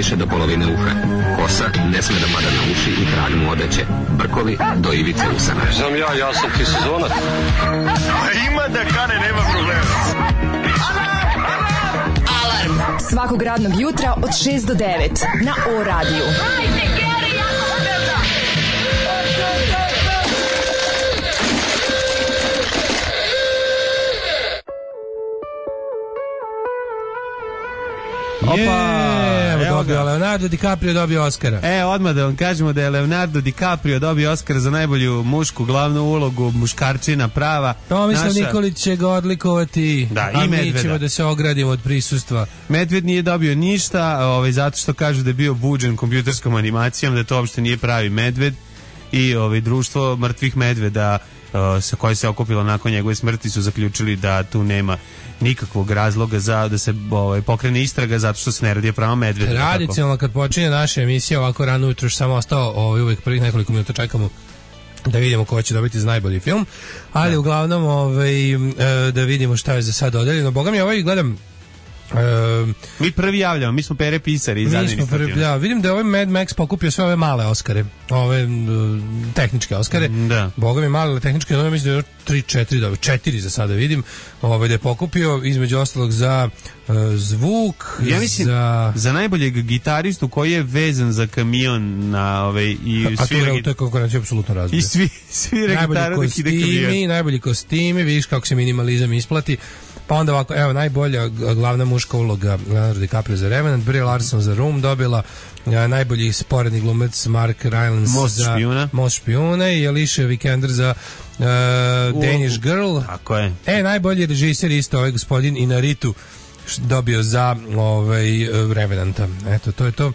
više do polovine uha. Kosa ne sme da pada na uši i krag mu odeće. Brkovi do ivice usana. Znam ja sam ti sezonac. Ima da kane, nema problema. Alarm svakog radnog jutra od 6 do 9 na O-radiju. Opa, Leonardo DiCaprio dobio Oscara. Odmah da vam kažemo da je Leonardo DiCaprio dobio Oscar za najbolju mušku glavnu ulogu, muškarčina prava. Tomislav Nikolić će ga odlikovati, da, a i mi ćemo da se ogradimo od prisustva. Medved nije dobio ništa, zato što kažu da je bio buđen kompjuterskom animacijom, da to uopšte nije pravi medved i društvo mrtvih medveda sa koje se okupilo nakon njegove smrti su zaključili da tu nema nikakvog razloga za da se pokrene istraga zato što se ne radi pravo medveda. Tradicionalno kad počinje naša emisija ovako rano ujutro, još samo ostao uvijek prvih nekoliko minuta čekamo da vidimo ko će dobiti za najbolji film, ali uglavnom da vidimo šta je za sad dodeljeno. Boga mi gledam mi prvi javljamo, mi smo Pere pisari iz administrativno. Vidim da je Mad Max pokupio sve ove male Oscare, ove tehničke Oscare. Da. Boga mi male tehničke, mislim da je 3-4 dobio, 4 za sada vidim, da je pokupio između ostalog za zvuk, ja mislim, za najboljeg gitaristu koji je vezan za kamion na i to je konkurencija apsolutno razbija. I svira gitaru dok ide kamion. Najbolji kostimi, vidiš kako se minimalizam isplati. Pa onda ovako, najbolja glavna muška uloga Leonardo DiCaprio za Revenant, Brie Larson za Room dobila, najbolji sporedni glumac Mark Rylance za Most špijuna i Alicia Vikander za Danish Girl. Tako je. Najbolji režiser isto gospodin Inarritu dobio za Revenanta. Eto, to je to.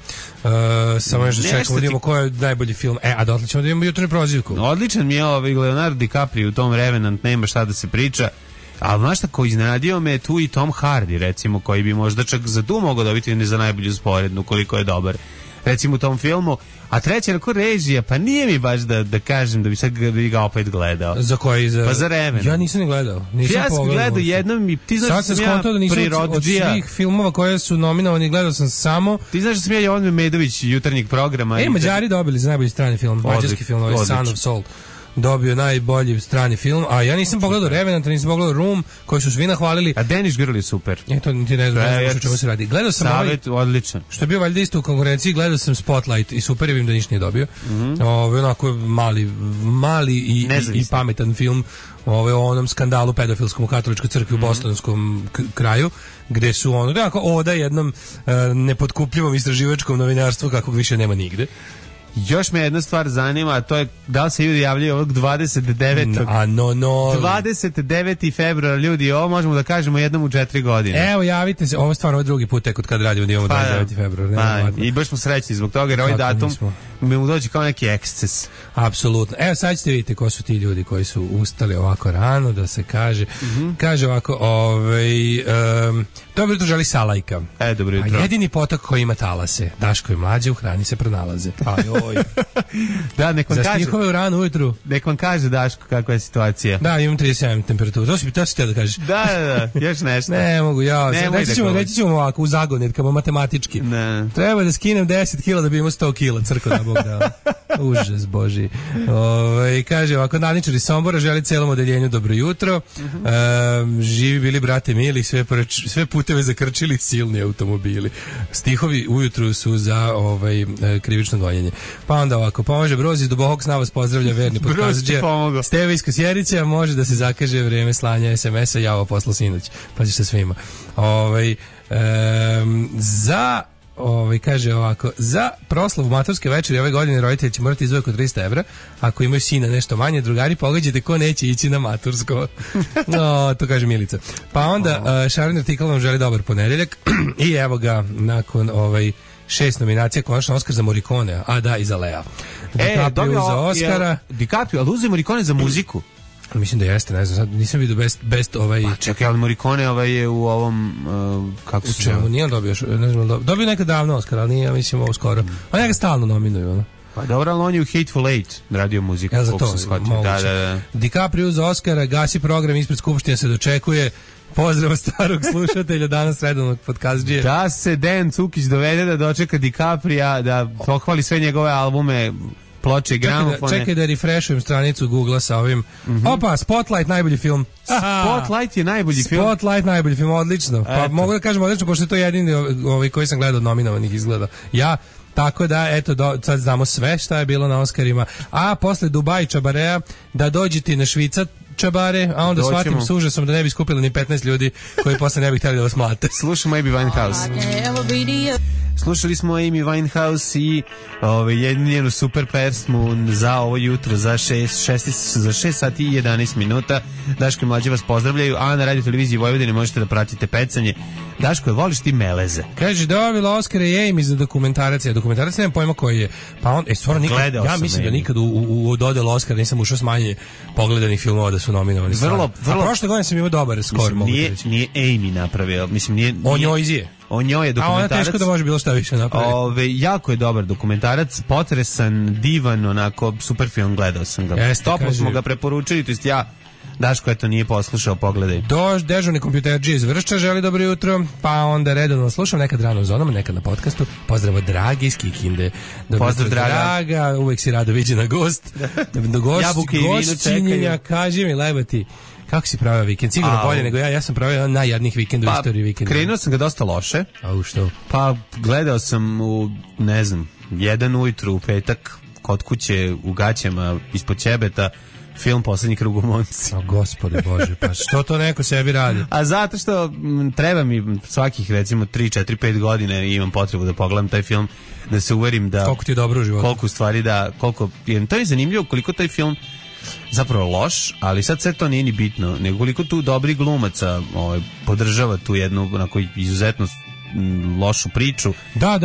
Samo još da čekamo, vidimo ko je najbolji film. A dotle ćemo da imamo jutarnju prozivku. Odličan mi je Leonardo DiCaprio u tom Revenant, nema šta da se priča. Ali znaš tako, iznenadio me tu i Tom Hardy, recimo, koji bi možda čak za tu mogao dobiti ne za najbolju sporednu, koliko je dobar, recimo u tom filmu. A treća je neko režija, pa nije mi baš da kažem da bi sad ga opet gledao. Za koji? Pa za Revenant. Ja nisam ni gledao. Ja sam gledao jednom i ti znaš da sam ja prirodđija. Od svih filmova koje su nominovani gledao sam samo... Ti znaš da sam ja Jovan Memedović jutarnjeg programa. Mađari dobili za najbolji strani film, mađarski film, Son of Soul. Dobio najbolji strani film, a ja nisam pogledao Revenant, nisam pogledao Room, koji su svi nahvalili. A Danish Girl je super. To ti ne znam o čemu se radi. Gledao sam Savet, odličan. Što je bio valjda isto u konkurenciji, gledao sam Spotlight i super je, vidim da ništa nije dobio. Onako mali i pametan film o onom skandalu pedofilskom u katoličkoj crkvi u bostonskom kraju, gde su oda jednom nepotkupljivom istraživačkom novinarstvu kakvog više nema nigde. Još me jedna stvar zanima, a to je da li se ljudi javljaju ovog 29. 29. februara, ljudi, ovo možemo da kažemo jednom u 4 godine. Evo, javite se, ovo stvarno je drugi put tek od kada radimo da imamo 29. februara. I baš smo srećni zbog toga, jer ovaj datum mi mu dođe kao neki eksces. Apsolutno. Evo, sad ćete vidjeti ko su ti ljudi koji su ustali ovako rano, da se kaže. Kaže ovako, dobro jutro želi Salajka. Dobro jutro. A jedini potok koji ima talase, Daško i Mlađe u hrani se pronalaze. Da, nek vam za kaže. Stihove u ranu ujutru. Nek vam kaže, Daško, kakva je situacija. Da, imam 37 temperaturu. To si htio da kažeš. Da, još nešto. Ne mogu, reći ćemo ovako, u zagonetkama, matematički. Ne. Treba da skinem 10 kila da bi imao 100 kila, crko da Bog da. Užas Boži. Kaže ovako, Naničar iz Sombora želi celom odeljenju dobro jutro. Živi bili brate mili, sve puteve zakrčili silni automobili. Stihovi ujutru su za krivično gonjenje. Pa onda ovako, pomaže Broz iz Dubokog sna vas pozdravlja verni podkazđe. Steve iz Kosjerića, može da se zakaže vreme slanja SMS-a, ja ovo poslao sinoć. Paziš sa svima. Kaže ovako, za proslavu maturske večeri ove godine roditelji će morati izdvojiti oko 300 evra. Ako imaju sina nešto manje, drugari, pogađajte ko neće ići na matursko. To kaže Milica. Pa onda Šaron Artikal vam želi dobar ponedeljak i evo ga, nakon 6 nominacija, konačno Oskar za Morricone, a da, i za Lea. DiCaprio za Oskara. DiCaprio, ali uzeo Morricone za muziku? Mislim da jeste, ne znam, sad nisam vidio best Pa čekaj, ali Morricone je u ovom, kako se zove? Nije dobio, ne znam, dobio nekad davno Oskar, ali nije, mislim, ovo skoro. On njega stalno nominuju, ono. Pa dobro, ali on je u Hateful Eight radio muziku. Ja za to, moguće. DiCaprio za Oskara, gasi program, ispred Skupštine se dočekuje. Pozdrav starog slušatelja, danas redovnog podcastđije. Da se Dejan Cukić dovede da dočeka DiCaprija, da pohvali sve njegove albume, ploče, gramofone. Čekaj da refreshujem stranicu Google-a sa ovim. Opa, Spotlight, najbolji film. Spotlight je najbolji film. Spotlight, najbolji film, odlično. Pa mogu da kažem odlično, pošto je to jedini koji sam gledao od nominovanih izgleda. Ja, tako da, eto, sad znamo sve šta je bilo na Oscarima. A posle Dubai Čabarea, da dođete na Švica Čabare, a onda shvatim s užasom da ne bi skupili ni 15 ljudi koji posle ne bi htjeli da vas mlate. Slušamo Amy Winehouse. Slušali smo Amy Winehouse i jednu njenu super pesmu za ovo jutro za 6 sati i 11 minuta. Daško i Mlađe vas pozdravljaju, a na Radio Televiziji Vojvodine možete da pratite pecanje. Daško, voliš ti meleze? Kaže, dobila Oscara i Amy za dokumentarac. Dokumentarac nemam pojma koji je. Pa on, stvarno nikad, ja mislim da nikad u dodelu Oscara nisam ušao s manje pogledanih filmova da su nominovani. Vrlo. A prošle godine sam imao dobar skor, mogu reći. Nije Amy napravio, mislim, nije... On njoj izije. On njoj je dokumentarac. A ona teško da može bilo šta više napraviti. Jako je dobar dokumentarac, potresan, divan, onako, super film, gledao sam ga. Toplo smo ga preporučili, to jest ja, Daško, eto, nije poslušao, pogledaj. Dežurni kompjuterđi iz Vršča želi dobro jutro, pa onda redovno slušam, nekad rano u zonama, nekad na podcastu. Pozdrav od Dragi iz Kikinde. Pozdrav, Draga. Uvek si rado viđena gost. Gošćinjenja, kaži mi, lebati. Kako si pravio vikend? Sigurno bolje nego ja. Ja sam pravio najjadnijih vikenda u istoriji vikenda. Krenuo sam ga dosta loše. A što? Pa gledao sam u, ne znam, 1 ujutru u petak kod kuće u gaćama ispod ćebeta film Poslednji krug u Monci. O gospode Bože, pa što to neko sebi radi? A zato što treba mi svakih recimo 3, 4, 5 godina i imam potrebu da pogledam taj film, da se uverim da... Koliko ti je dobro u životu. Koliko stvari da... To je zanimljivo koliko taj film zapravo loš, ali sad sve to nije ni bitno, nego koliko tu dobri glumaca podržava tu jednu onako izuzetno lošu priču. Da,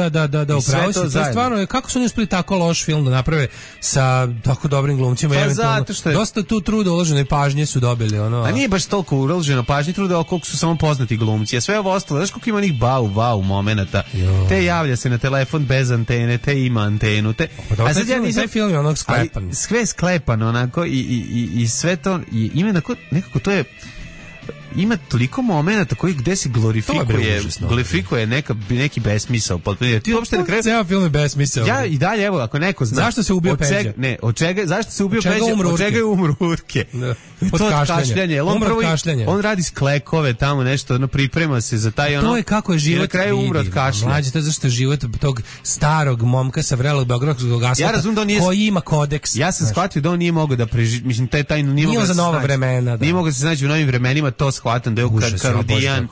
upravo si. To je stvarno, kako su oni uspeli tako loš film da naprave sa tako dobrim glumcima? Pa zato što je... Dosta tu truda uložene pažnje su dobili. A nije baš toliko uloženo pažnje, truda koliko su samo poznati glumci. A sve ovo ostalo, znaš koliko ima onih bau momenata. Te javlja se na telefon bez antene, te ima antenu. A sad ja nisam... Taj film je onog sklepan. Sve sklepan onako i sve to ima nekako to je... Ima toliko momenata koji gde se glorifikuje neki besmisao. Ti uopšte na kraju ceo film je besmisao. Ja i dalje, evo, ako neko zna zašto se ubio Peđa? Zašto se ubio Peđa? Od čega je umro Urke? Od kašljanja. On radi sklekove tamo nešto, priprema se za taj ono. To je kako je život. Na kraju umro od kašlja. Mlađe, to je zašto je život tog starog momka sa vrelog beogradskog asfalta koji ima kodeks. Ja sam shvatio da on nije mogao da preživi, mislim taj nije mogao za nova vremena. Nije mogao se snaći u novim vremenima, to shvatam da je Karudijan,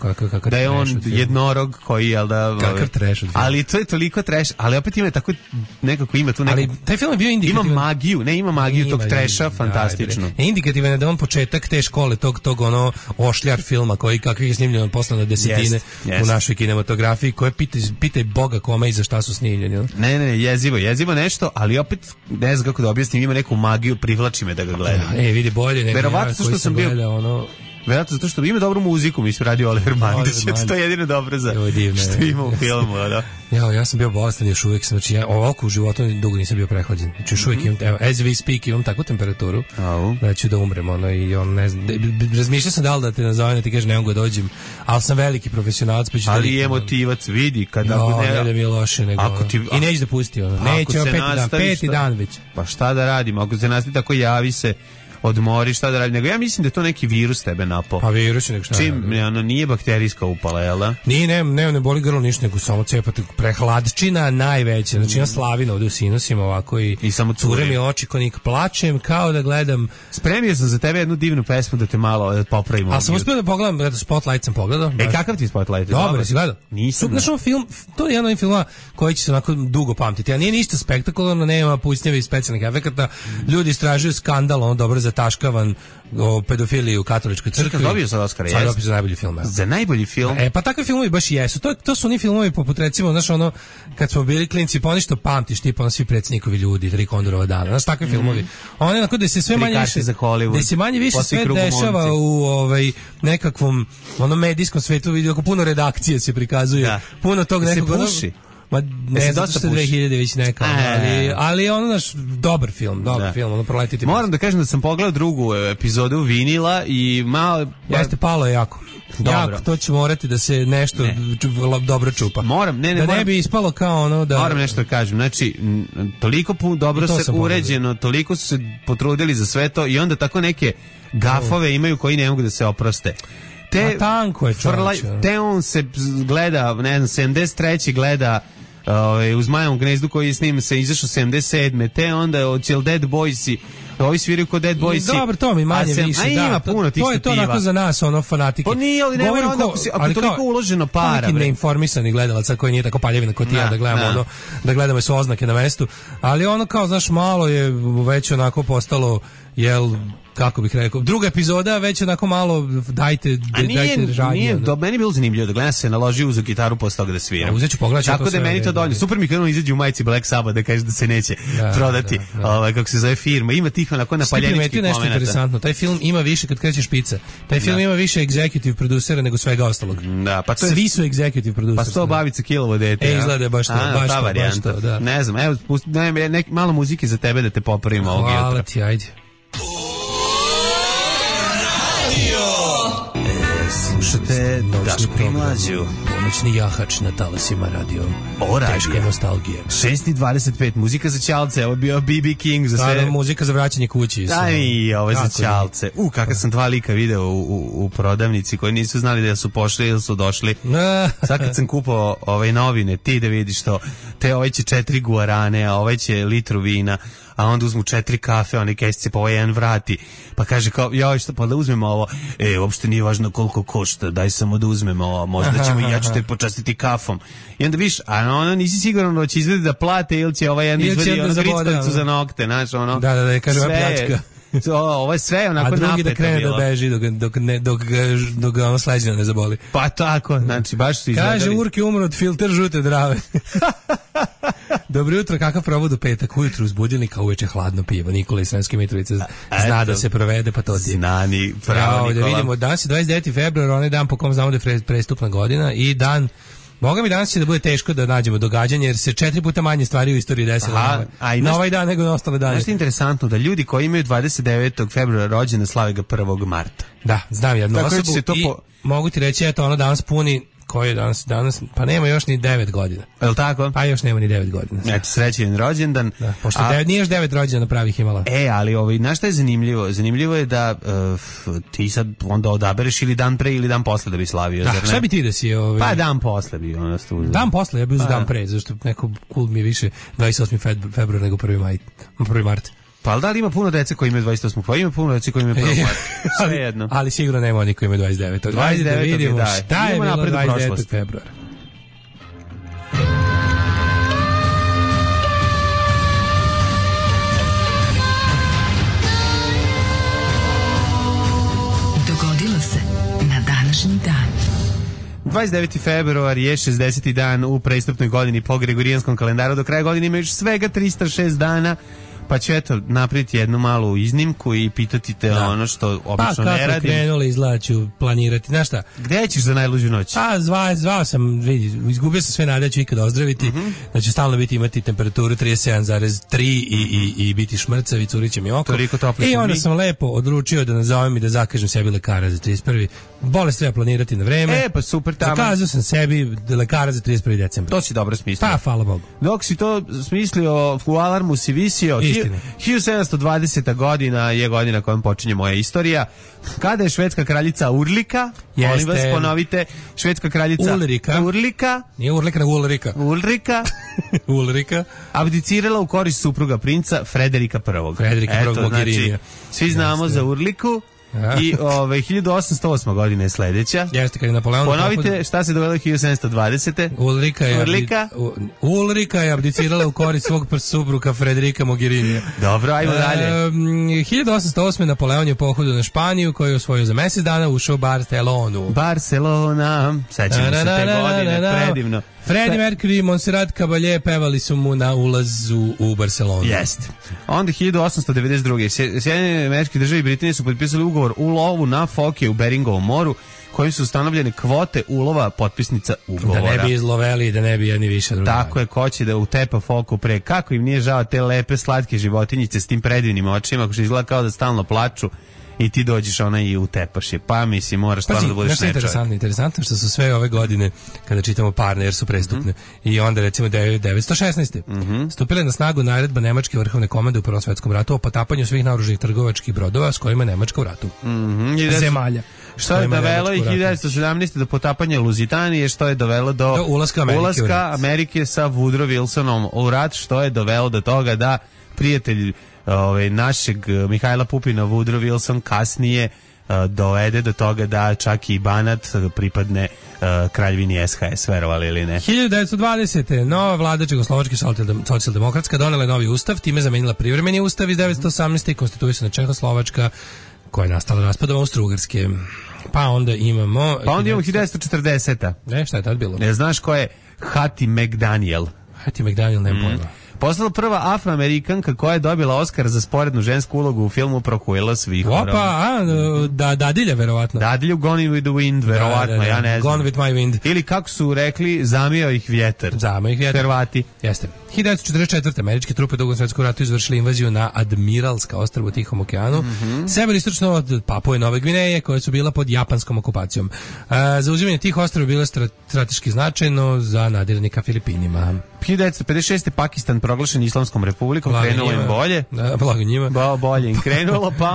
da je on jednorog koji, jel da... Kakav trash. Ali to je toliko trash, ali opet ima tako, nekako ima tu neko... Ali taj film je bio indikativan. Ima magiju tog trasha, fantastično. Indikativan je da on početak te škole, tog ono ošljar filma, kakvih je snimljeno posle na desetine u našoj kinematografiji, koje pitaj Boga kome i za šta su snimljeni. Ne, jezivo nešto, ali opet ne znam kako da objasnim, ima neku magiju, privlači me da ga gledam. Vidi bolje nego ja koji sam gledao ono... Verovatno zato što ima dobru muziku, mi se radi Oliver Mandić, to je jedino dobro za što ima u filmu, da. Ja sam bio bolestan još uvijek, znači ja ovako u životu dugo nisam bio prehlađen. Znači još uvijek imam, as we speak, imam takvu temperaturu da ću da umrem, i on ne znam, razmišljao sam da li da te nazovem, da ti kaže ne mogu da dođem, ali sam veliki profesionalac, pa ću ali i emotivac, vidi, kad ako ne da mi je loše, nego i neće da pusti, neće, peti dan već. Pa šta da radim, ako se nastavi tako, javi se, odmori, šta da radi, nego ja mislim da je to neki virus tebe napao. Pa virus je nego šta. Čim, nije bakterijska upala, jel da? Nije, ne boli grlo ništa, nego samo cepate prehladčina najveća, znači ja slavina ovde u sinusima ovako i samo cure mi oči konik, plačem kao da gledam. Spremio sam za tebe jednu divnu pesmu da te malo popravimo. A sam uspio da pogledam, Spotlight sam pogledao. Kakav ti Spotlight? Dobro, si gledao? Nisam. Znači film, to je jedan od filmova koji će se onako dugo pamtiti, a nije ništa spektakularno, nema pucnjeva i specijalnih efekata, ljudi istražuju skandal, dobro zataškavan o pedofiliji u katoličkoj crkvi. Dobio sam Oscara, sad dobio za najbolji film. Za najbolji film? Pa takvi filmovi baš jesu. To su oni filmovi poput recimo, znaš ono, kad smo bili klinci, pa oni što pamtiš, tipa ono svi predsjednikovi ljudi, Tri Kondorova dana, znaš, takvi filmovi. Oni onako da se sve manje više, da se manje više sve dešava u nekakvom medijskom svetu, vidi, puno redakcije se prikazuje, puno tog nekog... Ma ne znam što 2000 već neka, ali ono naš dobar film, ono proletiti. Moram da kažem da sam pogledao drugu epizodu Vinila i malo... Jeste, palo je jako. Dobro. Jako, to će morati da se nešto dobro čupa. Ne bi ispalo kao ono da... Moram nešto da kažem, znači, toliko dobro se uređeno, toliko su se potrudili za sve to i onda tako neke gafove imaju koji ne mogu da se oproste. Tanko je čovječ. Te on se gleda, ne znam, 73. gleda u Zmajevom gnezdu koji s njim se izašao 77. Te onda od Dead Boysi, ovi sviraju kod Dead Boysi. Dobro, to mi manje više, da. Ima puno tih to je to onako za nas, ono, fanatike. Pa nije, ali nema onda ako toliko uloženo para. Neki neinformisani gledalaca koji nije tako paljevina kod ja da gledamo ono, da gledamo su oznake na mestu, ali ono kao, znaš, malo je već onako postalo, jel, kako bih rekao, druga epizoda već onako malo dajte žadnje. Nije, meni je bilo zanimljivo da gledam se naloži uz gitaru posle toga da sviram. Uzet ću pogledati. Tako da meni to dovoljno. Super mi kada izađe u majici Black Sabbath da kaže da se neće prodati, kako se zove firma. Ima tih onako napaljeničkih momenata. Nešto interesantno. Taj film ima više kad kreće špica. Taj film ima više executive producera nego svega ostalog. Da, pa to je, svi su executive produceri. Pa 100 babica kilovo dete. Izgleda baš to, baš to, da. Ne znam, evo malo muzike za tebe da te popravimo ovog jutra. Hvala ti, ajde. Slušate Daško i Mlađu. Pomoćni jahač na talasima radio. Teška nostalgija. 6:25, muzika za ćalce. Ovo je bio B.B. King za sve. Muzika za vraćanje kući. Aj, ovo je za ćalce. Kakav sam 2 lika video u prodavnici koji nisu znali da su pošli ili su došli. Sad kad sam kupao novine, ti da vidiš to. Ovaj će 4 guarane, a ovaj će litru vina, a onda uzmu 4 kafe, one kesice, pa ovaj jedan vrati. Pa kaže kao, joj, što, pa da uzmemo ovo. Uopšte nije važno koliko košta, daj samo da uzmemo ovo, možda ćemo i ja ću te počastiti kafom. I onda viš, a ono nisi siguran da će izvedi da plate ili će ovaj jedan izvedi ono grickalicu za nokte, znaš, ono. Da, kaže ova pljačka. Ovo je sve onako napeto bilo. A drugi da krene da beži dok ga ono sleđina ne zaboli. Pa tako, znači baš su izgledali. Kaže, Urki umro od filter žute Drave. Dobro jutro, kakav provod u petak? Ujutru uz budilnika, uveče hladno pivo. Nikola iz Sremske Mitrovice zna da se provede, pa to ti je. Znani, pravo Nikola. Da vidimo, danas je 29. februar, onaj dan po kom znamo da je prestupna godina i dan... Boga mi danas će da bude teško da nađemo događanje, jer se 4 puta manje stvari u istoriji desilo na ovaj dan nego na ostale dane. Znaš, interesantno da ljudi koji imaju 29. februara rođene slave ga 1. marta. Da, znam jednu osobu i mogu ti reći, eto, ono danas puni, koji je danas, pa nema još ni 9 godina. Je li tako? Pa još nema ni 9 godina. Eto, srećen rođendan. Da, pošto nije još 9 rođena pravih imala. Ali znaš šta je zanimljivo? Zanimljivo je da ti sad onda odabereš ili dan pre ili dan posle da bi slavio. Da, šta bi ti da si? Pa dan posle bi ono stuzio. Dan posle, ja bi uzeo dan pre, zašto neko cool mi je više 28. februar nego 1. mart. Pa da li ima puno dece koji imaju 28. Pa ima puno dece koji imaju 1. marta. Sve jedno. Ali sigurno nema oni koji imaju 29. 29. Da vidimo šta je bilo 29. februara. Dogodilo se na današnji dan. 29. februar je 60. dan u prestupnoj godini po Gregorijanskom kalendaru. Do kraja godine ima još svega 306 dana. Pa ću eto napraviti jednu malu iznimku i pitati te ono što obično ne radim. Pa kako krenuli izlaću planirati, znaš šta? Gde ćeš za najluđu noć? Pa zvao sam, vidi, izgubio sam sve nade da ću ikada ozdraviti, da ću stalno imati temperaturu 37,3 i biti šmrcav i curiće mi oko. I onda sam lepo odlučio da nazovem i da zakažem sebi lekara za 31. Bolest treba planirati na vreme. Pa super tamo. Zakazao sam sebi lekara za 31. decembra. To si dobro smislio. Pa, hvala Bogu. Dok si to smislio, u alarmu si visio. 1720. godina je godina kojom počinje moja istorija. Kada je švedska kraljica Urlika, molim vas ponovite, švedska kraljica Urlika. Nije Urlika, nego Ulrika. Abdicirala u korist supruga princa Frederika I. Frederika I. Mogherini. Svi znamo za Urliku. I 1808. godina je sledeća. Jeste, kad je Napoleon... Ponovite šta se dogodilo 1720. Ulrika je abdicirala u korist svog supruga Frederika Mogherini. Dobro, ajmo dalje. 1808. Napoleon je pohodio na Španiju, koji je osvojio za mesec dana, ušao u Barcelona. Sećamo se te godine, predivno. Freddie Mercury i Montserrat Caballé pevali su mu na ulazu u Barcelonu. Jeste. Onda 1892. Sjedinjene Američke Države i Britanije su potpisali ugovor u lovu na foke u Beringovom moru, kojim su ustanovljene kvote ulova potpisnica ugovora. Da ne bi izloveli, da ne bi jedni više drugi. Tako je, ko će da utepa foku pre. Kako im nije žao te lepe, slatke životinjice s tim predivnim očima, što izgleda kao da stalno plaču i ti dođeš i utepaš je. Pa mislim, moraš stvarno da budeš nečovjek. Interesantno što su sve ove godine, kada čitamo parne, jer su prestupne, i onda recimo 1916. Stupila je na snagu naredba Nemačke vrhovne komande u Prvom svetskom ratu o potapanju svih naoružanih trgovačkih brodova s kojima je Nemačka u ratu. Zemalja. Što je dovelo i 1917. do potapanja Luzitanije, što je dovelo do ulaska Amerike sa Woodrow Wilsonom u rat, što je dovelo do toga da prijatelj našeg Mihajla Pupina, Woodrow Wilson, kasnije dovede do toga da čak i Banat pripadne kraljevini SHS, verovali ili ne. 1920. nova vlada Čehoslovačke socijaldemokratska donela je novi ustav, time zamenila privremeni ustav iz 1918. i konstituisana Čehoslovačka, koja je nastala raspadom Austro-Ugarske. Pa onda imamo 1940. Ne, šta je tad bilo? Ne znaš ko je Hattie McDaniel? Hattie McDaniel, nema pojma. Postala prva afroamerikanka koja je dobila Oskar za sporednu žensku ulogu u filmu Prokuela s vihorom. Opa, Dadilja, verovatno. Dadilju Gone with the Wind, verovatno, ja ne znam. Gone with my wind. Ili kako su rekli, zamio ih vjetar. Hrvati. Jeste. 1944. američke trupe u Drugom svjetskom ratu izvršili invaziju na Admiralska ostrvo u Tihom okeanu, severistočno od Papue Nove Gvineje, koje su bila pod japanskom okupacijom. Zauzimanje tih ostrva bilo strateški značajno za nadiranje ka Filipinima. 1956. Pakistan proglašen Islamskom republikom, krenulo im bolje. Blago njima. Bolje im krenulo, pa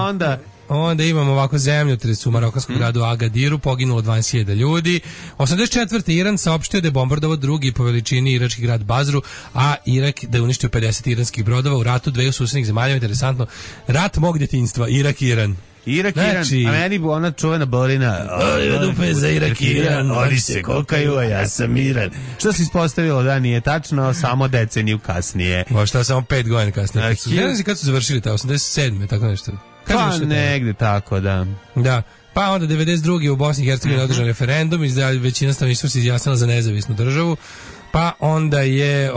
onda imamo ovako zemljotres u marokanskom gradu Agadiru, poginulo 20.000 ljudi. 84. Iran saopštio da je bombardovao drugi po veličini irački grad Bazru, a Irak da je uništio 50 iranskih brodova u ratu dveju susednih zemalja. Interesantno, rat mog djetinjstva, Irak i Iran. Irak, Iran, a meni bu ona čuvena bolina. Dupe za Irak i Iran, oni se kokaju, a ja sam Iran. Što se ispostavilo da nije tačno, samo deceniju kasnije. Možda samo 5 godina kasnije. Ne znam kad su završili ta 87. tako nešto. Pa negde tako, da. Da. Pa onda 92. u Bosni i Hercegovini održan referendum i većina stanovništva se izjasnila za nezavisnu državu. Pa onda je,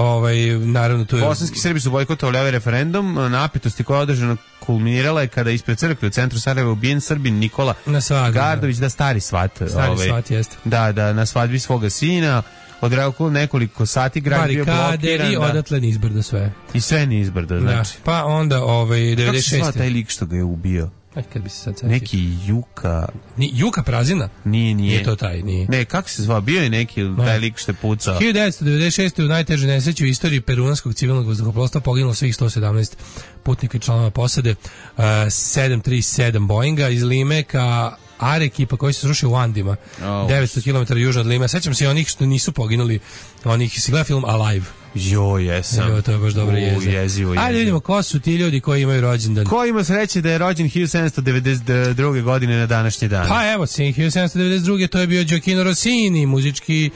naravno, tu je... Bosanski Srbi su bojkotovali ovaj referendum, napetosti koja je održana kulminirala je kada ispred crkve u centru Sarajeva ubijen Srbin Nikola Gardović, stari svat. Svat, jeste. Da, na svadbi svoga sina, odreagovalo nekoliko sati, grad bio blokiran. I odatle nizbrdo sve. I sve nizbrdo, znači. Da. Pa onda, 96. Kako se zva taj lik što ga je ubio? Kad bi se sad setio. Neki Juka... Juka Prazina? Nije. Nije to taj, nije. Ne, kako se zvao? Bio je neki taj lik što je pucao. 1996. u najtežoj nesreći u istoriji peruanskog civilnog vazduhoplovstva poginulo svih 117 putnika i članova posade 737 Boeinga iz Lime ka Arequipa koji se srušio u Andima, 900 km južno od Lime. Sećam se onih što nisu poginuli, onih, si gleda film Alive? Jesam. To je baš dobro jezivo. Ajde vidimo ko su ti ljudi koji imaju rođendan. Ko ima sreće da je rođen 1792. godine na današnji dan? Pa evo, 1792. to je bio Gioacchino Rossini, muzički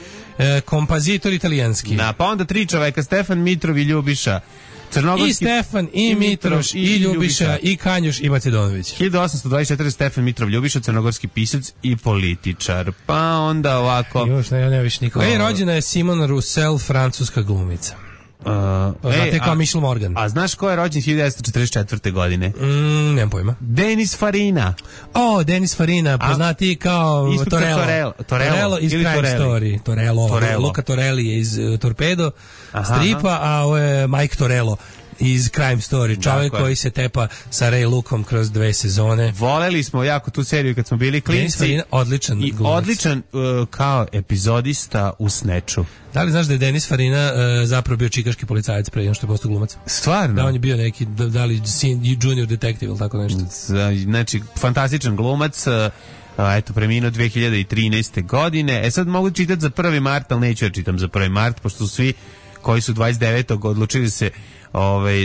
kompozitor italijanski. Pa onda 3 čoveka, Stefan, Mitrov i Ljubiša. I Stefan, i Mitroš, i Ljubiša, i Kanjuš, i Macedonović. 1824. Stefan Mitrov Ljubiša, crnogorski pisac i političar. Pa onda ovako... Još ne više nikoga. Rođena je Simone Roussel, francuska glumica. Znate kao Michel Morgan. A znaš ko je rođen 1944. godine? Nemam pojma. Denis Farina. Denis Farina, poznati kao Torello iz Crime Story. Torello. Luca Torelli je iz Torpedo stripa, a ovo je Mike Torello iz Crime Story, čovjek koji se tepa sa Ray Lookom kroz 2 sezone. Voleli smo jako tu seriju kad smo bili klinci. Odličan i glumac. Odličan kao epizodista u Snatchu. Da li znaš da je Denis Farina zapravo bio čikaški policajac pre nego što je postao glumac? Stvarno? Da, on je bio neki, da li junior detective ili tako nešto. Znači, fantastičan glumac, eto, preminuo 2013. godine. Sad mogu čitati za 1. mart, ali neću da čitam za 1. mart, pošto su svi koji su 29. odlučili se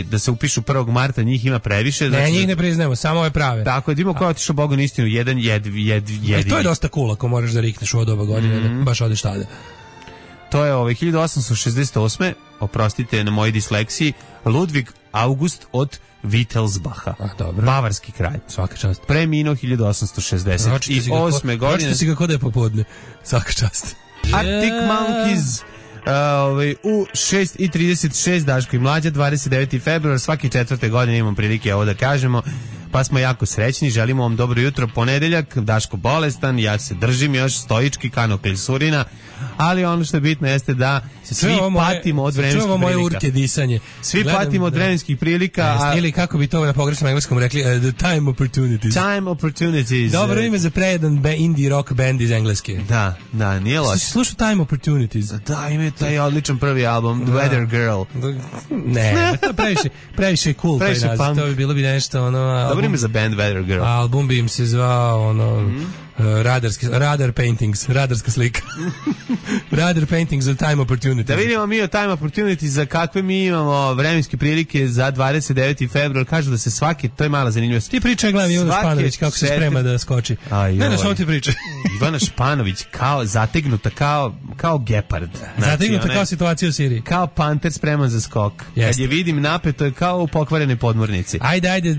da se upišu 1. marta, njih ima previše. Ne, njih ne priznajemo, samo ove prave. Tako, vidimo ko je otišao Bogu na istinu, jedan jedini. To je dosta cool ako moraš da rikneš u doba godine, da baš odeš tada. To je 1868. Oprostite na mojoj disleksiji, Ludvig August od Wittelsbacha. Bavarski kralj. Svaka čast. Preminuo 1868. godine. Ročite si ga kod je popodne. Svaka čast. Arctic Monkeys. U 6:36 Daško i Mlađa, 29. februar, svake 4. godine imam prilike ovo da kažemo, pa smo jako srećni, želimo vam dobro jutro, ponedeljak, Daško bolestan, ja se držim još stoički kano klisurina, ali ono što je bitno jeste da svi patimo od vremenskih prilika. Moje urke disanje. Svi patimo od vremenskih prilika. Ili kako bi to na pogrešnom engleskom rekli, the time opportunities. Time opportunities. Dobro ime za prejedan indie rock band iz Engleske. Da, nije loš. Slušao Time Opportunities. Da, ima taj odličan prvi album, The Weather Girl. Ne, to previše cool. Previše punk. To bi bilo nešto ono... Dobro ime za band Weather Girl. Album bi im se zvao ono... Radar paintings, radarska slika. Radar paintings of time opportunities. Da vidimo mi o time opportunities za kakve mi imamo vremenske prilike za 29. februar. Kažu da se svaki, to je mala zanimljivost. Ti pričaj glavi Ivana Španović kako se sprema da skoči. Ne, samo ti pričaj. Ivana Španović kao zategnuta kao gepard. Zategnuta kao situacija u Siriji. Kao panter spreman za skok. Kad je vidim napeto je kao u pokvarene podmornici. Ajde,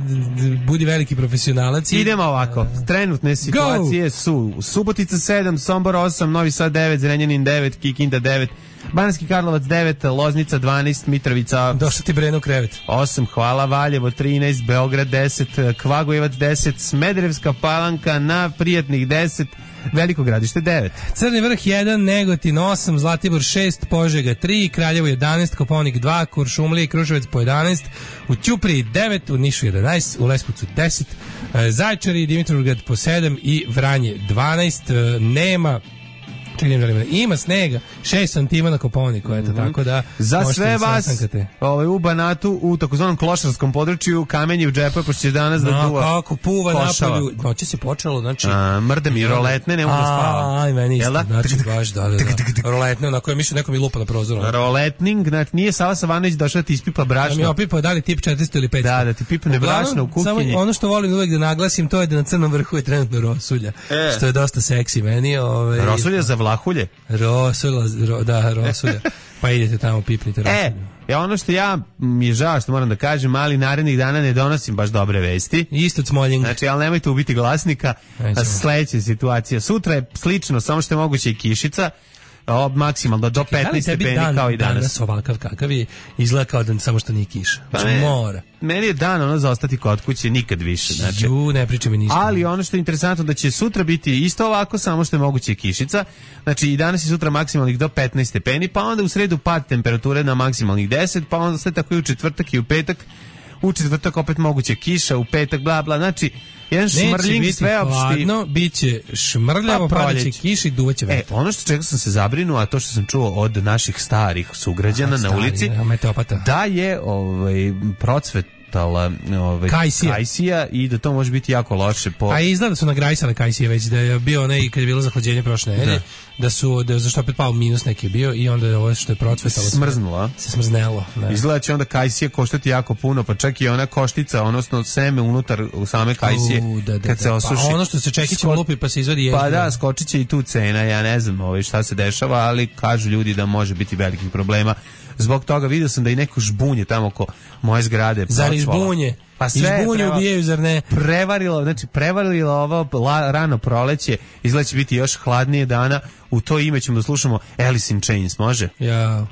budi veliki profesionalac. Idemo ovako. Trenutne situacije su Subotica 7, Sombor 8, Novi Sad 9, Zrenjanin 9, Kikinda 9, Banatski Karlovac 9, Loznica 12, Mitrovica... Došao ti Breno u krevet. 8, hvala, Valjevo 13, Beograd 10, Kvagojevac 10, Smederevska Palanka na prijatnih 10, Veliko Gradište 9. Crni Vrh 1, Negotin 8, Zlatibor 6, Požega 3, Kraljevo 11, Kopaonik 2, Kuršumlija i Kruševac po 11, u Ćupriji 9, u Nišu 11, u Leskovcu 10, Zaječar i Dimitrovgrad po 7 i Vranje 12, ima snega 6 santima na Kopaoniku, eto, tako da za sve vas u Banatu u takozvanom klošarskom području kamenje u džepu, pošto će danas da duva kako puva napolju, noći se počelo, znači mrde mi roletne, ne mogu da spavam. Aj, meni isto, znači baš da roletne, onako je mišljeno neko mi lupa na prozoru. Roletning, znači nije Sava Savanović došao da ti ispipa brašno. Da mi opipao da li tip 400 ili 500. Da ti pipne brašno u kuhinji. Samo ono što volim uvek da naglasim, to je da na Crnom Vrhu je trenutno rosulja, što je dosta seksi meni. Rosulja za Vlahulje? Rosulja. Pa idete tamo, pipnite rosulju. Ono što mi je žao što moram da kažem, ali narednih dana ne donosim baš dobre vesti. Isto Smoljing. Znači, ali nemojte ubiti glasnika. Sledeća situacija. Sutra je slično, samo što je moguće i kišica. Maksimalno do 15 stepeni kao i danas ovakav kakav je, izgleda kao da samo što nije kiša. Mora. Meni je dan za ostati kod kuće, nikad više. Znači, ne priča mi ništa. Ali ono što je interesantno da će sutra biti isto ovako, samo što je moguće kišica. Znači i danas i sutra maksimalnih do 15 stepeni, pa onda u sredu pad temperature na maksimalnih 10, pa onda sve tako i u četvrtak i u petak. U četvrtak opet moguće kiša, u petak bla bla, znači jedan šmrljing sveopšti. Hladno, biće šmrljavo, padaće kiši, duvaće vetar. Ono što čega sam se zabrinuo, a to što sam čuo od naših starih sugrađana na ulici, da je procvet kajsija i da to može biti jako loše a izgleda da su nagrajsale kajsije već, da je bio onaj kad je bilo zahlađenje prošle nedelje, da su zašto opet pao minus neki bio i onda je ovo što je procvetalo se smrznelo. Izgleda će onda kajsije koštati jako puno, pa čak i ona koštica, odnosno seme unutar u same kajsije kad se osuši. Pa ono što se čekićem lupi pa se izvadi ježba. Pa da, skočit će i tu cena, ja ne znam šta se dešava, ali kažu ljudi da može biti velikih problema. Zbog toga vidio sam da i neko žbunje tamo oko moje zgrade. Zar izbunje? Pa izbunje ubijaju, zar ne? Prevarilo ovo rano proleće, izgleda će biti još hladnije dana. U to ime ćemo da slušamo Alice in Chains, može? Ja.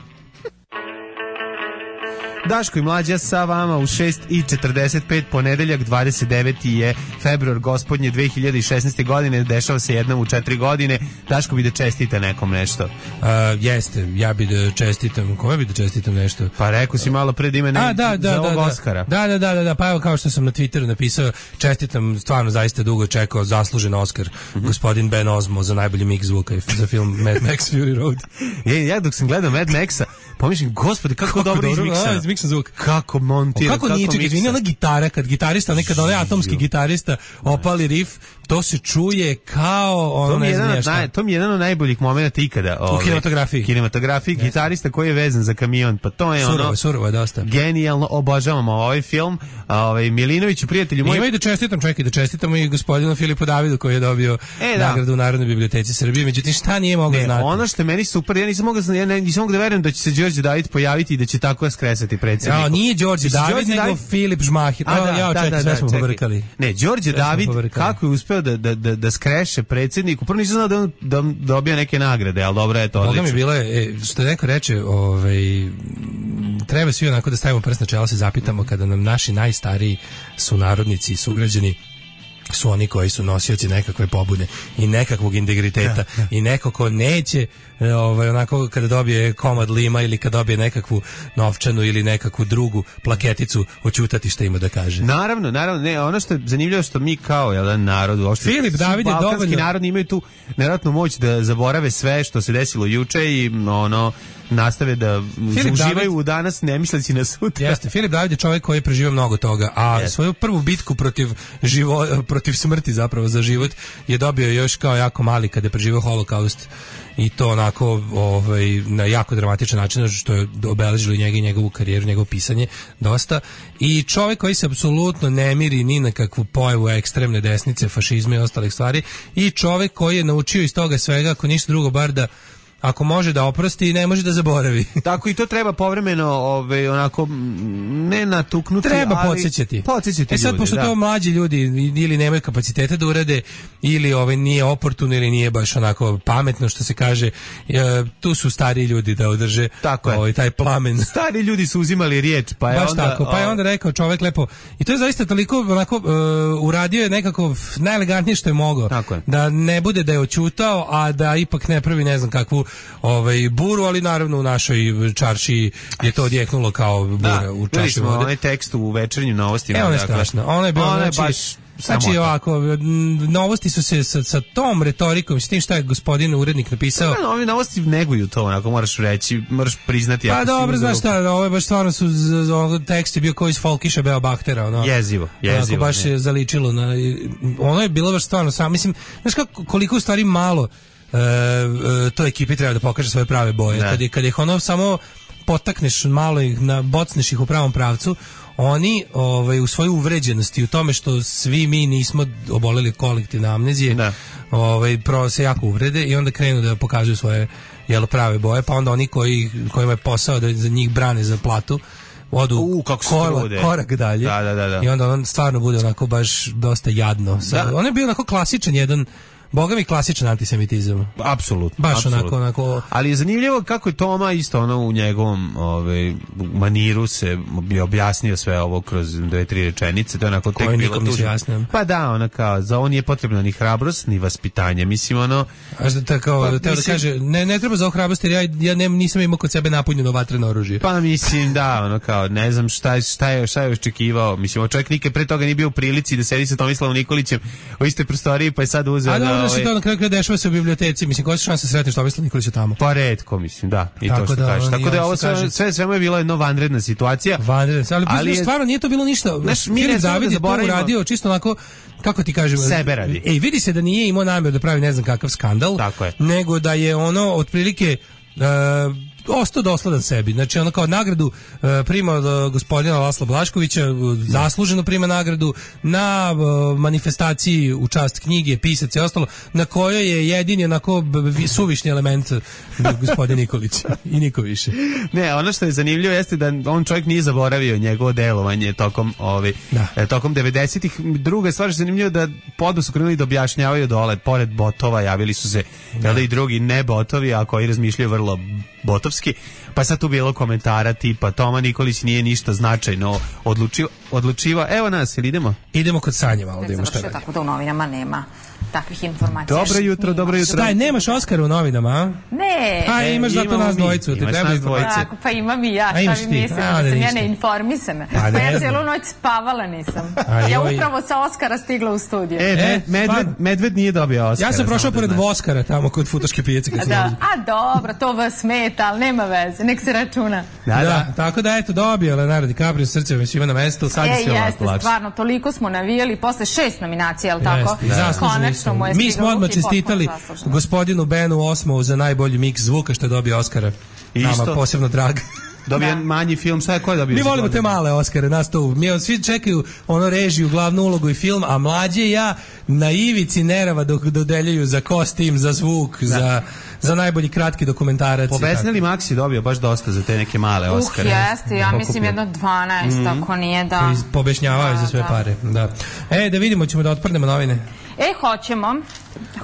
Daško i Mlađa sa vama u 6:45, ponedeljak 29. je februar gospodnje 2016. godine, dešava se jednom u 4 godine. Daško bi da čestita nekom nešto. Jeste, ja bi da čestitam, kome bi da čestitam nešto? Pa rekao si malo pre da ima za ovog Oskara. Da, pa evo kao što sam na Twitteru napisao, čestitam, stvarno zaista dugo čekao zaslužen Oskar, gospodin Ben Ozmo za najbolji mix zvuka za film Mad Max Fury Road. Ja dok sam gledao Mad Maxa, pomišljam, gospode, kako dobro izmiksano. Zvuk. Kako montira, kako nije, čekaj, ona gitara, kad gitarista, nekada onaj atomski gitarista opali riff, to se čuje kao ono, ne znam šta. To mi je jedan od najboljih momenta ikada. U kinematografiji, gitarista koji je vezan za kamion, pa to je surovo je dosta. Genijalno, obožavamo ovaj film. Milinoviću, prijatelju moj. Ima i da čestitam i gospodinu Filipu Davidu koji je dobio nagradu u Narodnoj biblioteci Srbije, međutim šta nije mogao znati. Ono što je meni super, ja nisam mogao da verujem da će se Đorđe David pojaviti i da će tako skresati predsjedniku. Ja, nije Đorđe David, nego Filip Žmahir. Sve smo pobrkali. Ne, Đorđe David, kako je uspeo da skreše predsjedniku, prvo nisam znao da on dobija neke nagrade, ali dobro je to odlično. Boga mi bilo je, što neko reče, treba svi onako da stavimo prst na čelo, se zapitamo kada nam naši najstariji sunarodnici i sugrađani su oni koji su nosioci nekakve pobude i nekakvog integriteta i neko ko neće onako kada dobije komad lima ili kada dobije nekakvu novčanu ili nekakvu drugu plaketicu oćutati šta ima da kaže. Naravno, ne, ono što je zanimljivo što mi kao jedan narod, uopšte Filip David je dovoljno narod imaju tu nevjerojatnu moć da zaborave sve što se desilo juče i nastave da uživaju u danas ne misleći na sutra. Jeste, Filip David je čovjek koji je preživio mnogo toga, a svoju prvu bitku protiv smrti zapravo za život je dobio još kao jako mali kada je preživio holokaust i to onako na jako dramatičan način što je obeležilo njega i njegovu karijeru, njegovo pisanje dosta i čovjek koji se apsolutno ne miri ni na kakvu pojavu ekstremne desnice, fašizma i ostalih stvari i čovjek koji je naučio iz toga svega, ako ništa drugo bar da ako može da oprosti, ne može da zaboravi. Tako i to treba povremeno onako ne natuknuti, treba ali podsjećati. Podsjećati sad ljudi, pošto to mlađi ljudi ili nemaju kapacitete da urade ili nije oportuno ili nije baš onako pametno što se kaže, tu su stariji ljudi da održe taj plamen. Stari ljudi su uzimali riječ, pa je baš onda tako, pa je onda rekao čovjek lepo i to je zaista toliko onako uradio je nekako najelegantnije što je mogao. Da ne bude da je oćutao, a da ipak ne pravi ne znam kakvu buru, ali naravno u našoj čaršiji je to odjeknulo kao bura u čaši vode. Onaj tekst u Večernjim novostima. Ono je strašno. Ono je bilo, znači ovako, novosti su se sa tom retorikom, s tim šta je gospodin urednik napisao. Ovi novosti neguju to, onako moraš reći, moraš priznati. Pa dobro, znaš šta, ovo je baš stvarno tekst je bio koji iz Folkiša Beo Bahtera. Jezivo. Onako baš je zaličilo. Ono je bilo baš stvarno sam, mislim, znaš koliko u stvari malo to ekipi treba da pokaže svoje prave boje. Kad ih ono samo potakneš malo, bocneš ih u pravom pravcu, oni u svojoj uvređenosti u tome što svi mi nismo oboleli kolektivne amnezije, se jako uvrede i onda krenu da pokazuju svoje prave boje, pa onda oni kojima je posao da za njih brane za platu odu korak dalje. Da. I onda on stvarno bude onako baš dosta jadno. On je bio onako klasičan jedan Boga mi klasičan antisemitizam. Apsolutno. Baš onako. Ali je zanimljivo kako je Toma isto u njegovom maniru se bi objasnio sve ovo kroz 2-3 rečenice. To je onako tek bilo tužno. Pa da, kao, za on nije potrebna ni hrabrost, ni vaspitanje. Mislim, da kaže, ne treba za hrabrost, jer ja nisam imao kod sebe napunjeno vatreno oružje. Pa mislim, da, kao, ne znam šta je očekivao. Mislim, čovjek nikad pre toga nije bio u prilici da sedi sa Tomislavom Nikolićem u istoj prostoriji, pa je sad uzeo da to na kraju dešava se u biblioteci, mislim, koja se šansa sretneš Tomislav Nikolića tamo? Pa retko, mislim, da, i to što kažeš. Tako da ovo sve mu je bila jedna vanredna situacija. Ali stvarno nije to bilo ništa. Filip David je to uradio čisto onako, kako ti kažem, sebe radi. Vidi se da nije imao namjer da pravi ne znam kakav skandal, nego da je ono otprilike ostao dosledan sebi. Znači ono kao nagradu prima od gospodina Lasla Blaškovića, zasluženo prima nagradu na manifestaciji u čast knjige, pisac i ostalo, na kojoj je jedini onako suvišni element gospodin Nikolić i niko više. Ne, ono što je zanimljivo jeste da on čovjek nije zaboravio njegovo delovanje tokom 90-ih. Druga stvar što je zanimljivo da podno su krenuli da objašnjavaju dole, pored botova javili su se i drugi ne botovi, a koji razmišljaju vrlo botovski, pa sad tu bilo komentara tipa Toma Nikolić nije ništa značajno odlučiva. Evo nas, ili idemo? Idemo kod Sanje malo da imamo šta. Tako da u novinama nema takvih informacija. Dobro jutro. Šta je, nemaš Oskara u novinama, a? Ne. A imaš zato nas dvojicu, te treba informacija. Pa imam i ja, šta mi mislim, da sam ja neinformisana. Pa ja cijelu noć spavala nisam. Ja upravo sa Oskara stigla u studiju. Medved nije dobio Oskara. Ja sam prošao pored Voskara tamo kod Futoške pijace. A dobro, to vas smeta, ali nema veze, nek se računa. Da, tako da eto dobio Leonardo DiCaprio, srce mi svima na mestu, sad je sve ovako lakše. Stvarno, toliko smo navijali, posle 6 nominacija, ali tako? Mi smo odmah čestitali gospodinu Benu Osmovu za najbolji miks zvuka što je dobio Oskara. Nama posebno drag. Dobio manji film, šta je ko je dobio? Mi volimo te male Oskare, nas to. Svi čekaju režiju, glavnu ulogu i film, a mlađe ja na ivici nerava dok dodeljuju za kostim, za zvuk, za najbolji kratki dokumentarac. Po Besneli Maksi dobio baš dosta za te neke male Oskare. Jeste, ja mislim jedno 12, ako nije da... Pobešnjavaju za sve pare, da. Da vidimo, ćemo da otprnemo novine.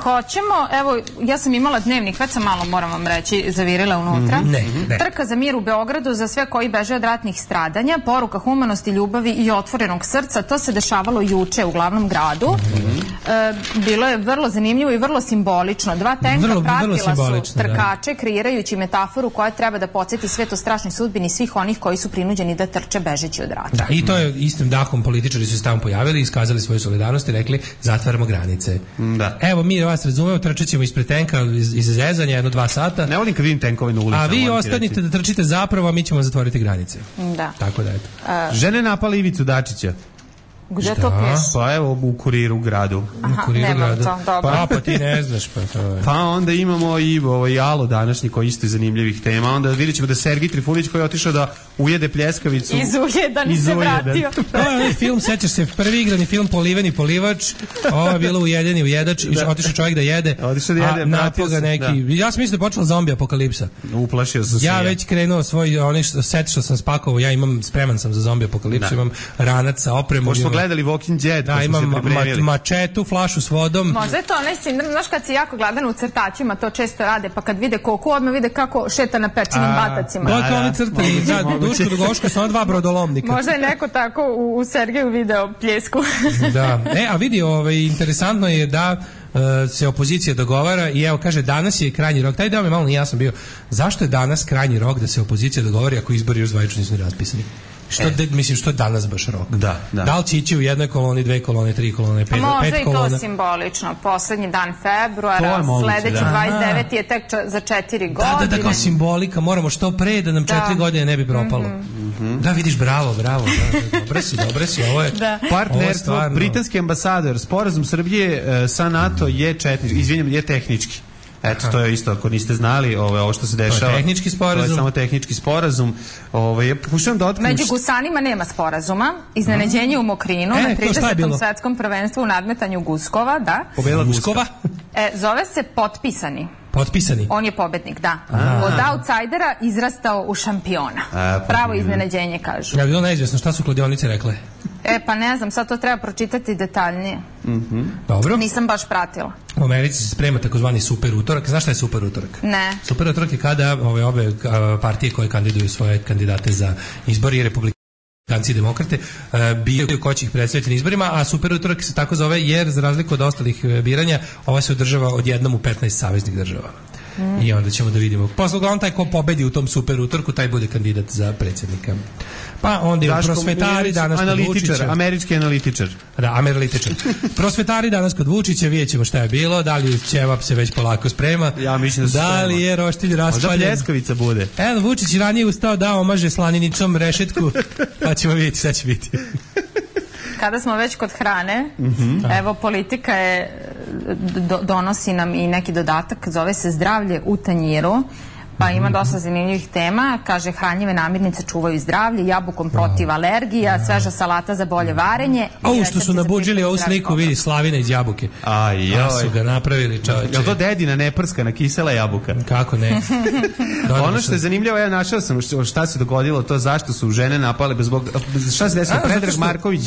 Hoćemo, evo, ja sam imala dnevnik, već sam malo, moram vam reći, zavirila unutra. Ne. Trka za mir u Beogradu za sve koji beže od ratnih stradanja, poruka humanosti, ljubavi i otvorenog srca. To se dešavalo juče u glavnom gradu. Bilo je vrlo zanimljivo i vrlo simbolično. Dva tenka pratila su trkače, kreirajući metaforu koja treba da podsjeti svet o strašnoj sudbini svih onih koji su prinuđeni da trče bežeći od rata. Da, i to je istim dahom političari su se tamo pojavili, iskazali svoju solidarnost i rekli zatvaramo granice. Da. Evo, mi vas razumemo, trčat ćemo ispred tenka iz zezanja 1-2 sata. Ne volim kad vidim tenkove na ulicama. A vi ostanite da trčite zapravo, a mi ćemo zatvoriti granice. Da. Tako da, eto. Žene napale Ivicu Dačića. Gde to piše? Pa evo u Kuriru gradu. Aha, nemam to, dobro. Pa ti ne znaš, pa to je. Pa onda imamo i Alo današnji koji isto iz zanimljivih tema. Onda vidjet ćemo da Sergij Trifunović koji je otišao da ujede pljeskavicu. Izujedan se vratio. To je onaj film, sećaš se, prvi igrani film Poliveni polivač, ovo je bilo Ujedeni ujedač, otišao čovjek da jede, a napoga neki. Ja sam mislio da je počela zombi apokalipsa. Uplašio sam se. Ja već krenuo svoj, set što sam spakovao, ja imam, spreman sam za zombi apokalipsu, imam ranac sa opremom. Gledali Walking Dead, da, imam mačetu, flašu s vodom. Možda je to onaj sindrom, znaš kad si jako gladan u crtačima, to često rade, pa kad vide koku, odmah vide kako šeta na pečenim batacima. Gotovi crtani, da, Duško Dugoško, samo 2 brodolomnika. Možda je neko tako u Sergeju video pljesku. Da, a vidi, interesantno je da se opozicija dogovara i evo kaže danas je krajnji rok, taj deo mi malo nije jasan bio, zašto je danas krajnji rok da se opozicija dogovori ako izbori još zvanično nisu raspisani? Što je danas baš rok? Da li će ići u jednoj koloni, 2 kolone, 3 kolone, 5 kolona? Možda i to simbolično. Poslednji dan februara, sledeći 29. je tek za 4 godine. Da, kao simbolika, moramo što pre da nam 4 godine ne bi propalo. Da, vidiš, bravo. Dobre si, ovo je partnerstvo. Britanski ambasador, sporazum Srbije sa NATO je tehnički. Eto, to je isto, ako niste znali, ovo što se dešava. To je tehnički sporazum. To je samo tehnički sporazum. Pokušavam da otkrijem... Među gusanima nema sporazuma. Iznenađenje u Mokrinu na 30. svetskom prvenstvu u nadmetanju guskova, da. Pobedila guskova? Zove se Potpisani. Potpisani? On je pobednik, da. Od outsidera izrastao u šampiona. Pravo iznenađenje, kažu. Ja, bilo neizvjesno, šta su kladionice rekle? Pa ne znam, sad to treba pročitati detaljnije. Dobro. Nisam baš pratila. U Americi se sprema takozvani super utorak. Znaš šta je super utorak? Ne. Super utorak je kada ove partije koje kandiduju svoje kandidate za izbori i republikanci i demokrate biraju ko će ih predstaviti na izborima, a super utorak se tako zove jer za razliku od ostalih biranja ova se održava odjednom u 15 saveznih država. I onda ćemo da vidimo. Posle uglavnom taj ko pobedi u tom super utorku, taj bude kandidat za predsjednika. Pa onda je prosvetari danas kod Vučića. Američki analitičar. Da, analitičar. Prosvetari danas kod Vučića, vidjet ćemo šta je bilo, da li ćevap se već polako sprema. Ja mislim da se sprema. Da li je roštilj raspaljen. Možda pljeskavica bude. Evo, Vučić ranije ustao da omaže slaninicom rešetku, pa ćemo vidjeti šta će biti. Kada smo već kod hrane, evo politika donosi nam i neki dodatak, zove se zdravlje u tanjiru, pa ima dosta zanimljivih tema, kaže hranjive namirnice čuvaju zdravlje, jabukom protiv alergija, sveža salata za bolje varenje. Ovo što su nabuđili ovu sliku, vidi, Slavina iz jabuke. A su ga napravili, čovječe. Je li to dedina neprskana kisela jabuka? Kako ne? Ono što je zanimljivo, ja našao sam šta se dogodilo, to zašto su žene napale, šta se desilo? Predrag Marković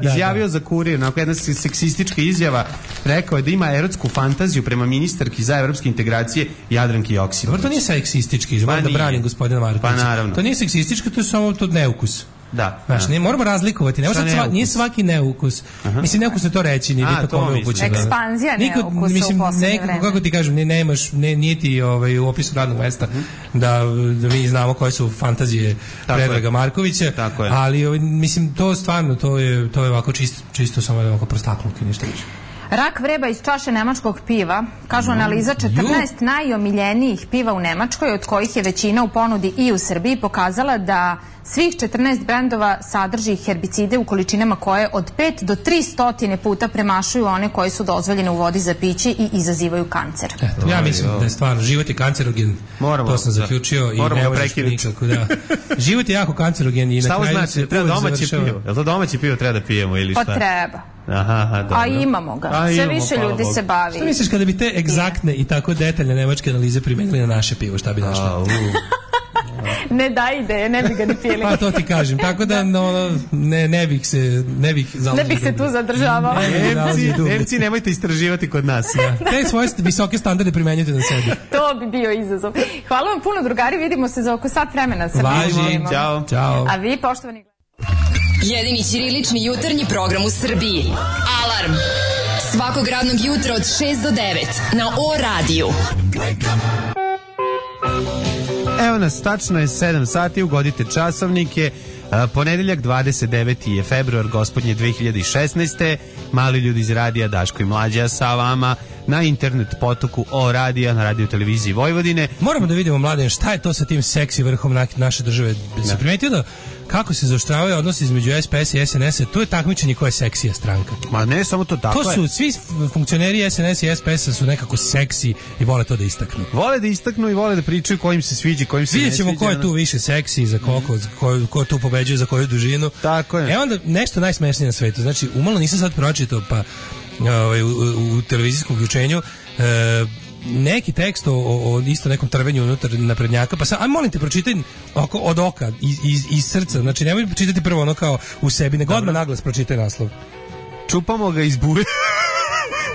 izjavio za Kurir, onako jedna seksistička izjava, rekao je da ima erotsku fantaziju prema ministarki za evropske integracije Jadranki Joksimović. Dobro, to nije seksistički, da branim gospodina Markovića. Pa naravno. To nije seksistički, to je samo to neukus. Da. Znaš, moramo razlikovati. Nije svaki neukus. Mislim, neukus je to reći, nije to kome upućeno. Ekspanzija neukusa u posljednje vreme. Kako ti kažem, nije ti u opisu radnog mesta da mi znamo koje su fantazije Predraga Markovića, ali mislim, to stvarno, to je ovako čisto samo ovako prostakluk i ništa više. Rak vreba iz čaše nemačkog piva, kažu analiza 14 najomiljenijih piva u Nemačkoj, od kojih je većina u ponudi i u Srbiji, pokazala da svih 14 brendova sadrži herbicide u količinama koje od 5 do 300 puta premašuju one koje su dozvoljene u vodi za piće i izazivaju kancer. Ja mislim da je stvarno, život je kancerogen, to sam zaključio i ne možeš nikako. Život je jako kancerogen i na kraju se treba domaće pivo. Je li to domaće pivo treba da pijemo ili šta? Pa treba. Aha, dobro. A imamo ga. Sve više ljudi se bavi. Šta misliš kada bi te egzaktne i tako detaljne nemačke analize primenili na naše pivo, šta bi našli? Ne daj ideje, ne bi ga ni pili. Pa to ti kažem, tako da ne bih se tu zadržavao. Nemci, nemojte istraživati kod nas. Te svoje visoke standarde primenjujte na sebi. To bi bio izazov. Hvala vam puno, drugari, vidimo se za oko sat vremena. Važi, ćao. A vi, poštovani... Jedini ćirilični jutarnji program u Srbiji. Alarm! Svakog radnog jutra od 6 do 9 na O-radiju. Evo nas, tačno je 7 sati, ugodite časovnike. Ponedeljak 29. je februar gospodnje 2016. Mali ljudi iz radija Daško i Mlađa sa vama na internet potoku O radija na radio televiziji Vojvodine. Moramo da vidimo, Mladen, šta je to sa tim seksi vrhom naše države. Se primetio da kako se zaoštravaju odnosi između SPS i SNS-a, to je takmičenje koja je seksija stranka. Ma ne, samo to tako. To su svi funkcioneri SNS i SPS-a su nekako seksi i vole to da istaknu. Vole da istaknu i vole da pričaju kojim se sviđa, kojim se ne sviđa. Vidjet ćemo ko je tu više seksi, za koliko, ko tu pobeđuje, za koju dužinu. Tako je. Onda nešto najsmešnije na svetu. Znači, umalo nisam sad pročitao, pa u televizijskom uključenju neki tekst o isto nekom trvenju unutar naprednjaka, pa sad, molim te, pročitaj od oka, iz srca, znači nemoj pročitati prvo ono kao u sebi, nego odmah naglas pročitaj naslov. Čupamo ga iz bulje.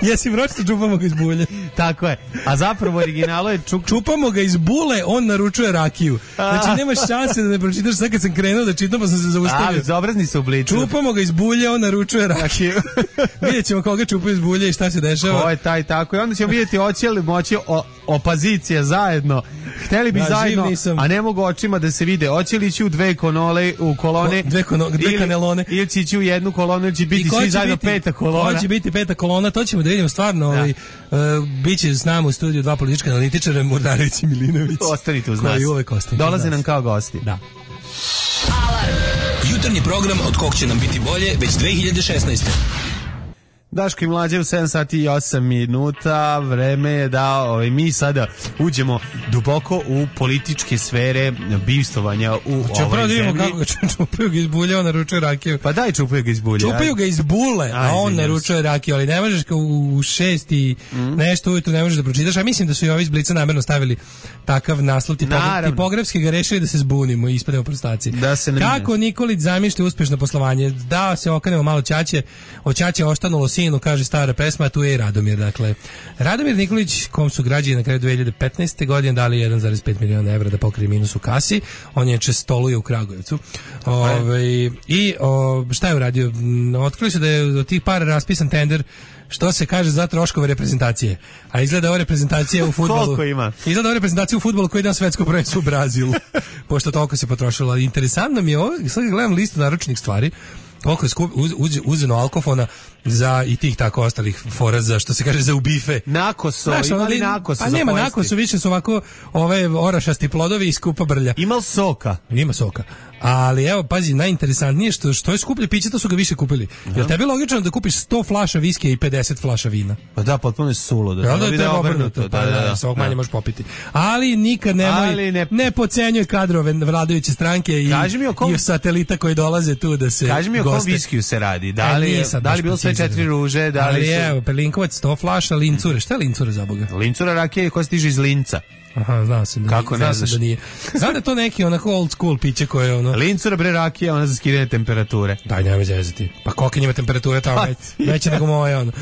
Jesi pročitao čupamo ga iz bulje? Tako je. A zapravo originalo je čupamo ga iz bule, on naručuje rakiju. Znači nemaš šanse da ne pročitaš, sad kad sam krenuo da čitam pa sam se zaustavio. Bezobrazni su obliču. Čupamo ga iz bulje, on naručuje rakiju. Vidjet ćemo koga čupaju iz bulje i šta se dešava. Ko je taj tako. I onda ćemo vidjeti hoće li moći opozicija zajedno. Hteli bi zajedno, a ne mogu očima da se vide. Hoće li ići u dve kolone, dve kanelone. Ili će ići u jednu kolonu, ili će biti svi zajedno peta kolona. Ko će biti peta kolona, to ćemo da vidimo stvarno. Biće s nama u studiju dva politička analitičara, Mordarević i Milinović. Ostanite uz nas. Dolaze nam kao gosti. Da. Alarm! Jutarnji program od kog će nam biti bolje već 2016. Daško i Mlađe u 7 sati i 8 minuta. Vreme je da mi sada uđemo duboko u političke sfere bivstovanja u ovoj zemlji. Kako ga čupaju ga iz bulje, on naručuje rakiju. Pa daj čupaju ga iz bulje. Čupaju ga iz bule, a on naručuje rakiju, ali ne možeš kao u 6 i nešto ujutru ne možeš da pročitaš. A mislim da su i ovi iz Blica namerno stavili takav naslov, tipografski ga rešili da se zbunimo i ispademo prostaci. Kako Nikolić zamišlja uspešno poslovanje? Da se okrenemo malo Ćaće, od Ćaće ostanulo sinu, kaže stara pesma, a tu je i Radomir. Dakle, Radomir Nikolić, kom su građani na kraju 2015. godine dali 1,5 miliona evra da pokrije minus u kasi, on je stoluje u Kragujevcu. Šta je uradio? Otkrili su da je od tih para raspisan tender, što se kaže, za troškove reprezentacije. A izgleda ova reprezentacija u fudbalu. Koliko ima? Izgleda ova reprezentacija u fudbalu koji je na svetsko prvenstvo u Brazilu. Pošto toliko se potrošilo. Interesantno mi je ovo, sad gledam listu naručenih stvari, koliko je uzeno alkofona za i tih tako ostalih fora za, što se kaže, za ubife. Nakoso, imali nakoso za nema nakoso, više su ovako ove orašasti plodovi i skupa brlja. Ima soka? Ima soka. Ali evo, pazi, najinteresantnije što je skuplje piće, to su ga više kupili. Jel tebi logično da kupiš 100 flaša viskija i 50 flaša vina? Pa da, potpuno je sulo. Da je obrnuto. Da, svog manje možeš popiti. Ali nikad ne podcenjuj kadrove vladajuće stranke i satelita koji dolaze tu da se goste. Kaži mi o kom viskiju se radi. Da li bilo sve 4 ruže? Ali evo, Perlinkovac 100 flaša, Lincure. Šta je Lincure za Boga? Lincura rakija koja stiže iz Linca. Aha, znao sam da kako ne znaš? Da nije. Znam da je to neki onako old school piće koje ono... Lincura bre rakija, ona za skidanje temperature. Daj, nemoj zezati. Pa koliko njima temperature tamo veće nego moje ono.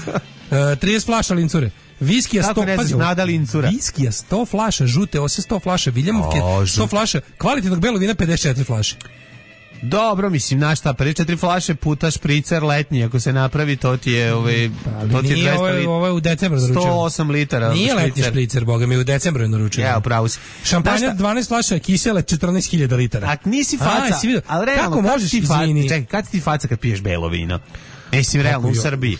30 flaša Lincure. Viskija 100, pazi, nada Lincura. Viskija 100 flaša, žute ose 100 flaša, Viljamovke 100 flaša, kvalitetnog belog vina 54 flaše. Dobro, mislim, znaš šta, 54 flaše puta špricer letnji, ako se napravi, to ti je to ti je 200 litara. Ovo je u decembru naručeno. 108 litara. Nije letnji špricer, boga mi, u decembru je naručeno. Ja, upravo si. Šampanja 12 flaša, kisele 14.000 litara. A nisi faca, ali realno, kako možeš, izvini? Čekaj, kad ti faca kad piješ belo vino? Mislim, realno, u Srbiji.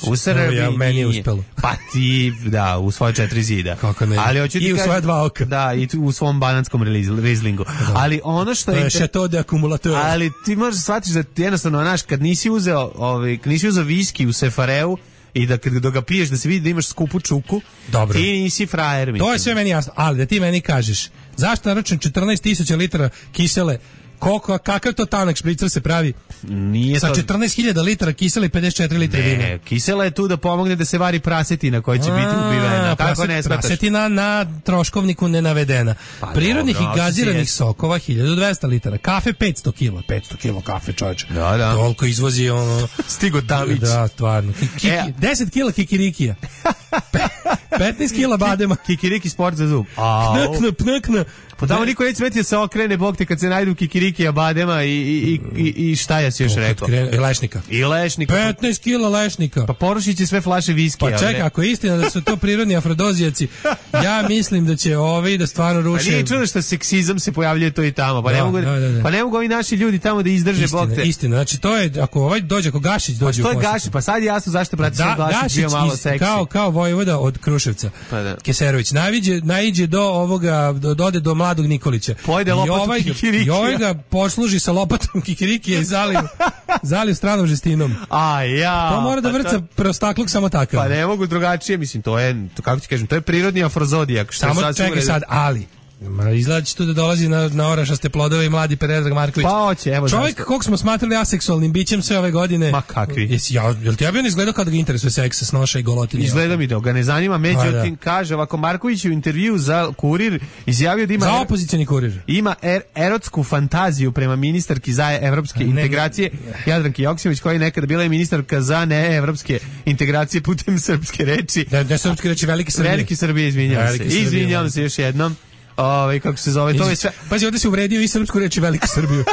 U Srbiji meni je uspelo. Pa ti, da, u svoje 4 zida. Kako ne? Ali i u svoje 2 oka. Da, i u svom bananskom rizlingu. Ali ono što je... To je šato de akumulatora. Ali ti možeš shvatiti da ti jednostavno, znaš, kad nisi uzeo viski u Sefareu, i da kad ga piješ da se vidi da imaš skupu čuku, dobro, ti nisi frajer. To je sve meni jasno, ali da ti meni kažeš zašto naručujem 14.000 litara kisele Kakav to tanak špricer se pravi? Nije sa to... 14.000 litara kisela i 54 litra vina. Ne, kisela je tu da pomogne da se vari prasetina koja će biti ubivena. Kako ne smetaš? Prasetina na troškovniku ne navedena. Pa, prirodnih dobro, i gaziranih sokova 1200 litara. Kafe 500 kila. 500 kila kafe, čovječe. Da. Toliko izvozi ono... Stigo Davić. Da, stvarno. 10 kila kikirikija. 15 kila badema. Kikiriki sport za zub. Pnekna. Pa tamo niko neće smeti da se okrene, bog te, kad se najdu kikiriki, badema i šta ja si još rekao? Lešnika. I lešnika. 15 kila lešnika. Pa porušit će sve flaše viskija. Pa čekaj, ako je istina da su to prirodni afrodizijaci, ja mislim da će ovi da stvarno ruše... Pa nije čudo što seksizam se pojavljuje to i tamo. Pa ne mogu ovi naši ljudi tamo da izdrže, bog te. Istina, znači to je, ako Gašić dođe u posjetu. To je Gašić, pa sad je jasno zašto, brate, sam Gašić bio malo seksi. Kao vojvoda od Kruševca. Pa da. Keserović, naiđe do ovoga, dode do mladog Nikolića. Pojede lopatu kikirikija. I ovaj ga posluži sa lopatom kikirikija i zaliju stranom žestinom. To mora da vrca prostakluk samo takav. Pa ne mogu drugačije, mislim, to je, kako ti kažem, to je prirodni afrozodijak. Samo čekaj sad, ali... Izgleda će tu da dolazi na orašaste plodove i mladi Predrag Marković. Pa hoće, evo čovjek kog smo smatrali aseksualnim bićem sve ove godine. Ma kakvi? Jel ti ja bio ne izgledao kada ga interesuje seks, snoša i golotinje? Izgleda mi da ga ne zanima, međutim kaže ovako, Marković u intervju za Kurir izjavio da ima... Za opozicioni Kurir. Ima erotsku fantaziju prema ministarki za evropske integracije Jadranki Joksimović, koja je nekada bila i ministarka za neevropske integracije putem srpske reči. Ne srpske reči, velike Srbije. Velike Srbije, izvinjavam se još jednom. Kako se zove, to je sve. Pazi, ovdje se uvredio i srpsku reč i Veliku Srbiju.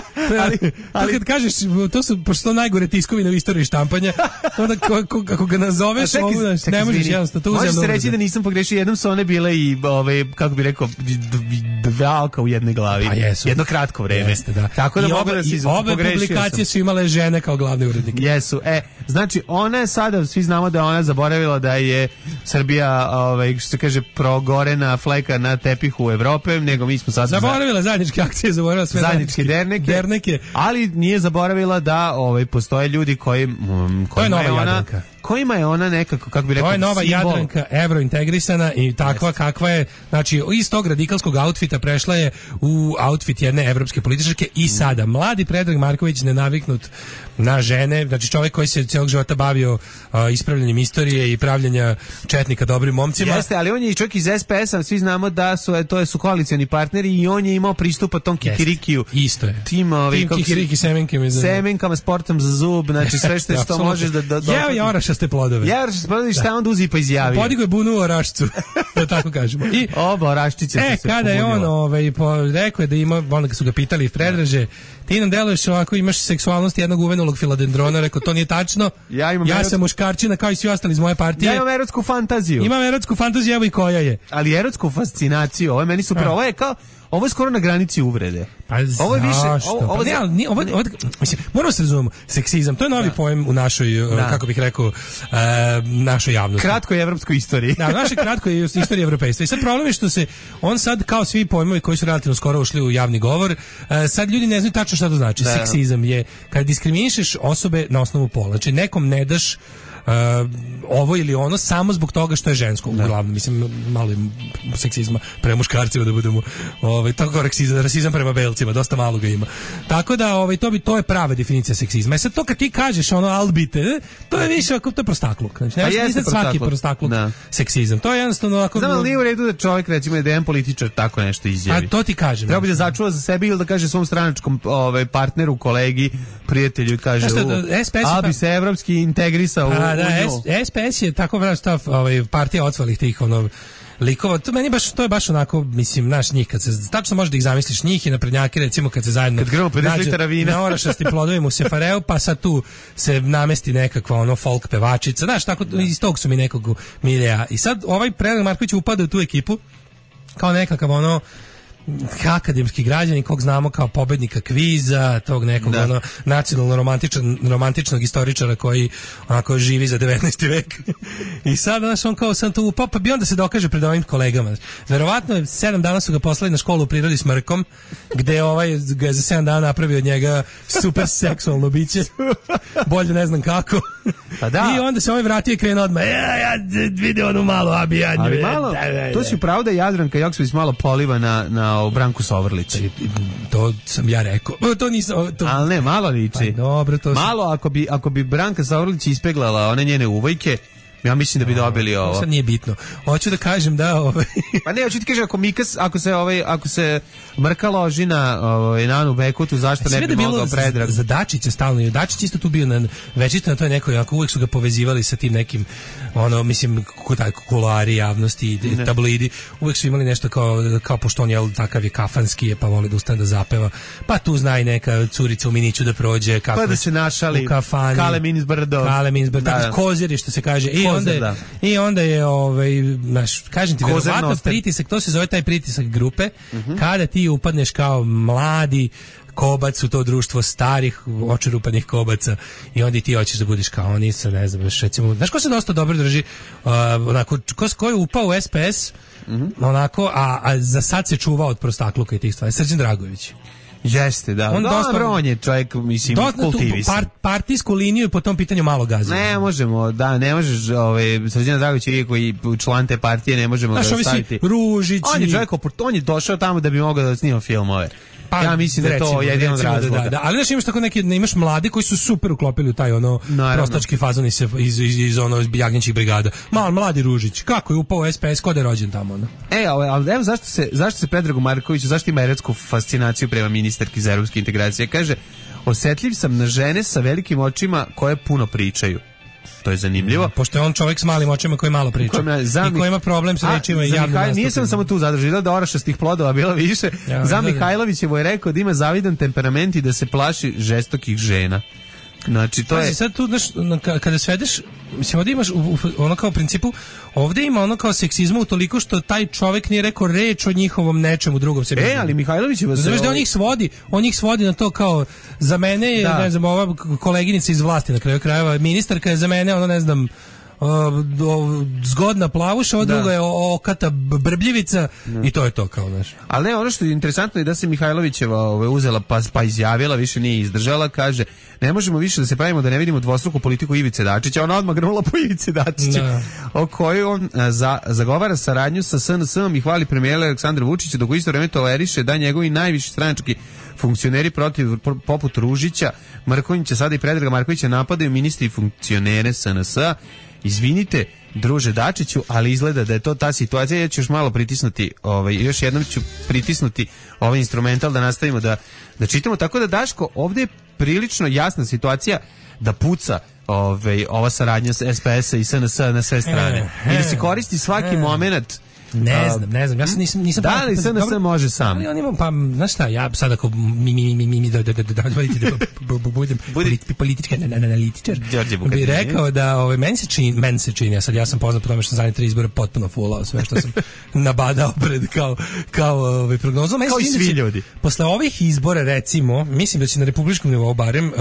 ali kad kažeš, to su pošto najgore tiskovine u istoriji štampanja, onda ako ga nazoveš, ne možeš jednostavno to uzeti. Možeš se reći da nisam pogrešio, jednom su one bile i, kako bi rekao, dva oka u jednoj glavi. Jedno kratko vreme. Jeste, da. Tako da mogu da se pogrešio. Obe publikacije su imale žene kao glavne urednike. Jesu. Znači, ona je sada, svi znamo da je ona zaboravila da je Srbija, što se kaže, progorena fleka na tepihu Evrope, nego mi smo sad... Zaboravila zajedničke akcije, zaboravila sve zajedničke derneke, ali nije zaboravila da postoje ljudi kojima je ona nekako, kako bi rekao, to je nova simbol. Jadranka, evrointegrisana i takva kakva je, znači iz tog radikalskog outfita prešla je u outfit jedne evropske političarke i sada mladi Predrag Marković, nenaviknut na žene, znači čovjek koji se cijelog života bavio ispravljanjem istorije i pravljenja četnika dobrim momcima. Jeste, ali on je i čovjek iz SPS-a, svi znamo da su koalicioni partneri i on je imao pristupa tom kikirikiju. Isto je. Tim kikiriki semenkama, sportom za zub, znači sve što možeš da... Jeo je orašaste plodove. Šta onda uzi pa izjavio? Podigo je bunu u orašcu, da tako kažemo. I oba oraščiće se kada je on rekao da ima, onda su ga pitali Predraže, ti nam deluješ ovako, imaš seksualnost jednog uvenulog filodendrona, rekao, to nije tačno. Ja sam muškarčina kao i svi ostali iz moje partije. Ja imam erotsku fantaziju. Imam erotsku fantaziju, evo i koja je. Ali erotsku fascinaciju, ovo je meni super, ovo je skoro na granici uvrede. Pa ovo je više, moramo se razumemo, seksizam, to je novi pojem u našoj, kako bih rekao, našoj javnosti. Kratkoj evropskoj istoriji. Da, našoj kratkoj istoriji evropejstva. I sad problem je što se, on sad, kao svi pojmovi koji su relativno skoro ušli u javni govor, sad ljudi ne znaju tačno šta to znači. Seksizam je kada diskriminišeš osobe na osnovu pola. Znači, nekom ne daš ovo ili ono samo zbog toga što je žensko, uglavnom, mislim, malo je seksizma prema muškarcima, da budemo tako rasizam prema belcima, dosta malo ga ima. Tako da to je prava definicija seksizma. Sad to kad ti kažeš albite, to je više to je prostakluk. Znači, ne svaki prostakluk seksizam. To je jednostavno ovako... Znam, ali nije u redu da čovjek, recimo, da jedan političar tako nešto izjavi. A to ti kažem. Treba bi da začuva za sebe ili da kaže svom stranačkom partneru, kolegi, prijatelju i kaže bi se evropski integrisao u SPS je tako partija ocvalih tih likova. To je baš onako, mislim, naš njih, kad se tačno možeš da ih zamisliš, njih i naprednjaki, recimo, kad se zajedno na orašastim plodovima u Sefareu, pa sad tu se namesti nekakva folk pevačica, znaš, tako, iz tog su mi nekog milija. I sad ovaj Predrag Marković upada u tu ekipu kao nekakav akademski građanin kog znamo kao pobednika kviza, tog nekog nacionalno romantičnog istoričara koji onako živi za 19. vek. I sad on kao sam tu upao, pa bi onda se dokaže pred ovim kolegama. Verovatno 7 dana su ga poslali na školu u prirodi s Mrkom, gde ga je za 7 dana napravio od njega super seksualno biće. Bolje ne znam kako. Pa da. I onda se ovaj vratio i krenuo odmah. Ja vidio onu malu abijadnju. Ali malo, to si pravo da Jadranka Joksimović malo poliva na na Branku Sovrlića. To sam ja rekao. To nisam... Ali ne, malo liči. Pa dobro, to malo, ako bi Branka Sovrlić ispeglala one njene uvojke, ja mislim da bi dobili ovo. Sad nije bitno. Hoću da kažem da Pa ne, hoću ti kažem ako se Mrka loži na Anu Bekutu, zašto ne bi mogao Predrag? Za Dačića stalno. Dačić isto tu bio večito na toj nekoj, ako uvek su ga povezivali sa tim nekim mislim kulari javnosti i tabloidi, uvek su imali nešto kao pošto on je takav je kafanski je, pa voli da ustane da zapeva. Pa tu zna i neka curica u miniću da prođe kako pa da se našali u kafani. Kale Minsbrdo. Kozir što se kaže. I onda je kažem ti, verovatno pritisak, to se zove taj pritisak grupe, kada ti upadneš kao mladi kobac u to društvo starih očerupanih kobaca i onda ti hoćeš da budeš kao oni sa, ne znam, recimo, znaš ko se dosta dobro drži, onako, ko je upao u SPS, onako, a za sad se čuva od prostakluka i tih stvari, Srđan Dragojević. Jeste, da. On je čovjek, mislim, kultivisan. Partijsku liniju po tom pitanju malo gazi. Ne možemo, ne možeš, Srđana Dragović je koji član te partije, ne možemo ga staviti. Ružić. On je čovjek, on je došao tamo da bi mogao da snima filmove. Pa, ja mislim da to jedan od razloga. Da. Ali znaš, imaš tako imaš mlade koji su super uklopili u taj prostački fazon iz jagnjećih brigada. Mladi Ružić, kako je upao u SPS, ko da je rođen tamo? Ali evo zašto se Predragu Markoviću, zašto ima erotsku fascinaciju prema ministarki za evropske integracije? Kaže, osetljiv sam na žene sa velikim očima koje puno pričaju. To je zanimljivo. Pošto je on čovjek s malim očima koji malo priča. I koji ima problem sa rečima i javnim nastupima. Nisam samo tu zadržila da orašastih plodova bilo više. Za Mihajlovićevo je rekao da ima zavidan temperament i da se plaši žestokih žena. Znači, to je... Sad tu, znaš, kada svedeš, mislim, ovdje imaš ono kao principu, ovdje ima ono kao seksizmu utoliko što taj čovjek nije rekao reč o njihovom nečemu drugom sebi. Ali Mihajlović je... Znaš da on ih svodi na to kao, za mene je, ne znam, ova koleginica iz vlasti na kraju krajeva, ministarka je za mene, ono, ne znam, zgodna plavuša, ova druga je okata brbljivica i to je to kao naš. Ali ne, ono što je interesantno je da se Mihajlovićeva uzela pa izjavila, više nije izdržala, kaže, ne možemo više da se pravimo da ne vidimo dvostruku politiku Ivice Dačića, ona odmah grnula po Ivici Dačića, o kojoj on zagovara saradnju sa SNS-om i hvali premijera Aleksandra Vučića, dok u isto vreme toleriše da njegovi najviši stranački funkcioneri poput Ružića, Mrkonjića, sada i Predraga Markovića napadaju ministri i funkcionere SNS-a. Izvinite, druže Dačiću, ali izgleda da je to ta situacija. Ja ću još malo pritisnuti, još jednom ću pritisnuti ovaj instrumental da nastavimo da čitamo. Tako da, Daško, ovdje je prilično jasna situacija da puca ova saradnja s SPS-a i SNS-a na sve strane. I da se koristi svaki moment. Ne znam, ja nisam... Da li SNS može sam? Ali on ima, pa, znaš šta, ja sad ako budem politički analitičar, bi rekao da meni se čini, ja sam poznat po tome što sam zadnje 3 izbora potpuno fulao sve što sam nabadao pred kao prognozom. Kao i svi ljudi. Posle ovih izbora, recimo, mislim da će na republičkom nivou barem,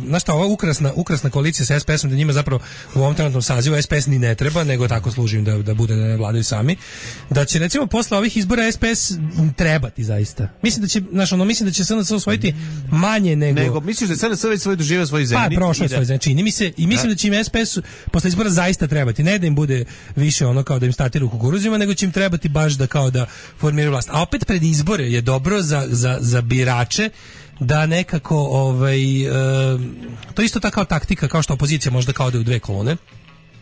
znaš šta, ova ukrasna koalicija sa SPS-om, da njima zapravo u ovom trenutnom sazivu SPS ni ne treba, nego tako služim da bude da ne vladaju sami. Da će recimo posle ovih izbora SPS trebati zaista. Mislim da će SNS osvojiti manje nego misliš da SNS već doživio svoj zemlji? Pa prošao svoj zemlji, čini mi se, i mislim da će im SPS posle izbora zaista trebati. Ne da im bude više ono kao da im stati u kukuruzima, nego će im trebati baš da kao da formiraju vlast. A opet pred izbore je dobro za birače da nekako to isto tako taktika kao što opozicija možda kao da u dve kolone.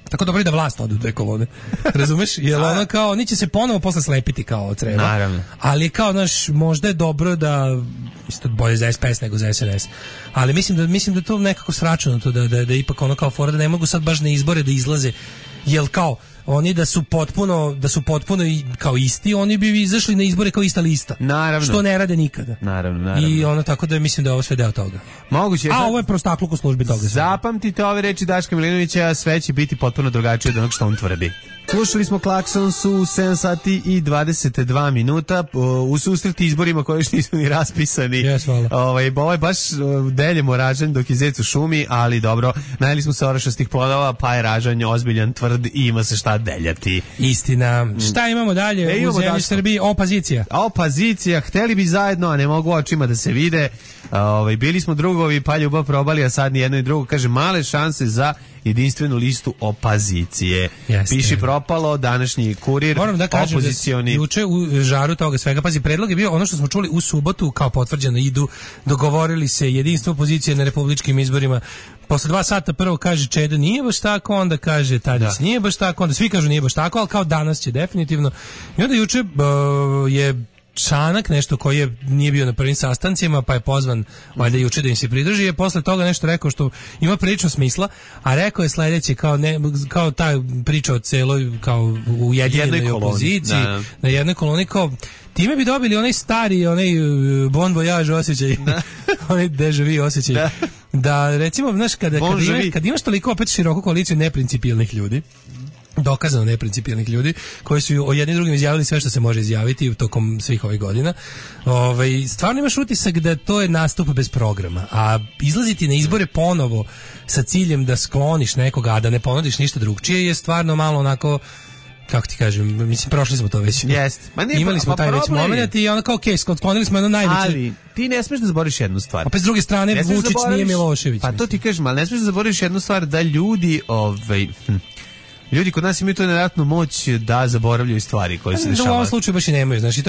Tako dobro i da vlast ode u dve kolone. Razumeš? Jer ono kao, oni će se ponovo posle slepiti kao od treba. Naravno. Ali kao, znaš, možda je dobro da, isto bolje za SPS nego za SNS. Ali mislim da to nekako sračunato, da ipak ono kao fora, da ne mogu sad baš na izbore da izlaze. Jel kao, oni da su potpuno kao isti, oni bi izašli na izbore kao ista lista. Naravno. Što ne rade nikada. Naravno. I ono tako da mislim da je ovo sve deo toga. Moguće. A ovo je prostakluk u službi toga. Zapamtite ove reči Daška Milinovića, sve će biti potpuno drugačije od onog što on tvrdi. Slušali smo Klaksons u 7 sati i 22 minuta u susreti izborima koji još nisu ni raspisani. Ovo je baš deljemo ražanj dok je zec u šumi, ali dobro, najeli smo se orašastih plodova, pa je ražanj ozbiljan, tvrd i ima se šta deljati. Istina. Šta imamo dalje u zemlji Srbiji? Opozicija, hteli bi zajedno, a ne mogu očima da se vide. Bili smo drugovi, pa ljubav probali, a sad ni jedno i drugo. Kaže, male šanse za jedinstvenu listu opozicije. Piši propalo, današnji Kurir, moram da kažem opozicioni. Da juče u žaru toga svega, pazi, predlog je bio ono što smo čuli u subotu, kao potvrđeno, dogovorili se jedinstvo opozicije na republičkim izborima. Posle 2 sata prvo kaže Čeda nije baš tako, onda kaže Tadić nije baš tako, onda svi kažu nije baš tako, ali kao danas će definitivno. I onda juče je Čanak nešto koji nije bio na prvim sastancima, pa je pozvan valjda juče da im se pridruži, je posle toga nešto rekao što ima prilično smisla, a rekao je sledeće, kao ta priča o celoj kao ujedinjenoj opoziciji, na jednoj koloni, kao time bi dobili onaj stari, onaj bon voyage osjećaj, onaj déjà vu osjećaj, da recimo, znaš, kad imaš toliko opet široku koaliciju neprincipijelnih ljudi, dokazano neprincipijelnih ljudi koji su o jednim drugim izjavili sve što se može izjaviti tokom svih ovih godina. Stvarno imaš utisak da to je nastup bez programa, a izlaziti na izbore ponovo sa ciljem da skloniš nekoga, a da ne ponudiš ništa drugčije je stvarno malo onako, kako ti kažem, mislim, prošli smo to već. Imali smo taj već moment i ono kao sklonili smo jedno najveće. Ali ti ne smiješ da zaboraviš jednu stvar. Opet s druge strane, Vučić nije Milošević. Pa to ti kažem, ali ne smiješ da zaboraviš jednu stvar, da ljudi ljudi kod nas imaju to nevjerojatnu moć da zaboravljaju stvari koje se dešavaju. U ovom slučaju baš i nemaju, znači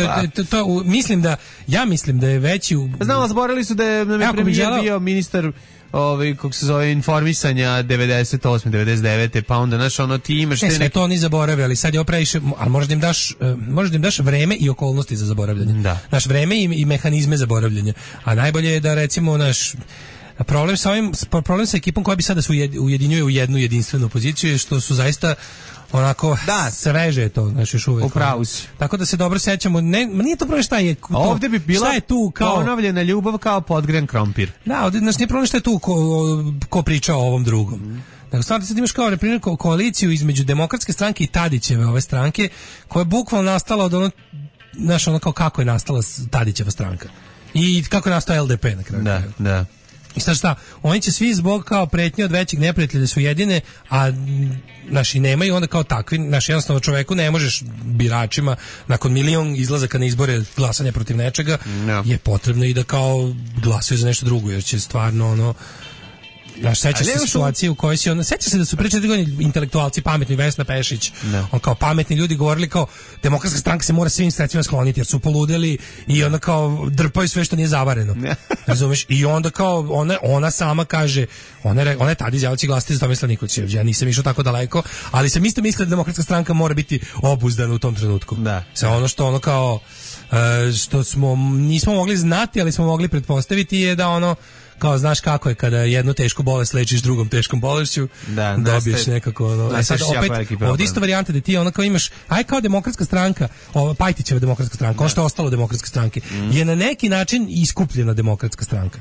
mislim da je veći. Znam, zaboravili su da je premijer bio ministar kako se zove, informisanja 98. 99. pa onda znaš, ono, ti imaš sve to oni zaborave, ali sad je previše, ali možda im daš vreme i okolnosti za zaboravljanje. Naš vreme i mehanizme zaboravljanja. A najbolje je da recimo problem sa ekipom koja bi sada se ujedinjuje u jednu jedinstvenu poziciju je što su zaista onako sveže je to, znači još uvijek. Upravo si. Tako da se dobro sećamo, nije to problem šta je to. Ovdje bi bila ponovljena ljubav kao podgren krompir. Da, ovdje nije problem šta je tu ko priča o ovom drugom. Nego stvarno sad imaš kao reprimjer koaliciju između Demokratske stranke i Tadićeve ove stranke, koja je bukvalno nastala od ono, znaš, ono kao kako je nastala Tadićeva stranka. I kako je nastao LDP na kraju. Da. I sad šta, oni će svi zbog kao pretnje od većeg neprijatelja da su jedine, a naši nemaju onda kao takvi, naši jednostavno čoveku ne možeš biračima nakon milion izlazaka na izbore glasanja protiv nečega, je potrebno i da kao glasaju za nešto drugo, jer će stvarno ono, seća se situacije u kojoj si seća se da su pre 4 godine intelektualci pametni, Vesna Pešić, on kao pametni ljudi govorili kao Demokratska stranka se mora svim sredstvima skloniti jer su poludeli i onda kao drpaju sve što nije zavareno. Razumeš? I onda kao ona sama kaže, ona je tada izjavila će glasati za Tomislava Nikolića. Ja nisam išao tako daleko, ali sam isto mislio da Demokratska stranka mora biti obuzdana u tom trenutku. Sa ono što ono kao što nismo mogli znati, ali smo mogli pretpostaviti je da ono kao znaš kako je kada jednu tešku bolest lečiš drugom teškom bolešću, dobiješ nekako ono. Sad opet ovdje isto varijanta da ti ono kao imaš, kao Demokratska stranka, Pajtićeva Demokratska stranka, ono što je ostalo Demokratske stranke, je na neki način iskupljena Demokratska stranka.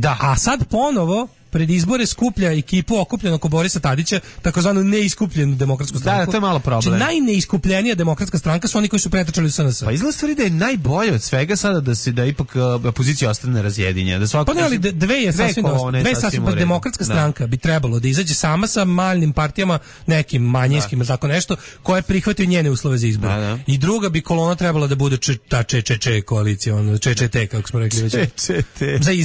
A sad ponovo pred izbore skuplja ekipu okupljenu oko Borisa Tadića, takozvanu neiskupljenu Demokratsku stranku. Da, to je malo problem. Znači, najneiskupljenija Demokratska stranka su oni koji su pretrčali u SNS. Pa izgleda stvari da je najbolje od svega sada da ipak opozicija ostane razjedinjena. Pa ne, ali dve je sasvim Demokratska stranka bi trebalo da izađe sama sa maljnim partijama, nekim manjinskim, tako nešto, koje prihvataju njene uslove za izbor. I druga bi kolona trebala da bude ta ČČ koalicija, ono, ČČT, kako smo rekli već.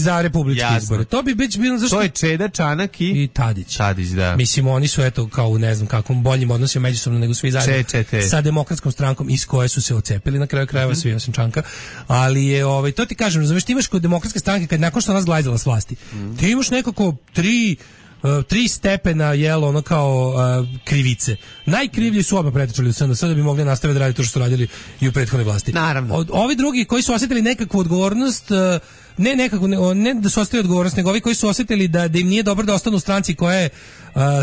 Za republičke izbore. To bi bilo zašto Čeda, Čanak i Tadić. Tadić, da. Mislim, oni su eto kao u ne znam kakvom boljim odnosima međusobno nego svi zajedno sa Demokratskom strankom iz koje su se ocepili na kraju krajeva svi osim Čanka. Ali je to ti kažem, razumeš, ti imaš kod Demokratske stranke kad nakon što nas glajzala s vlasti, ti imaš nekako tri stepena jelo ono kao krivice. Najkrivlji su odmah pretrčali u SNS da bi mogli nastaviti da raditi to što su radili i u prethodnoj vlasti. Naravno. Ovi drugi koji su osjetili nekakvu odgovornost, ne da su osetili odgovornost, nego ovi koji su osjetili da im nije dobro da ostanu u stranci koja je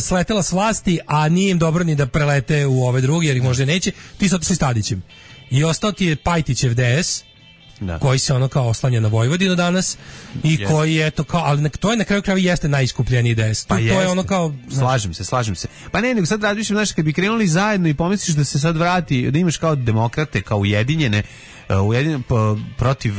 sletela s vlasti, a nije im dobro ni da prelete u ove drugi, jer ih možda neće, ti su otišli s Tadićem. I ostao ti je Pajtićev DS, koji se ono kao oslanja na Vojvodinu danas i koji je to kao, ali to je na kraju krajeva jeste najiskupljeniji DS. To je ono kao... Slažem se. Pa ne, nego sad razmišljam, znaš, kad bi krenuli zajedno i pomisliš da se sad vrati, da imaš kao demokrate, kao ujedinjene protiv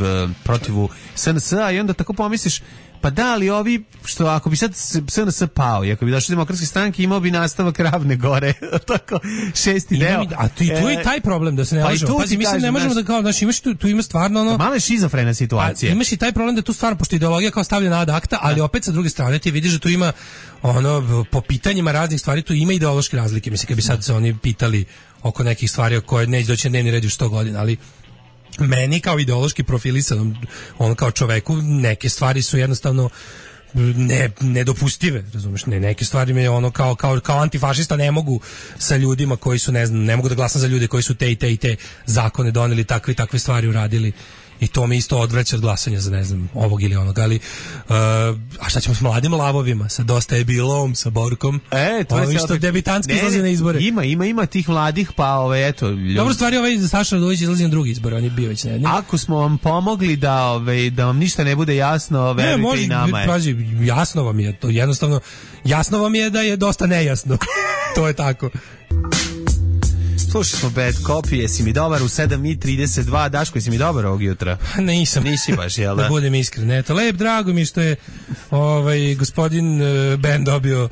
SNS-a i onda tako pomisliš, Pa da, ali ovi, što ako bi sad SNS pao i ako bi došli demokratske stranke, imao bi nastavak Ravne Gore, tako, 6. deo. A tu je taj problem da se ne možemo. Pazi, mislim, ne možemo da kao, znači, imaš tu ima stvarno ono... Malo je šizofrena situacija. Imaš i taj problem da tu stvarno, pošto ideologija kao stavljena ad acta, ali opet sa druge strane ti vidiš da tu ima, ono, po pitanjima raznih stvari, tu ima ideološke razlike. Mislim, kad bi sad se oni pitali oko nekih stvari o koje neće doći na dnevni red u 100 godina, ali meni kao ideološki profilisanom, ono kao čoveku, neke stvari su jednostavno nedopustive, razumeš, neke stvari me ono kao antifašista ne mogu sa ljudima koji su, ne znam, ne mogu da glasam za ljude koji su te i te zakone doneli, takve stvari uradili. I to me isto odvraća od glasanja za, ne znam, ovog ili onog, ali a šta ćemo s mladim lavovima, sa Dosta je bilo, sa Borkom, to je što debitanski izlazi na izbore. Ima tih mladih, pa eto. Dobro, stvari, Saša Radulović izlazi na drugi izbor, on je bio već ne. Ako smo vam pomogli da vam ništa ne bude jasno, verujte i nama je. Pazi, jasno vam je to, jednostavno, jasno vam je da je dosta nejasno. To je tako. Slušali smo Bad Copy, jesi mi dobar u 7:32, Daško, jesi mi dobar ovog jutra? Nisam. Nisi baš, jel da? Da budem iskren. Eto, drago mi što je gospodin Ben dobio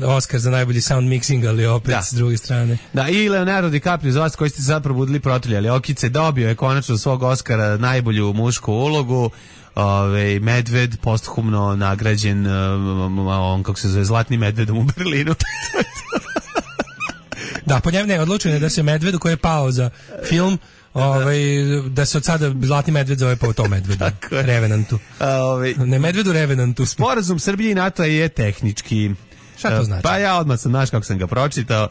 Oscar za najbolji sound mixing, ali opet s druge strane. Da, i Leonardo DiCaprio, za vas koji ste se sad probudili protrljali okice, dobio je konačno svog Oscara najbolju mušku ulogu. Medved posthumno nagrađen, on kako se zove, Zlatnim medvedom u Berlinu. Da, po njemu odlučeno je da se Medvedu koji je pao za film, da se od sada Zlatni medved zove po tom Medvedu. Revenantu. Ne Medvedu, Revenantu. Sporazum Srbije i NATO je tehnički. Šta to znači? Pa ja odmah sam, znaš kako sam ga pročitao.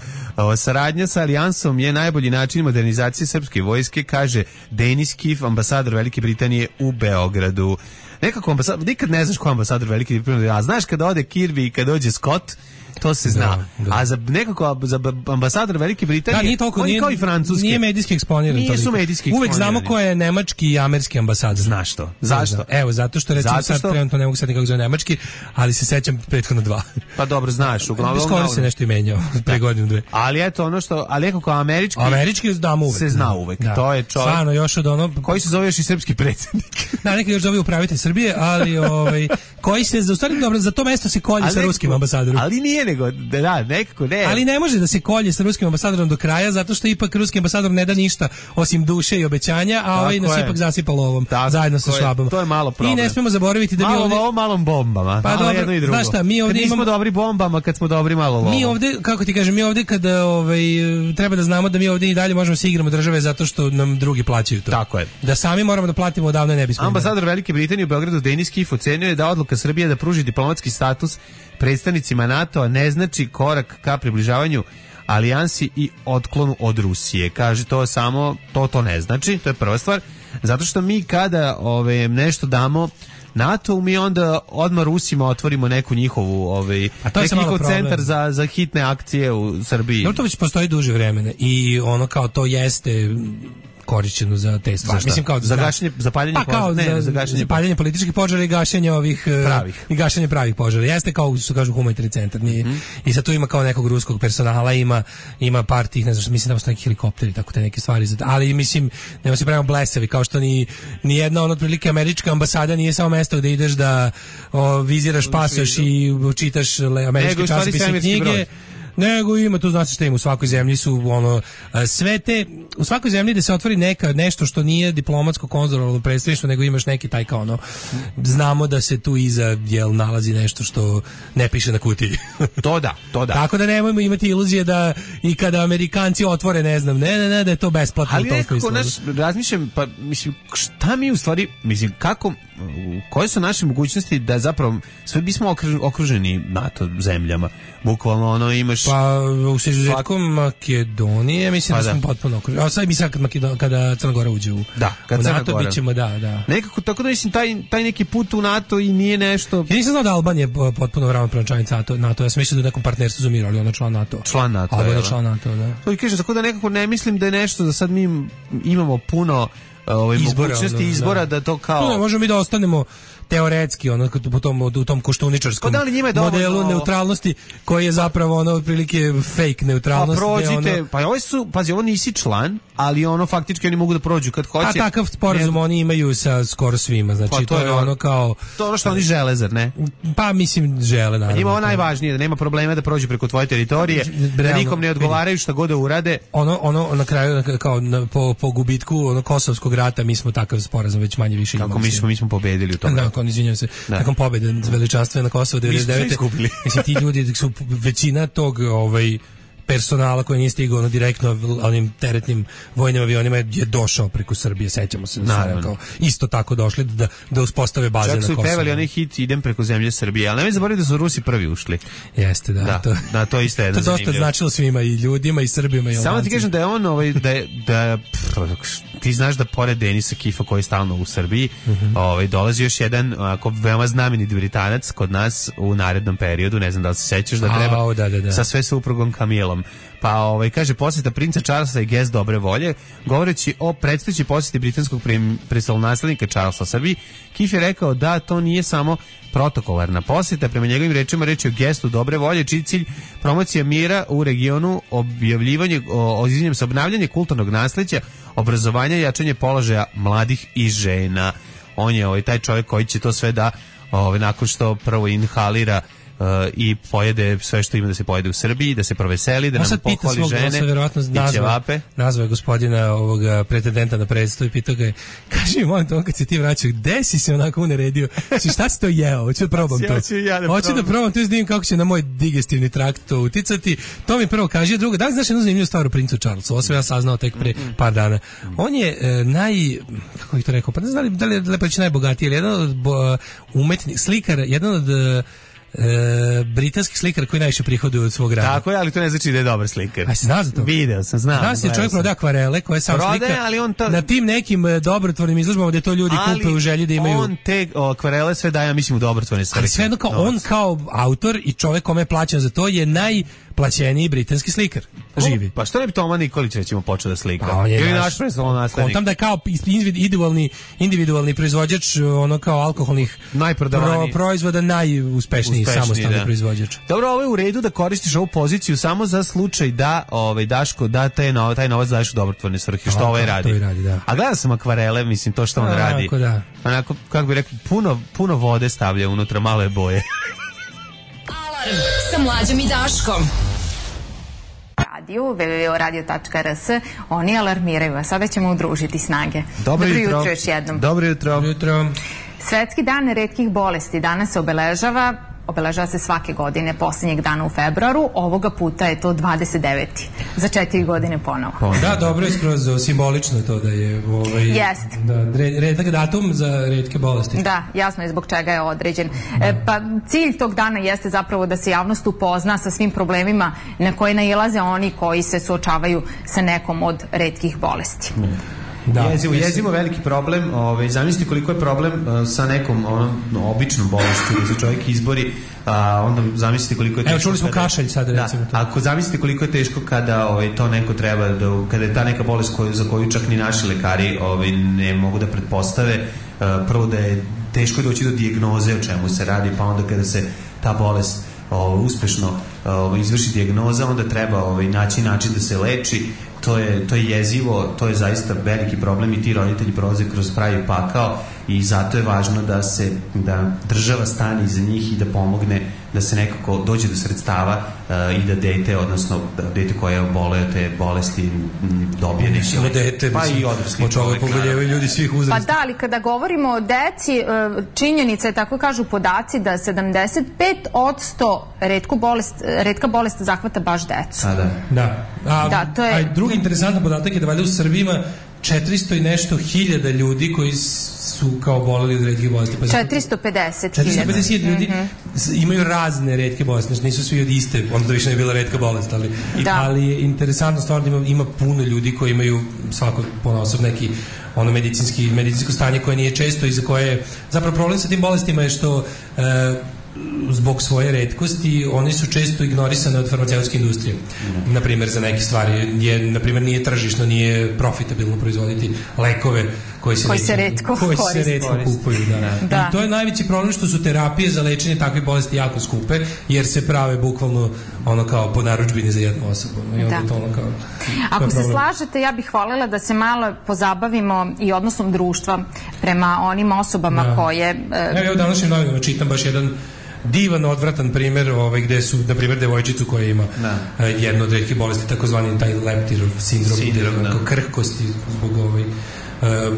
Saradnja sa Alijansom je najbolji način modernizacije srpske vojske, kaže Denis Kif, ambasador Velike Britanije u Beogradu. Nekako nikad ne znaš ko je ambasador Velike Britanije, a znaš kada ode Kirby i kada dođe Scott, to se zna. Da. A za ambasador Velike Britanije, nije toliko, kao i francuski. Nije medijski eksponiran. Nisu medijski eksponirani. Uvek znamo ko je nemački i američki ambasador. Znaš to. Zašto? Evo, zato što recimo sad trenutno ne mogu sad nikako zove nemački, ali se sećam prethodno 2. Pa dobro, znaš, uglavnom. Skoro se nešto i menjao, pre godinu 2. Ali eto ono što, ali nekako američki znamo uvek. Se zna uvek. Da. To je čovjek. Stvarno još od ono koji se zove još i srpski predsjednik. Da, neki još zove upravitelj Srbije, ali koji se za stvari dobro za to mesto se kolje sa ruskim ambasadorom. Ali nije nego nekako ne. Ali ne može da se kolje sa ruskim ambasadorom do kraja, zato što ipak ruski ambasador ne da ništa osim duše i obećanja, a nas ipak zasipao lovom zajedno sa Švabom. To je malo problem. I ne smemo zaboraviti da mi ovdje malom bombama. Pa dobro, jedno i drugo. Znaš šta, mi ovdje nismo dobri bombama, kad smo dobri malo lovom. Mi ovdje, kako ti kažem, mi ovdje kada treba da znamo da mi ovdje i dalje možemo se igramo države zato što nam drugi plaćaju to. Tako je. Da sami moramo da platimo, odavno ne bismo. Ambasador Velike Britanije u Beogradu Denis Kif ocenio je da odluka Srbije da pruži diplomatski status predstavnicima NATO-a ne znači korak ka približavanju alijansi i otklonu od Rusije. Kaže to ne znači, to je prva stvar, zato što mi kada nešto damo NATO, mi onda odmah Rusima otvorimo neku njihovu neki njihov centar za hitne akcije u Srbiji. No, to već postoji duže vremena i ono kao to jeste korišćeno za te stvari. Mislim kao za gašenje, zapaljenje požara, zapaljenje političkih požara i gašenje ovih pravih. I gašenje pravih požara. Jeste kao što kažu humanitarni centar. I sad tu ima kao nekog ruskog personala, ima par tih, ne znam, mislim da su neki helikopteri, tako te neke stvari. Ali mislim, nema se pravimo blesavi, kao što ni jedna otprilike američka ambasada nije samo mesto gde ideš da viziraš pasoš i čitaš američke časopise i knjige. Nego ima, tu znači šta ima, u svakoj zemlji su sve te, u svakoj zemlji da se otvori nešto što nije diplomatsko konzularno predstavništvo, nego imaš neki taj kao znamo da se tu iza nalazi nešto što ne piše na kutiji. To da. Tako da nemojmo imati iluzije da i kada Amerikanci otvore, ne znam, ne da je to besplatno. Ali nekako razmišljam, pa mislim, šta mi u stvari, mislim, kako, koje su naše mogućnosti da zapravo sve bismo okruženi NATO zemljama. Bukvalno imaš... Pa u izuzetkom Makedonije mislim da smo potpuno okruženi. A sad mi sad kada Crna Gora uđe u NATO, bit ćemo, da. Nekako, tako da mislim, taj neki put u NATO i nije nešto... Ja nisam znao da Albanija je potpuno ravnopravna članica NATO. Ja sam mislio da u nekom partnerstvu za mir, ali ona član NATO. Član NATO, Albanija član NATO, da. To i kažem, tako da nekako ne mislim da je nešto da sad mi imamo puno mogućnosti izbora da to kao... Možemo mi da ostanemo teoretski ono u tom koštuničarskom modelu neutralnosti koji je zapravo ono otprilike fake neutralnost. Pa prođite, pa ovo nisi član, ali ono faktički oni mogu da prođu kad hoće. A takav sporazum oni imaju sa skoro svima, znači pa to je ono kao to ono što oni žele, zar ne? Pa mislim žele, naravno. Njima ovo najvažnije, da nema problema da prođu preko tvoje teritorije, da nikom ne odgovaraju šta god da urade. Ono na kraju kao po gubitku ono kosovskog rata mi smo takav sporazum već manje više imali. Kako mi smo pobedili u tom. Da, izvinjavam se. Nakon pobede veličanstvene na Kosovu 99. Mislim ti ljudi su većina tog personala koji nije stigao direktno onim teretnim vojnim avionima je došao preko Srbije, sećamo se da su isto tako došli da uspostave baze na Kosovu. Čak su pevali onaj hit Idem preko zemlje Srbije, ali nemoj zaboraviti da su Rusi prvi ušli. Jeste, da. To je isto jedno zanimljivo. To dosta značilo svima, i ljudima, i Srbima, i Albancima. Samo ti kažem da je on, ti znaš da pored Denisa Kifa koji je stalno u Srbiji, dolazi još jedan veoma znameniti Britanac kod nas u narednom periodu, ne znam da li se sećaš da treba sa sve suprugom Kamilom. Pa kaže posjeta princa Charlesa i gest dobre volje, govoreći o predstojećoj posjeti britanskog prestolonaslednika Charlesa Srbiji. Kif je rekao da to nije samo protokolarna posjeta, prema njegovim rečima reč je o gestu dobre volje, čiji cilj promocija mira u regionu, obnavljanje kulturnog nasleđa, obrazovanja i jačanje položaja mladih i žena. On je taj čovjek koji će to sve da nakon što prvo inhalira i pojede sve što ima da se pojede u Srbiji, da se proveseli, da nam pohvali žene i ćevape. Nazvao je gospodina ovoga pretendenta na predstavu i pitao ga je, kaži mi molim te, on kad se ti vraćao, gde si se onako uneredio? Šta si to jeo? Hoću da probam to. Hoću da probam to i vidim kako će na moj digestivni trakt to uticati. To mi prvo kaže. Drugo, da li znaš jednu zanimljivu stvar o princu Charlesu? Ovo sam ja saznao tek pre par dana. On je kako bih to rekao, pa ne znam da li je lepo reći najbogatiji, ali jedan od umetnih slikara, jedan od britanski slikar koji najviše prihoduje od svog rada. Tako je, ali to ne znači da je dobar slikar. A si znaš za to? Video sam, znam. Znaš se čovjek prodaje akvarele koje sam slika na tim nekim dobrotvornim izložbama gdje to ljudi kupe u želji da imaju. On te akvarele sve daje, mislim, u dobrotvorne svrhe. Ali sve jedno kao on kao autor i čovjek kome je plaćen za to je najplaćeniji britanski slikar. Živi. Pa što ne bi Toma Nikolić recimo počeo da slika? Ili naš prestolonaslednik. On tam da je kao individualni proizvođač ono kao alkoholnih proizvoda najuspešniji samostalni proizvođač. Dobro, ovo je u redu da koristiš ovu poziciju samo za slučaj da Daško da taj novac daješ u dobrotvorne svrhe, što ovaj radi. A gledao sam akvarele, mislim to što on radi. Onako, kako bi rekao, puno vode stavlja unutra, malo je boje. Alarm sa Mlađom i Daškom. www.radio.rs oni alarmiraju, a sada ćemo udružiti snage. Dobro jutro još jednom. Dobro jutro. Svetski dan retkih bolesti danas se obeležava se svake godine posljednjeg dana u februaru, ovoga puta je to 29. Za 4 godine ponovo. Da, dobro je skroz simbolično to da je redak datum za retke bolesti. Da, jasno je zbog čega je određen. Pa cilj tog dana jeste zapravo da se javnost upozna sa svim problemima na koje nailaze oni koji se suočavaju sa nekom od retkih bolesti. Jezivo veliki problem, zamislite koliko je problem sa nekom običnom bolešću da se čovjek izbori, onda zamislite koliko je teško. Evo čuli smo kašalj sad recimo. Ako zamislite koliko je teško kada to neko treba, kada je ta neka bolest za koju čak ni naši lekari ne mogu da pretpostave, prvo da je teško doći do dijagnoze o čemu se radi, pa onda kada se ta bolest uspešno izvrši dijagnoza, onda treba naći način da se leči. To je jezivo, to je zaista veliki problem i ti roditelji prolaze kroz pravi pakao i zato je važno da država stane iza njih i da pomogne da se nekako dođe do sredstava i da dete, odnosno dete koje je oboleo te bolesti dobije neki pa i odrasli čovjek. Poboljevaju ljudi svih uzrasta. Pa da, ali kada govorimo o deci, činjenica je, tako kažu podaci, da 75% retka bolest zahvata baš decu. Drugi interesantan podatak je da valjda u Srbiji ima 400 i nešto hiljada ljudi koji su kao boleli od retkih bolesti. 450 ljudi imaju razne retke bolesti, znači nisu svi od iste, onda to više ne je bila retka bolest, ali je interesantna stvar da ima puno ljudi koji imaju svako ponaosob neki medicinsko stanje koje nije često i za koje zapravo problem sa tim bolestima je što zbog svoje retkosti oni su često ignorisane od farmaceutske industrije. Naprimjer, za neke stvari naprimjer nije tržišno, nije profitabilno proizvoditi lekove koji se retko kupuju. Da. I to je najveći problem što su terapije za lečenje takve bolesti jako skupe, jer se prave bukvalno ono kao po narudžbini za jednu osobu. I onda to ono kao... Ako se slažete, ja bih voljela da se malo pozabavimo i odnosom društva prema onim osobama koje... Evo današnjim novinama čitam baš jedan divan, odvratan primjer gde su, na primjer, devojčicu koja ima jednu od retkih bolesti, takozvani taj leptirov sindrom, krhkosti zbog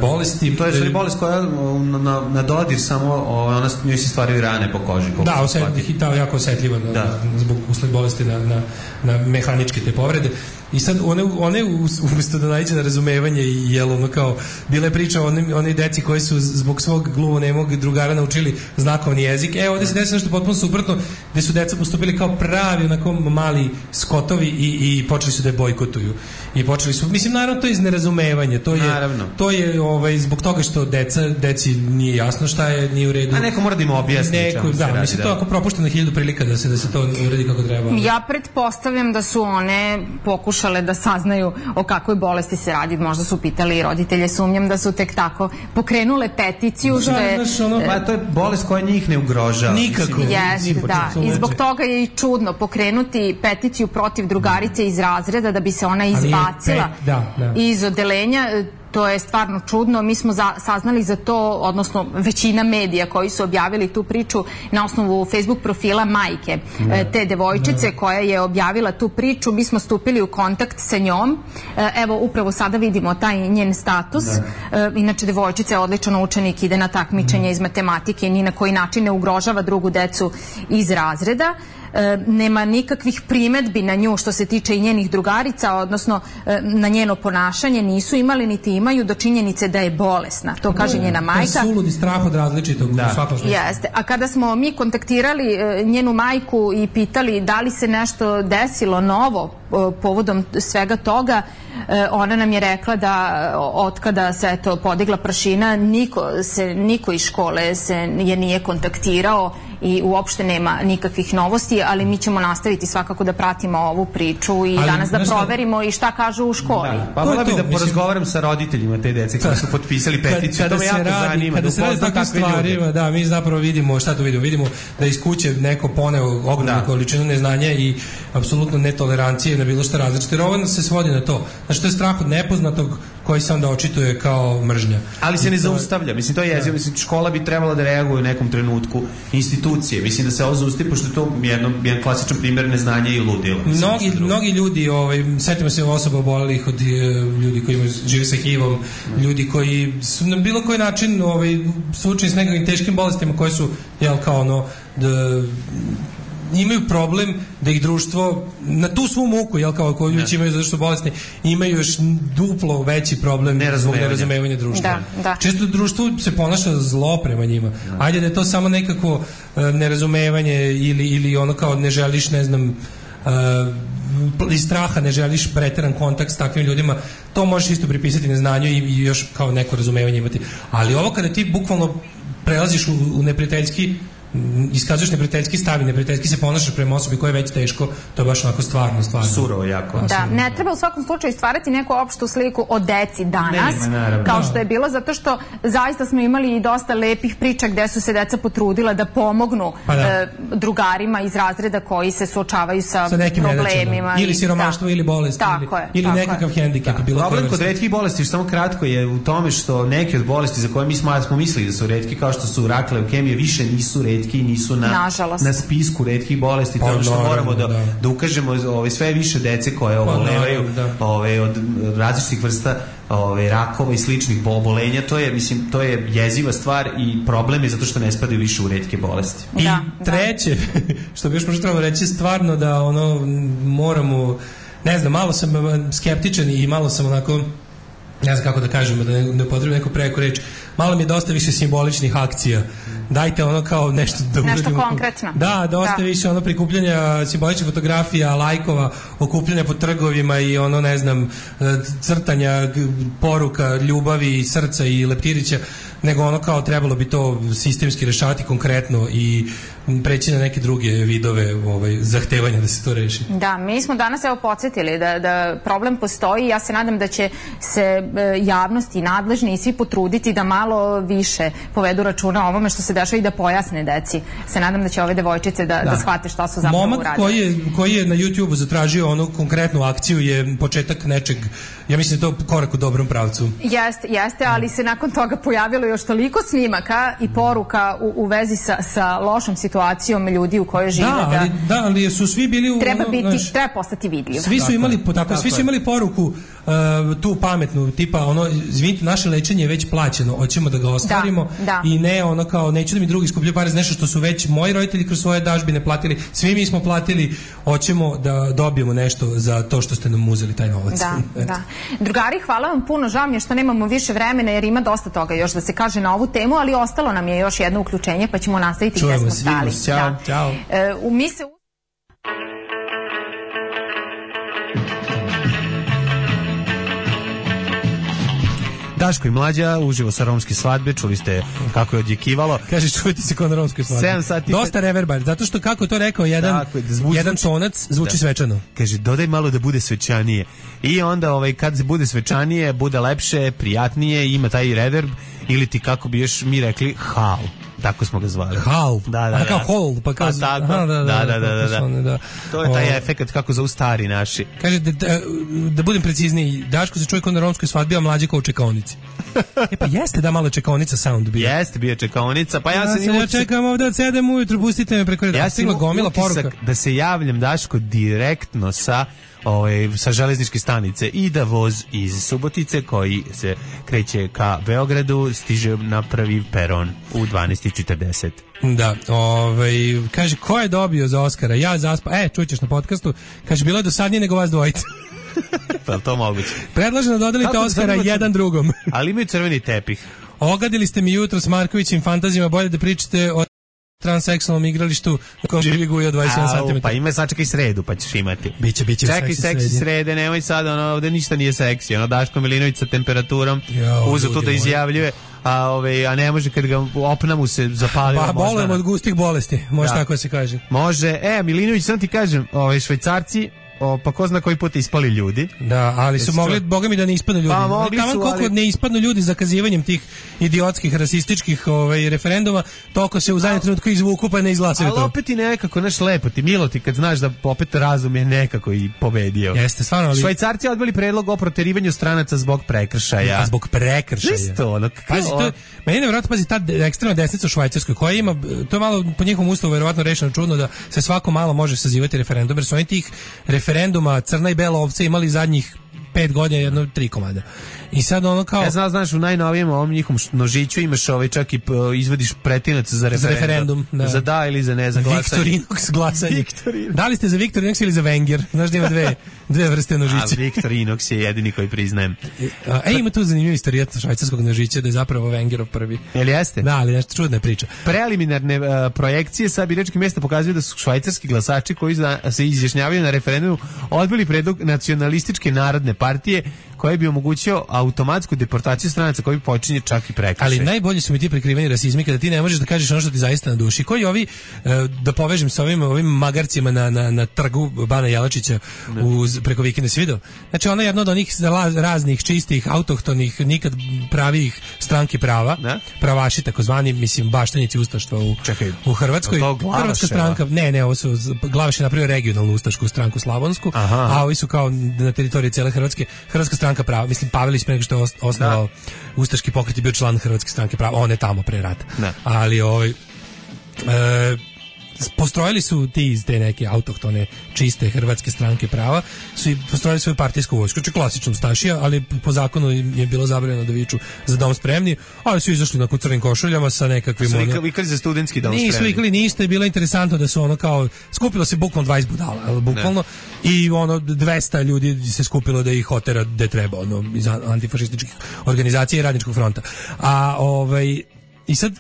bolesti. To je stvari bolest koja na dodir samo njoj se stvaraju rane po koži. Da, jako osetljiva zbog usled bolesti na mehaničke te povrede. I sad one umjesto da naiđe na razumevanje i ono kao bila je priča o one deci koji su zbog svog gluvonemog drugara naučili znakovni jezik. Ovdje se desi nešto potpuno suprotno, gde su deca postupili kao pravi onako mali skotovi i počeli su da je bojkotuju. I počeli su, mislim, naravno to je iz nerazumevanja. To je zbog toga što deci nije jasno šta je, nije u redu. A neko mora da im objasni čemu se radi. Mislim, to je ako propušteno 1000 prilika da se to uredi kako treba. Ja pretpostavljam da su one pokušale da saznaju o kakvoj bolesti se radi. Možda su pitali i roditelje, sumnjam da su tek tako pokrenule peticiju. To je bolest koja njih ne ugrožava. Nikako. Jeste, da. I zbog toga je i čudno pokrenuti peticiju protiv drugarice iz razreda da bi se ona izbacila iz odeljenja. To je stvarno čudno. Mi smo saznali za to, odnosno većina medija koji su objavili tu priču na osnovu Facebook profila majke te devojčice koja je objavila tu priču. Mi smo stupili u kontakt sa njom. Evo, upravo sada vidimo taj njen status. Inače, devojčica je odličan učenik, ide na takmičenje iz matematike i ni na koji način ne ugrožava drugu decu iz razreda. Nema nikakvih primedbi na nju što se tiče i njenih drugarica, odnosno na njeno ponašanje nisu imali niti imaju do činjenice da je bolesna. To kaže njena majka. To je suludi strah od različitog u svakom smislu. Jeste. A kada smo mi kontaktirali njenu majku i pitali da li se nešto desilo novo povodom svega toga, ona nam je rekla da otkada se podigla prašina, niko iz škole je nije kontaktirao i uopšte nema nikakvih novosti, ali mi ćemo nastaviti svakako da pratimo ovu priču i danas da proverimo i šta kažu u školi. Pa vola bi da porazgovaram sa roditeljima te dece koji su potpisali peticiju, to me jako zanima. Kada se radi takvim stvarima, da, mi zapravo vidimo, šta to vidimo? Vidimo da iz kuće neko poneo ogromnu količinu neznanja i apsolutno netolerancije na bilo šta različite. Jer ovo se svodi na to. Znači, to je strah od nepoznatog koji se onda očituje kao mržnja. Ali se ne zaustavlja. Mislim, to je jezivo. Mislim, škola bi trebala da reaguje u nekom trenutku. Institucije. Mislim da se ovo zaustavi, pošto je to jedan klasičan primjer neznanja i ludila. Mnogi ljudi, setimo se osoba obolelih od ljudi koji žive sa HIV-om, ljudi koji su na bilo koji način suočeni s nekakvim teškim bolestima koje su, imaju problem da ih društvo na tu svu muku, koju već imaju zato što su bolesni, imaju još duplo veći problem zbog nerazumevanja društva. Često društvo se ponaša zlo prema njima. Ajde da je to samo nekako nerazumevanje ili ono kao ne želiš, ne znam, iz straha ne želiš preteran kontakt s takvim ljudima, to možeš isto pripisati neznanju i još kao neko razumevanje imati. Ali ovo kada ti bukvalno prelaziš u neprijateljski, iskazuješ neprijateljski stav i neprijateljski se ponašaš prema osobi koja je već teško, to je baš onako stvarno. Surovo jako. Da, ne treba u svakom slučaju stvarati neku opštu sliku o deci danas, kao što je bilo, zato što zaista smo imali i dosta lepih priča gde su se deca potrudila da pomognu drugarima iz razreda koji se suočavaju sa problemima. Ili siromaštvo ili bolest, ili nekakav hendikep. Problem kod retkih bolesti, samo kratko, je u tome što neke od bolesti za koje mi smo mislili da su retke, kao što su rak, leukemija, više nisu retke i nisu na spisku retkih bolesti. To je ono što moramo da ukažemo sve više dece koje obolevaju od različitih vrsta rakova i sličnih obolenja. To je jeziva stvar i problem je zato što ne spadaju više u retke bolesti. I treće, što bi još možda trebalo reći, stvarno da moramo, ne znam, malo sam skeptičan i malo sam onako, ne znam kako da kažemo, da ne upotrebim neku preku reč, malo mi je dosta više simboličnih akcija. Dajte ono kao nešto da uradimo. Nešto konkretno. Da, dosta više prikupljanja simboličnih fotografija, lajkova, okupljanja po trgovima i ne znam, crtanja poruka, ljubavi, srca i leptirića, nego kao trebalo bi to sistemski rešavati konkretno i preći na neke druge vidove zahtevanja da se to reši. Da, mi smo danas podsjetili da problem postoji. Ja se nadam da će se javnost i nadležni i svi potruditi da malo više povedu računa o ovome što se dešava i da pojasne deci. Se nadam da će ove devojčice da shvate šta su zapravo uradili. Momak koji je na YouTubeu zatražio onu konkretnu akciju je početak nečeg, ja mislim da je to korak u dobrom pravcu. Jeste, ali se nakon toga pojavilo još toliko snimaka i poruka u vezi sa lošom situacijom ljudi u kojoj žive. Ali su svi bili treba postati vidljiv. Svi su imali poruku tu pametnu, tipa izvinite, naše lečenje je već plaćeno, hoćemo da ga ostvarimo i ne kao neću da mi drugi skupljaju pare za nešto što su već moji roditelji kroz svoje dažbine platili, svi mi smo platili, hoćemo da dobijemo nešto za to što ste nam uzeli taj novac. Da. Drugari, hvala vam puno, žao mi je što nemamo više vremena jer ima dosta toga još da se kaže na ovu temu, ali ostalo nam je još jedno uključenje pa ćemo nastaviti gdje smo stali. Ćao. Mi se Daško i Mlađa, uživo sa romske svadbe, čuli ste kako je odjekivalo. Kaže, čujete se kao na romskoj svadbi. 7 sati. Dosta reverba, zato što kako to rekao jedan tonac zvuči svečano. Kaže, dodaj malo da bude svečanije. I onda kad se bude svečanije, bude lepše, prijatnije, ima taj reverb, ili ti kako bi još mi rekli, hal. Tako smo ga zvali. Hal. Da. Kao hol, pa kao da. To je taj efekt kako zovu stari naši. Kaže da budem precizniji, Daško se čuje kao na romskoj svadbi, a Mlađe kao u čekaonici. Pa jeste da malo čekaonica sound bio. Jeste bio čekaonica, pa ja čekam ovde od 7 ujutru, pustite me preko reda. Ja sam gomila poruka da se javljam, Daško, direktno sa železničke stanice i da voz iz Subotice koji se kreće ka Beogradu stiže na prvi peron u 12:40. Da, kaže, ko je dobio za Oskara? Ja zaspa, čućeš na podcastu, kaže, bilo je dosadnije nego vas dvojica. Pa to moguće. Predlažem da dodelite Oskara jedan drugom. Ali imaju crveni tepih. Ogadili ste mi jutro s Markovićim fantazijama, bolje da pričate o transseksualnom igralištu na kojem živi Guja 27 cm. Pa ima sačekaj sredu, pa ćeš imati. Biće čekaj seksi srede, nemoj sad, ovde ništa nije seksi. Daško Milinović sa temperaturom uze to da izjavljuje, a ne može kad ga opna mu se zapalilo. Pa bolujemo od gustih bolesti, može tako se kaže. Može, Milinović, sam ti kažem, Švajcarci, pa ko zna koji put ispali ljudi. Da, ali su mogli, boga mi da ne ispadnu ljudi. Pa mogli su, koliko ne ispadnu ljudi zakazivanjem tih idiotskih, rasističkih referenduma, toliko se u zadnjem trenutku izvuku pa ne izglasaju to. Ali opet i nekako, lepo ti, milo ti kad znaš da opet razum je nekako i pobedio. Jeste, stvarno. Ali Švajcarci odbili predlog o proterivanju stranaca zbog prekršaja. A zbog prekršaja. Isto, pazi, meni je nevjerojatno, pazi, ta ekstremna desnica u Švajcarskoj koja ima, to je malo po njihovom ustavu verovatno rešeno čudno da se svako malo može sazivati referendum, jer su oni tih referenduma crna i bela ovca imali zadnjih 5 godina 3 komada. I sad kao... Ja znaš, u najnovijem ovom njihovom nožiću imaš čak i izvadiš pretinac za referendum. Da. Za da ili za ne, za glasanje. Victorinox glasanje. Da li ste za Victorinox ili za Wenger? Znaš da ima dve vrste nožića. A Victorinox je jedini koji priznajem. Ima tu zanimljivu istoriju švajcarskog nožića da je zapravo Wengerov prvi. Jel jeste? Da, ali nešto čudna priča. Preliminarne projekcije sa biračkih mjesta pokazuju da su švajcarski glasači koji se izjašnjavaju na referendumu odbili predlog nacionalističke narodne partije koji bi omogućio automatsku deportaciju stranaca koji počinje čak i prekršaj. Ali najbolji su mi ti prikriveni rasizmi kada ti ne možeš da kažeš ono što ti zaista na duši. Koji ovi, da povežem sa ovim magarcima na trgu Bana Jelačića preko vikenda, si vidio? Znači ona je jedna od onih raznih čistih, autohtonih, nikad pravih stranki prava, pravaši takozvani, mislim, baštanici ustaštva u Hrvatskoj. Hrvatska stranka, ovo su Glavaš je napravio regionalnu ustašku stranku slavonsku, a ovi su kao na teritoriji cele Hrvatske. Hrvatska stranka prava, mislim, Pavelić pre nego što je osnovao ustaški pokret i bio član Hrvatske stranke prava, on je tamo pre rata. Ali postrojili su ti iz te neke autohtone čiste Hrvatske stranke prava, su i postrojili svoju partijsku vojsku, znači klasično ustašija, ali po zakonu je bilo zabranjeno da viču za dom spremni, ali su izašli na crvenim košuljama sa nekakvim... Su vikali za studentski dom spremni. Nisu vikali ništa, je bilo interesantno da su kao, skupilo se bukvalno 20 budala, bukvalno, i 200 ljudi se skupilo da ih otera gde treba, iz antifašističkih organizacija i Radničkog fronta. I sad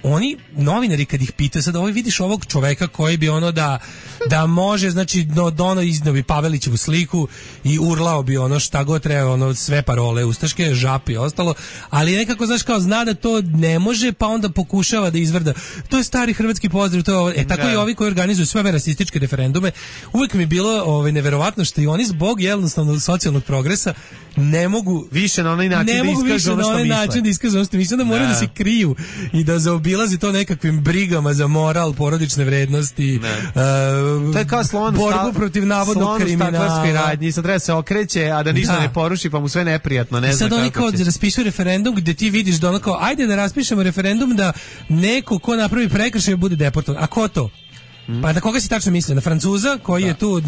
oni novinari kad ih pita sad vidiš ovog čoveka koji bi ono da može, znači dono iznao bi Pavelićevu sliku i urlao bi ono šta god treba, ono sve parole ustaške, žapi i ostalo, ali nekako znaš kao zna da to ne može, pa onda pokušava da izvrda. To je stari hrvatski pozdrav, to je tako i ovi koji organizuju sve ove rasističke referendume. Uvijek mi je bilo neverovatno što i oni zbog jednostavno socijalnog progresa ne mogu više na onaj način da iskažu ono što misle, da moraju da se kriju i da zaobilazi to nekakvim brigama za moral, porodične vrednosti, to je kao borbu protiv navodnog kriminala. Radnji, sad treba se okreće, a da ništa ne poruši, pa mu sve neprijatno, ne zna kako će. Sad oni kao raspisuju referendum gde ti vidiš da ono kao, ajde da raspišemo referendum da neko ko napravi prekršaj bude deportovan. A ko to? Pa na koga si tačno mislio? Na Francuza koji je tu?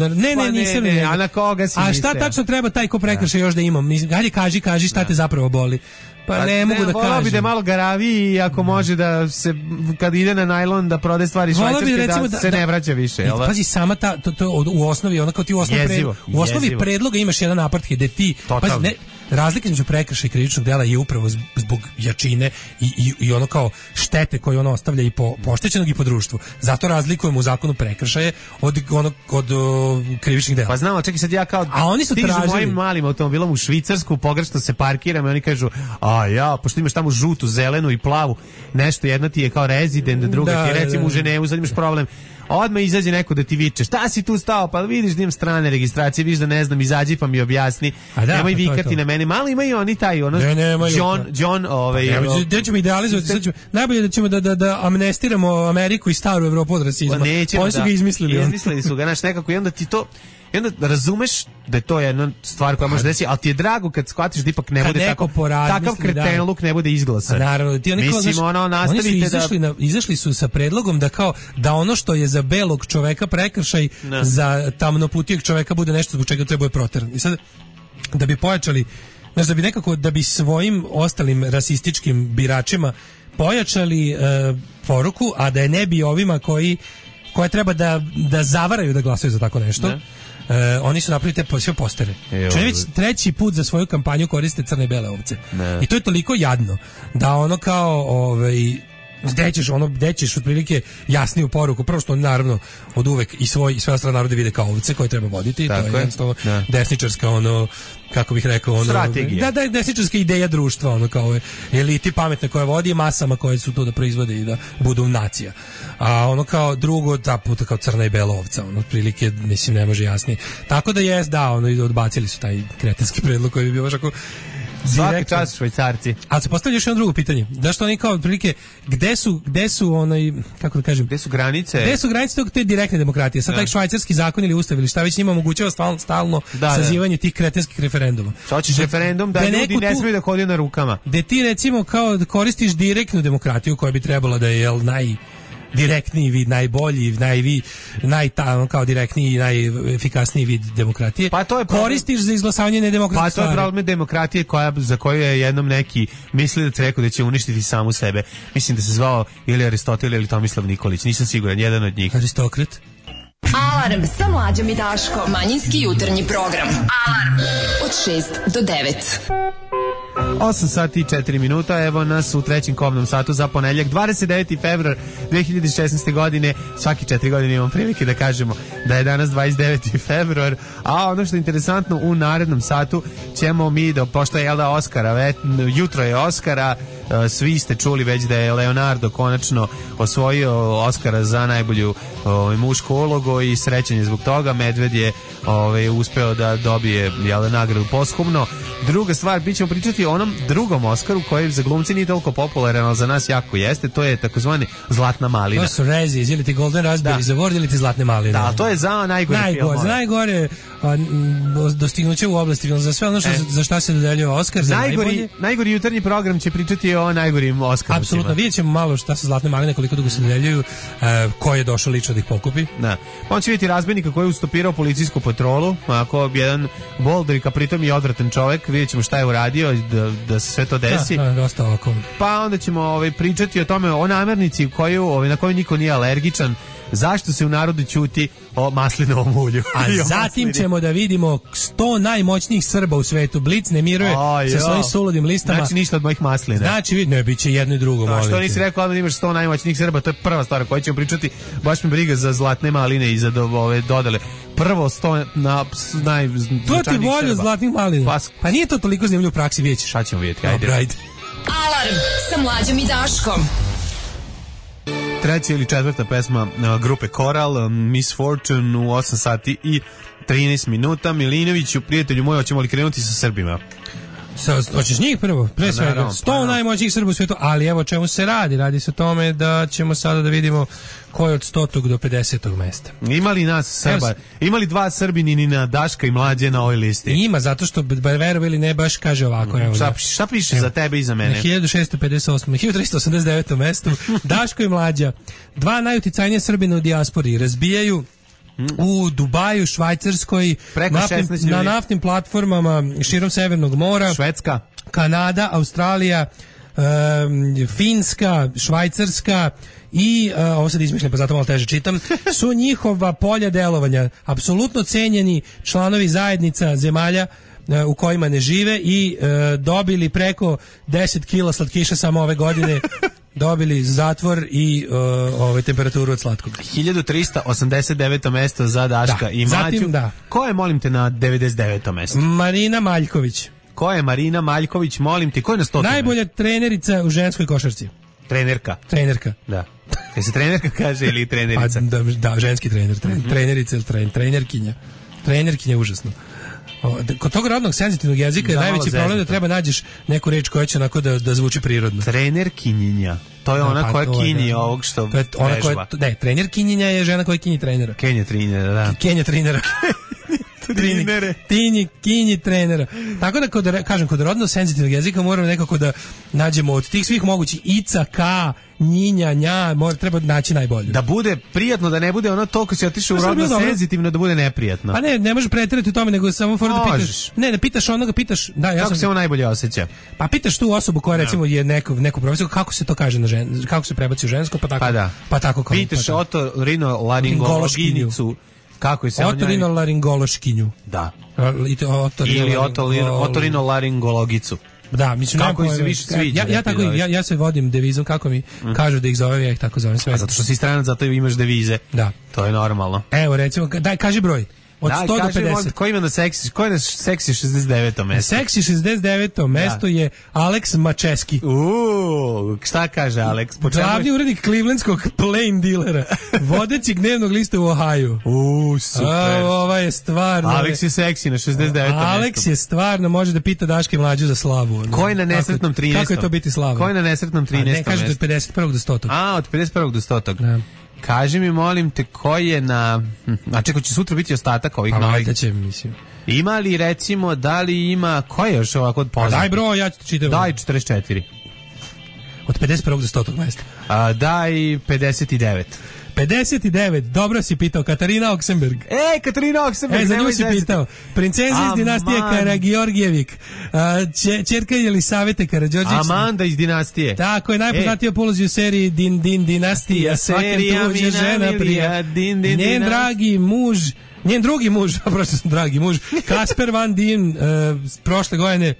Nisam. A na koga si mislio? A šta tačno treba taj ko prekršaj još da imam? Hajde kaži šta te zapravo boli. Pa ne mogu da kažem. Bi da malo garavi i ako može da se, kad ide na najlon da prode stvari švajcarske, da se ne vraća više. Pazi, sama to u osnovi, ono kao ti u osnovi predloga imaš jedan apartheid gde ti, pazi, razlika između prekršaja i krivičnog dela je upravo zbog jačine i ono kao štete koje ono ostavlja i po oštećenog i po društvu. Zato razlikujemo u zakonu prekršaje od krivičnih dela. Pa znamo, čekaj sad ja kao stižu mojim malim automobilom u Švicarsku, pogrešno se parkiram i oni kažu, pošto imaš tamo žutu, zelenu i plavu, nešto, jedna ti je kao rezident, druga ti je recimo u Ženevu, sad imaš problem. Odmah izađe neko da ti viče, šta si tu stao, pa vidiš da imam strane registracije, vidiš da ne znam, izađi pa mi objasni, nemoj vikati na mene, malo imaju oni taj, John, da ćemo idealizovati, najbolje da ćemo da amnestiramo Ameriku i staru Evropu od rasizma, oni su ga izmislili. Izmislili su ga, znaš, nekako, i onda ti to, i onda razumeš da je to jedna stvar koja može desiti, ali ti je drago kad shvatiš da ipak ne bude tako, takav kretenluk ne bude izglasan. Naravno, ti oni izašli su sa predlogom da ono što je za belog čoveka prekršaj, za tamnoputijeg čoveka bude nešto zbog čega treba je proteran. I sad, da bi pojačali, znači da bi svojim ostalim rasističkim biračima pojačali poruku, a da je ne bi ovima koje treba da zavaraju da glasaju za tako nešto. Oni su napravili te sve postere. Čovjek već treći put za svoju kampanju koriste crne i bele ovce. I to je toliko jadno da ono kao gde ćeš otprilike jasniju poruku. Prvo što naravno od uvek i sve ostale narode vide kao ovce koje treba voditi. Tako to je jednostavno desničarska kako bih rekao strategija. Da, desničarska ideja društva, kao eliti pametne koje vodi, masama koje su tu da proizvode i da budu nacija. A kao drugo, ta puta kao crna i bela ovca, otprilike, mislim, ne može jasnije. Tako da odbacili su taj kretenski predlog koji bi bio baš ako svaki čas Švajcarci. Ali se postavlja još jedno drugo pitanje. Zašto oni kao otprilike gde su kako da kažem? Gde su granice? Gde su granice te direktne demokratije? Sad taj švajcarski zakon ili ustav ili šta već njima omogućava stalno sazivanje tih kretenskih referenduma. Šta hoćeš referendum da ljudi ne smiju da hodaju na rukama? Gde ti recimo kao koristiš direktnu demokratiju koja bi trebala da je direktniji vid, najbolji, kao direktniji i najefikasniji vid demokratije. Pa to je koristiš za izglasavanje nedemokratske stvari. Pa to je problem demokratije za koju je jednom neki mislili da rekao da će uništiti samu sebe. Mislim da se zvao ili Aristotel ili Tomislav Nikolić, nisam siguran, jedan od njih. Aristokrat. Alarm sa Mlađom i Daškom. Manjinski jutarnji program. Alarm od 6 do 9. 8 sati i 4 minuta, evo nas u trećem kobnom satu za ponedjeljak, 29. februar 2016. godine. Svaki 4 godine imamo prilike da kažemo da je danas 29. februar, a ono što je interesantno, u narednom satu ćemo mi, pošto je Oskara, jutro je Oskara, svi ste čuli već da je Leonardo konačno osvojio Oskara za najbolju mušku ulogu i srećan je zbog toga. Medved je uspeo da dobije nagradu posthumno. Druga stvar, bit ćemo pričati o onom drugom Oskaru koji za glumci nije toliko popularan, ali za nas jako jeste, to je takozvani Zlatna malina. To su Razzies, ili ti Golden Raspberries Award ili ti Zlatne maline. Da, to je za najgore filmove. Za najgore dostignuće u oblasti filma, za sve ono za šta se dodeljuje Oskar. Najgori jutarnji program će pričati o najgorim Oskarovcima. Apsolutno, vidjet ćemo malo šta su Zlatne maline, koliko dugo se dodeljuju, ko je došao lično da ih pokupi. Da. On će vidjeti razbojnika koji je ustopirao policijsku patrolu, ako jedan boldrik, a pritom i odvratan čovek, vidjet ćemo šta je uradio da se sve to desi. Dosta ovako. Pa onda ćemo pričati o tome, o namirnici na koju niko nije alergičan, zašto se u narodu ćuti o maslinovom ulju. A zatim ćemo da vidimo 100 najmoćnijih Srba u svetu. Blic ne miruje sa svojim suludim listama. Znači ništa od mojih maslina. Znači, ne, bit će jedno i drugo. A što nisi rekao da imaš 100 najmoćnijih Srba, to je prva stvar koju ćemo pričati. Baš mi briga za zlatne maline i za ove dodele. Prvo 100 najznačajnijih Srba. To ti volju zlatnih malina. Pa nije to toliko zanimljivo u praksi, vidjet ćeš. Šta ćemo vidjeti? Ajde. Alarm sa Mlađom i Daškom. Treća ili četvrta pesma grupe Koral, Miss Fortune u 8 sati i 13 minuta. Milinoviću, prijatelju moj, hoćemo li krenuti sa Srbima? Hoćeš njih prvo, pre svega 100 najmoćnijih Srba u svijetu, ali evo čemu se radi. Radi se o tome da ćemo sada da vidimo ko je od 100. do 50. mesta. Ima li nas Srba? Ima li dva Srbinina, Daška i Mlađe na ovoj listi? Ima, zato što verovi ili ne baš kaže ovako. Evo, šta piše evo, za tebe i za mene? Na 1359. mestu Daško i Mlađa, dva najuticajnije Srbina u dijaspori, razbijaju u Dubaju, Švajcarskoj, na naftnim platformama širom Severnog mora, Švedska, Kanada, Australija, Finska, Švajcarska i, ovo sad izmišljam pa zato malo teže čitam, su njihova polja delovanja, apsolutno cenjeni članovi zajednica zemalja u kojima ne žive i dobili preko 10 kila slatkiša samo ove godine. Dobili zatvor i temperaturu od slatkog. 1389. mesto za Daška i Mlađu. Zatim, ko je, molim te, na 99. mesto? Marina Maljković. Ko je Marina Maljković, molim te? Ko je na 100. Najbolja trenerica u ženskoj košarci. Trenerka. Da. Kaj se trenerka kaže ili trenerica? Da, ženski trener. Trenerica ili trenerkinja. Trenerkinja je užasno. Kod tog rodnog senzitivnog jezika je najveći problem da treba nađeš neku reč koja će onako da zvuči prirodno. Trenerkinjinja. To je ona koja kinji ovog što vežba. Ne, trenerkinjinja je žena koja kinji trenera. Kenja trenera, da. Kenja trenera. Kinji trenera. Tako da, kod rodno senzitivnog jezika moramo nekako da nađemo od tih svih mogućih ica, ka, njinja, nja, treba naći najbolje. Da bude prijatno, da ne bude ono toliko si otišao u rodno senzitivno, da bude neprijatno. Pa ne možeš preterati u tome, nego samo fora da pitaš. Ne pitaš onoga, pitaš. Kako se on najbolje osjeća? Pa pitaš tu osobu koja recimo je neku profesiju, kako se to kaže na kako se prebaci u žensko, pa tako. Pa tako kao. Pitaš otorinolaringološkinjicu. Kako je se otorinolaringološkinju. Da. Ili otorinolaringologicu. Da, mislim kako se više sviđa. Ja se vodim devizom kako mi kažu da ih zovem, ja ih tako zovem sve. A zato što si stranac, zato imaš devize. Da. To je normalno. Evo recimo, daj kaži broj. Od 100 do 50. Ko ima na seksi? Ko je na seksi 69. mesto? Seksi 69. mesto je Alex Mačeski. Šta kaže Alex? Glavni urednik Clevelandskog Plain Dealera, vodeći dnevnog lista u Ohio. Super. Ova je stvarno. Alex je seksi na 69. mesto. Alex je stvarno, može da pita Daške i Mlađu za slavu. Ko je na nesretnom 13. Kako je to biti slava? Ko je na nesretnom 13. mesto? Ne, kaže od 51. do 100. Od 51. do 100. Da. Kaži mi, molim te, ko je na... A čekaj, će sutra biti ostatak ovih novih? Pa će, mislim. Ima li, recimo, da li ima... Ko je još ovako od poznat? Daj broj, ja ću čitam. Daj 44. Od 51. do 100. mesta. Daj 59. 59, dobro si pitao, Katarina Oksenberg. Katarina Oksenberg, za nju si pitao. Princeza iz dinastije Karageorgijevik, ćerka Jelisavete Karađorđević. Amanda iz dinastije. Tako je, najpoznatija polozi u seriji Dinastija. Serija mi namilija, Njen dragi muž, njen drugi muž, prosto sam dragi muž, Kasper Van Dien, prošle godine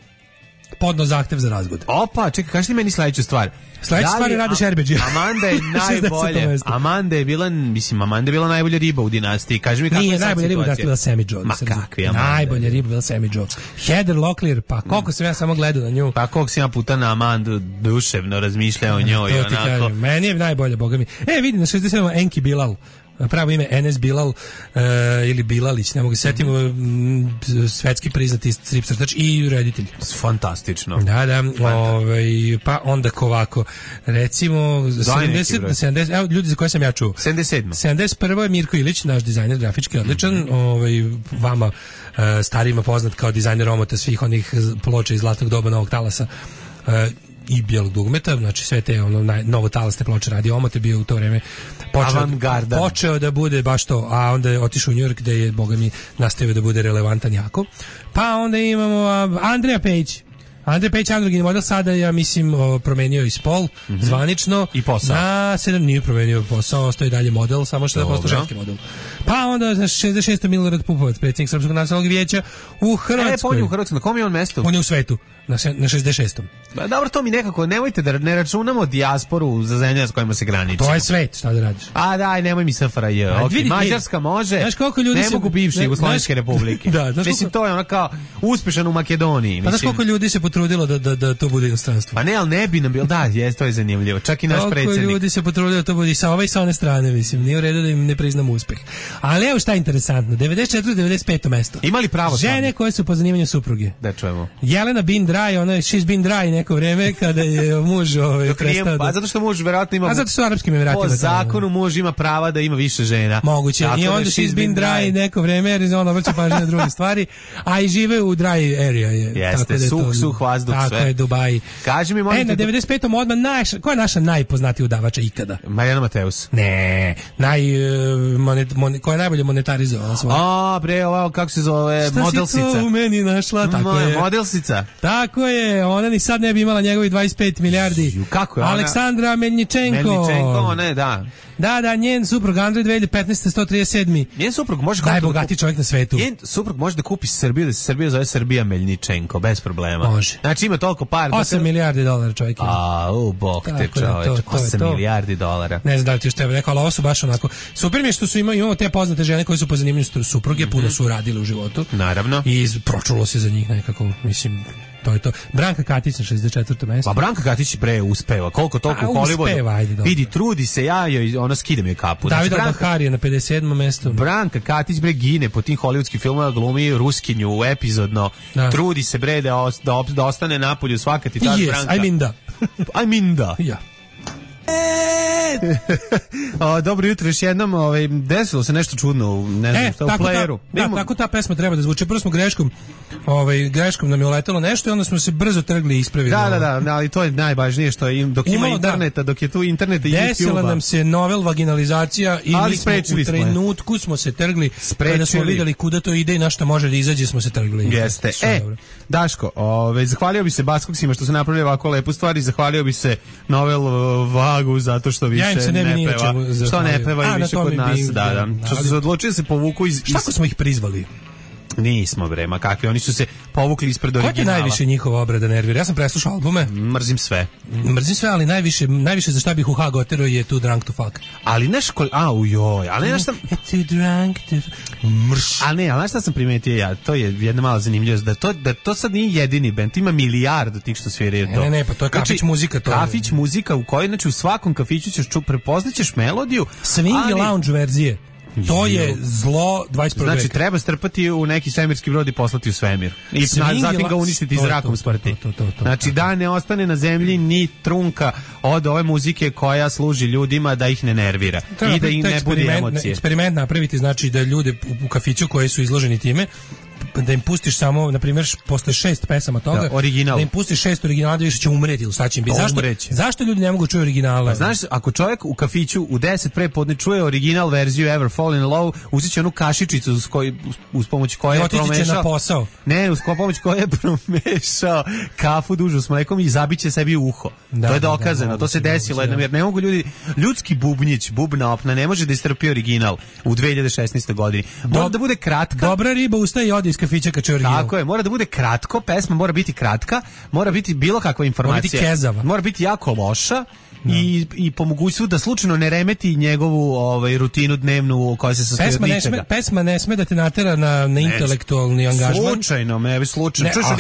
podno zahtev za razvod. Opa, čekaj, kaži ti meni sledeću stvar. Sledeća stvar je Rade Šerbeđi. Amanda je najbolje. Amanda je bila najbolja riba u dinastiji. Kaži mi kako je sad situacija. Nije najbolja riba bila Sammy Joe. Ma kakvi Amanda? Najbolja riba bila Sammy Joe. Heather Locklear, pa koliko sam ja samo gledao na nju. Pa koliko sam ja puta na Amandu duševno razmišljao o njoj. To ti kažem, meni je najbolja, boga mi. Vidi, na 67. Enki Bilal. Pravo ime Enes Bilal ili Bilalić, ne mogu se setimo, svetski priznati strip crtač i reditelj. Fantastično. Da, pa onda ovako, recimo 70, evo ljudi za koje sam ja čuo. 71. je Mirko Ilić, naš dizajner grafički odličan, vama starijima poznat kao dizajner omota svih onih ploča iz zlatnog doba Novog talasa i bijelog dugmeta, znači sve te novotalasne ploče radi omote, bio u to vreme počeo da bude baš to, a onda je otišao u New York gde je, boga mi, nastavio da bude relevantan jako. Pa onda imamo Andrea Page. Andrej Pejić, androgini model, sada ja mislim promenio i spol, zvanično. I posao. Nije promenio posao, ostaje dalje model, samo što je postao ženski model. Pa onda, 66. Milorad Pupovac, predsjednik Srpskog nacionalnog vijeća u Hrvatskoj. On je u Hrvatskoj, na kom je on mesto? On je u svetu, na 66. Dobro, to mi nekako, nemojte da ne računamo dijasporu za zemlje s kojima se graniči. To je svet, šta da radiš? A daj, nemoj mi SFRJ. Mađarska može, ne mogu bivše Jugoslovenske republike. Mislim, to je ono kao uspešan u Makedoniji. Pa znaš koliko ljudi se potrudilo da to bude inostranstvo? Pa ne, ali ne bi nam bilo, to je zanimljivo. Čak i naš predsjednik. Koliko ljudi se potrudilo da to bude i sa ove i sa one strane, mislim. Nije u redu da im ne priznamo uspeh. Ali evo šta je interesantno. 94-95 mesto. Imali pravo žene koje su po zanimanju supruge. Da čujemo. Jelena bin dry, ona je she's been dry neko vreme kada je muž prestao. Pa zato što muž verovatno ima. A zato što u Arapskim Emiratima. Po zakonu muž ima prava da ima više žena. Moguće. I onda she's been dry neko vreme jer ona vrće pažnju na druge stvari, a i žive u dry area je. Jeste, suh vazduh sve. Tako je, Dubai. Kaži mi, molim na 95. odmah koja je naša najpoznatija udavača ikada? Marijana Mateus. Ne, koja je najbolje monetarizovala svoje. Bre, ovo kako se zove, modelsica. Šta si to u meni našla? Tako je. Modelsica. Tako je, ona ni sad ne bi imala njegovi 25 milijardi. Kako je ona? Aleksandra Melničenko, ne, da. Da, njen suprug Andrej 2015. 137. Njen suprug može najbogatiji čovjek na svetu. Njen suprug može da kupi Srbiju, da se Srbija zove Srbija Melničenko, bez problema. Može. Znači ima toliko para. 8 milijardi dolara čovjek. Bog te čoveč, 8 milijardi dolara. Ne znam da li ti još tebe rekao, ali ovo su baš onako. Super mi je što su imamo te poznate žene koje su po zanimanju supruge, puno su uradile u životu. Naravno. I pročulo se za njih nekako, mislim. To je to. Branka Katić na 64. mesto. Pa Branka Katić uspeva. Koliko toliko u Hollywoodu. Vidi, trudi se, ja joj ona skidam joj kapu. David Al-Bahari je na 57. mestu. Branka Katić gine po tim hollywoodskim filmovima, glumi Ruskinju epizodno. Trudi se da ostane napolju svaka ti ta Branka. I mean da. Ja. Dobro jutro još jednom, desilo se nešto čudno u playeru. Tako ta pesma treba da zvuči. Prvo smo greškom nam je uletelo nešto i onda smo se brzo trgli i ispravili. Da, ali to je najvažnije što je dok ima interneta, dok je tu internet i YouTube. Desila nam se novel vaginalizacija i mi smo u trenutku smo se trgli kada smo vidjeli kuda to ide i na što može da izađe smo se trgli. Jeste. Daško, zahvalio bi se Baskoksima što su napravili ovako lepu stvar i zahvalio bi se novel Vagu zato što više ne peva. Što ne peva i više kod nas. Što su se odlučili da se povuku iz... Šta smo ih prizvali? Nismo ma kakvi, oni su se povukli ispred originala. Ko je najviše njihova obrada nervira? Ja sam preslušao albume. Mrzim sve, ali najviše za šta bih u Hag oterao je Too Drunk to Fuck. Ali ali nešto Too Drunk to Mrš. Ali nešto sam primetio ja, to je jedna mala zanimljivost, da to sad nije jedini bend, ima milijardu tih što sviraju to. Ne, pa to je kafić muzika. Kafić muzika u kojoj, znači u svakom kafiću ćeš prepoznaćeš melodiju. Swing i lounge verzije. To je zlo 21. veka. Znači, treba strpati u neki svemirski brod i poslati u svemir. I zatim ga uništiti zrakom smrti. Znači, da ne ostane na zemlji ni trunka od ove muzike koja služi ljudima da ih ne nervira. I da im ne bude emocije. Eksperiment napraviti, znači da ljude u kafiću koji su izloženi time, da im pustiš samo, na primjer, posle 6 pesama toga, da im pustiš 6 originala, da više će umreti ili šta će im biti. Zašto ljudi ne mogu čuti originale? Znaš, ako čovjek u kafiću u 10 prepodne čuje original verziju Ever Fallen in Love, uzet će onu kašičicu uz pomoć koje je promešao. Otići će na posao. Ne, uz pomoć koje je promešao kafu dužu s mlekom i zabiće sebi u uho. To je dokazano, to se desilo jednom, jer ne mogu ljudski bubnjić, bubna opna, ne može da istrpi original u 2016. godini. Mora da bude kratka. Dobra riba ustaje i odi iz kafića kad čuje original. Tako je, mora da bude kratko, pesma mora biti kratka, mora biti bilo kakva informacija. Mora biti kezava. Mora biti jako loša. I po mogućstvu da slučajno ne remeti njegovu rutinu dnevnu koja se sastoji od ničega. Pesma ne sme da te natera na intelektualni angažman. Slučajno.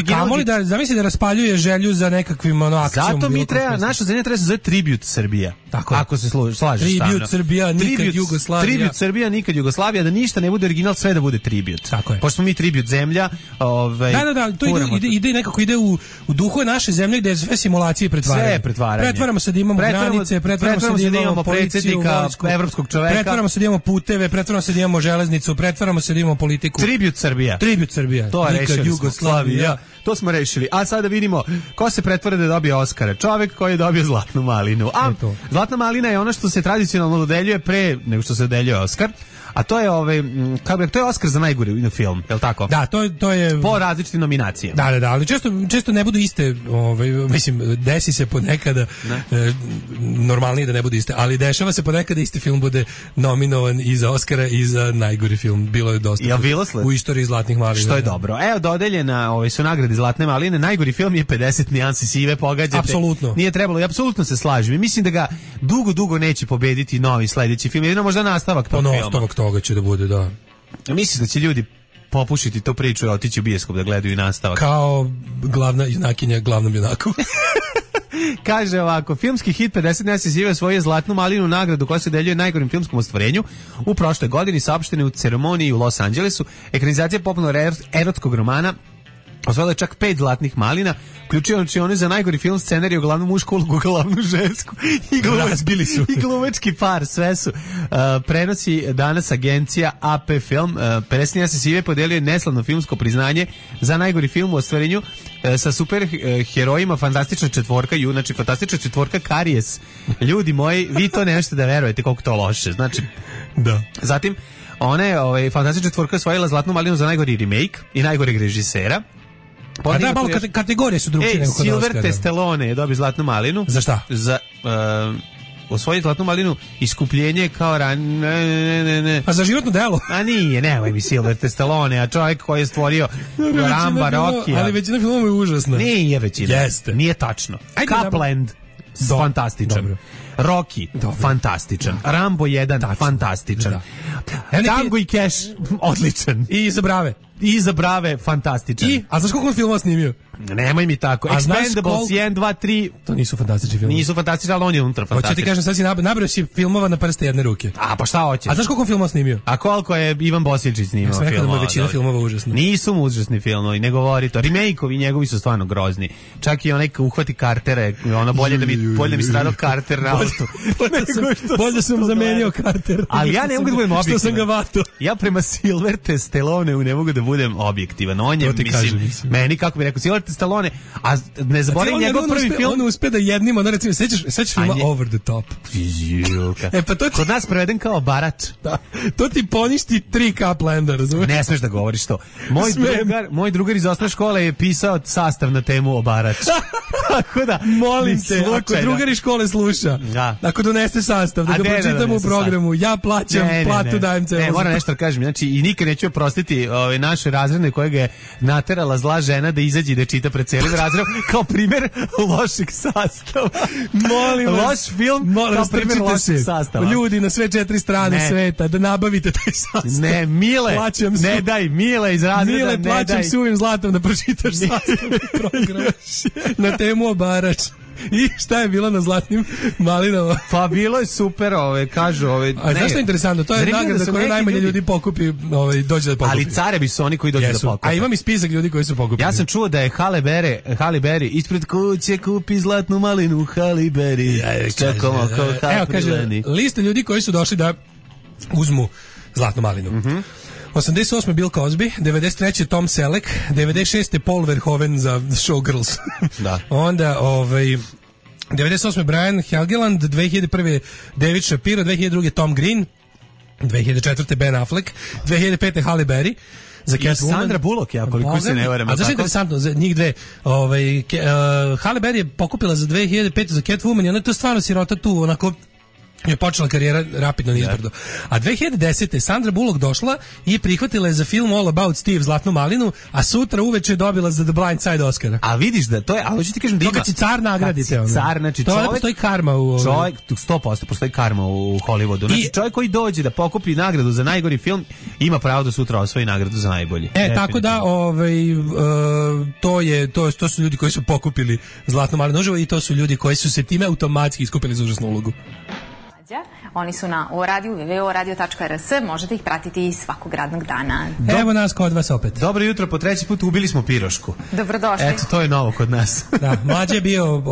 Kamoli da zamisli da raspaljuje želju za nekakvim akcijom. Zato mi treba, naša zemlja treba se zove Tribute Srbija. Tako. Ako se slažeš. Tribute Srbija, nikad Jugoslavija. Tribute Srbija, nikad Jugoslavija, da ništa ne bude original, sve da bude tribute. Tako je. Pošto smo mi tribute zemlja, Da, to ide u duhu naše zemlje gde je sve simulacije pretvaranje. Sve pretvaranje. Pretvaramo se da imamo granice, pretvaramo se da imamo predsjednika, evropskog čoveka, pretvaramo se da imamo puteve, pretvaramo se da imamo železnicu, pretvaramo se da imamo politiku. Tribute Srbija. To je nikad Jugoslavija. To smo rešili. A sada vidimo ko se pretvara da dobije Oskara. Čovjek koji je dobio Zlatnu malinu. A Zlatna malina je ono što se tradicionalno dodeljuje pre nego što se dodeljuje Oskar. a to je to je Oskar za najgori film, je l' tako? Da, to je po različitim nominacijama. Da, ali često ne budu iste, mislim, desi se ponekada normalnije da ne budu iste, ali dešava se ponekada isti film bude nominovan i za Oskara i za najgori film. Bilo je dosta u istoriji Zlatnih malina. Što je dobro. Evo, dodeljena su nagrade Zlatne maline. Najgori film je 50 nijansi sive, pogađate. Apsolutno. Nije trebalo, i apsolutno se slažem. I mislim da ga dugo neće pobediti novi sledeći film. Jedino možda nastavak tog filma. Nastavak toga će da bude, da. Mislim da će ljudi popušiti tu priču i otići u bioskop da gledaju i nastavak. Kao glavna junakinja glavnom junaku. Kaže ovako, filmski hit 50 nijansi sive osvojio Zlatnu malinu, nagradu koja se deljuje najgorim filmskom ostvarenju u prošloj godini, saopštene u ceremoniji u Los Angelesu. Ekranizacija popularnog erotskog romana osvojila je čak 5 Zlatnih malina, uključujući one za najgori film, scenariju, glavnu mušku ulogu, glavnu žensku i glumački par. Sve su prenosi danas agencija AP Film. 50 nijansi sive podelio neslavno filmsko priznanje za najgori film u ostvarenju sa super herojima Fantastična četvorka, znači Fantastična četvorka Karijes. Ljudi moji, vi to ne možete da verujete koliko to loše. Znači, da. Zatim, ona je Fantastična četvorka osvojila Zlatnu malinu za najgori remake i najgoreg režisera. A da, malo kategorije su drugčije nego kod Oscara. Silver Stallone je dobio Zlatnu malinu. Za šta? Za osvojiti Zlatnu malinu Iskupljenje kao ne. A za životno delo? A nije, nemoj mi Silver Stallone, a čovjek koji je stvorio Ramba, Rockija. Ali većina filmova je užasna. Nije većina. Jeste. Nije tačno. Copland, fantastičan. Rocky, fantastičan. Rambo 1, fantastičan. Tango i Cash, odličan. I za Brave, fantastičan. A znaš koliko on filmova snimio? Nemoj mi tako. Expendables 1, 2, 3. To nisu fantastični filmovi. Nisu fantastični, ali on je unutra fantastičan. Hoće ti kažem, sad si nabrao si filmova na prste jedne ruke. A pa šta hoćeš? A znaš koliko filmova snimio? A koliko je Ivan Bosiličić snimao filmova? Ja sam rekao da mu većina filmova užasna. Nisu mu užasni filmovi, ne govori to. Remake-ovi njegovi su stvarno grozni. Čak i onaj uhvati Cartera, ono bolje da mi stradao Carter na autu. Bolje sam zamenio Carter. Ali ja ne mogu da budem objektivan. Što sam ga vato. Ja prema Silver Stallone ne mogu da budem objektivan. On je, mislim, meni, kako bi rekao, Silver Stallone, a ne zaboravim njegov prvi film. On uspe da jednim, ono recimo, sećaš filma Over the Top. Pa to kod nas preveden kao Barač. Da. To ti poništi 3 Coplanda, razumiješ? Ne smeš da govoriš to. Moj drugar iz osnovne škole je pisao sastav na temu o Barač. Tako da, molim te, ako drugar iz škole sluša, ako donese sastav, da ga pročitamo u programu, ja plaćam, platu dajem celo. Ne, moram nešto da kažem, znači i nikad neću oprostiti naše razredne koje ga je naterala zla žena da izađe i da čita pred celim razredom kao primjer lošeg sastava. Molim vas, loš film kao primjer lošeg sastava. Ljudi na sve 4 strane sveta, da nabavite taj sastav. Ne, Mile, ne daj, Mile iz razreda, Mile, plaćam suvim zlatom da pročitaš sastav programa na temu o Barač. I šta je bilo na Zlatnim malinama? Pa bilo je super, kažu, A znaš što je interesantno? To je nagrada koju najmanje ljudi pokupi, dođe da pokupi. Ali carevi su oni koji dođu da pokupi. A imam i spisak ljudi koji su pokupili. Ja sam čuo da je Halle Berry ispred kuće kupi Zlatnu malinu Halle Berry. Čekamo kao Happy. Evo, kaže, lista ljudi koji su došli da uzmu Zlatnu malinu. 88. Bill Cosby, 93. Tom Selleck, 96. Paul Verhoeven za Showgirls. Da. Onda 98. Brian Helgeland, 2001. David Shapiro, 2002. Tom Green, 2004. Ben Affleck, 2005. Halle Berry za Catwoman. Sandra Bullock, ja koliko se ne varam. A zašto je interesantno za njih dve? Halle Berry je pokupila za 2005. za Catwoman i ona je to stvarno sirota tu, onako je počela karijera rapidno nizbrdo. A 2010. Sandra Bullock došla i prihvatila je za film All About Steve Zlatnu malinu, a sutra uveče je dobila za The Blind Side Oscara. A vidiš da to je, ali hoću ti kažem da ima. To kad si car nagradite. Car, znači čovjek. To postoji karma u čovjek, 100% postoji karma u Hollywoodu. Znači čovjek koji dođe da pokupi nagradu za najgori film ima pravo da sutra osvoji nagradu za najbolji. Tako da to su ljudi koji su pokupili Zlatnu malinu uživo i to su ljudi koji su se time automatski iskupili za užasnu ulogu. Oni su na oradiju, www.radio.rs, možete ih pratiti i svakog radnog dana. Evo nas kod vas opet. Dobro jutro, po treći put ubili smo pirošku. Dobrodošli. Eto, to je novo kod nas. Da, Mlađe je bio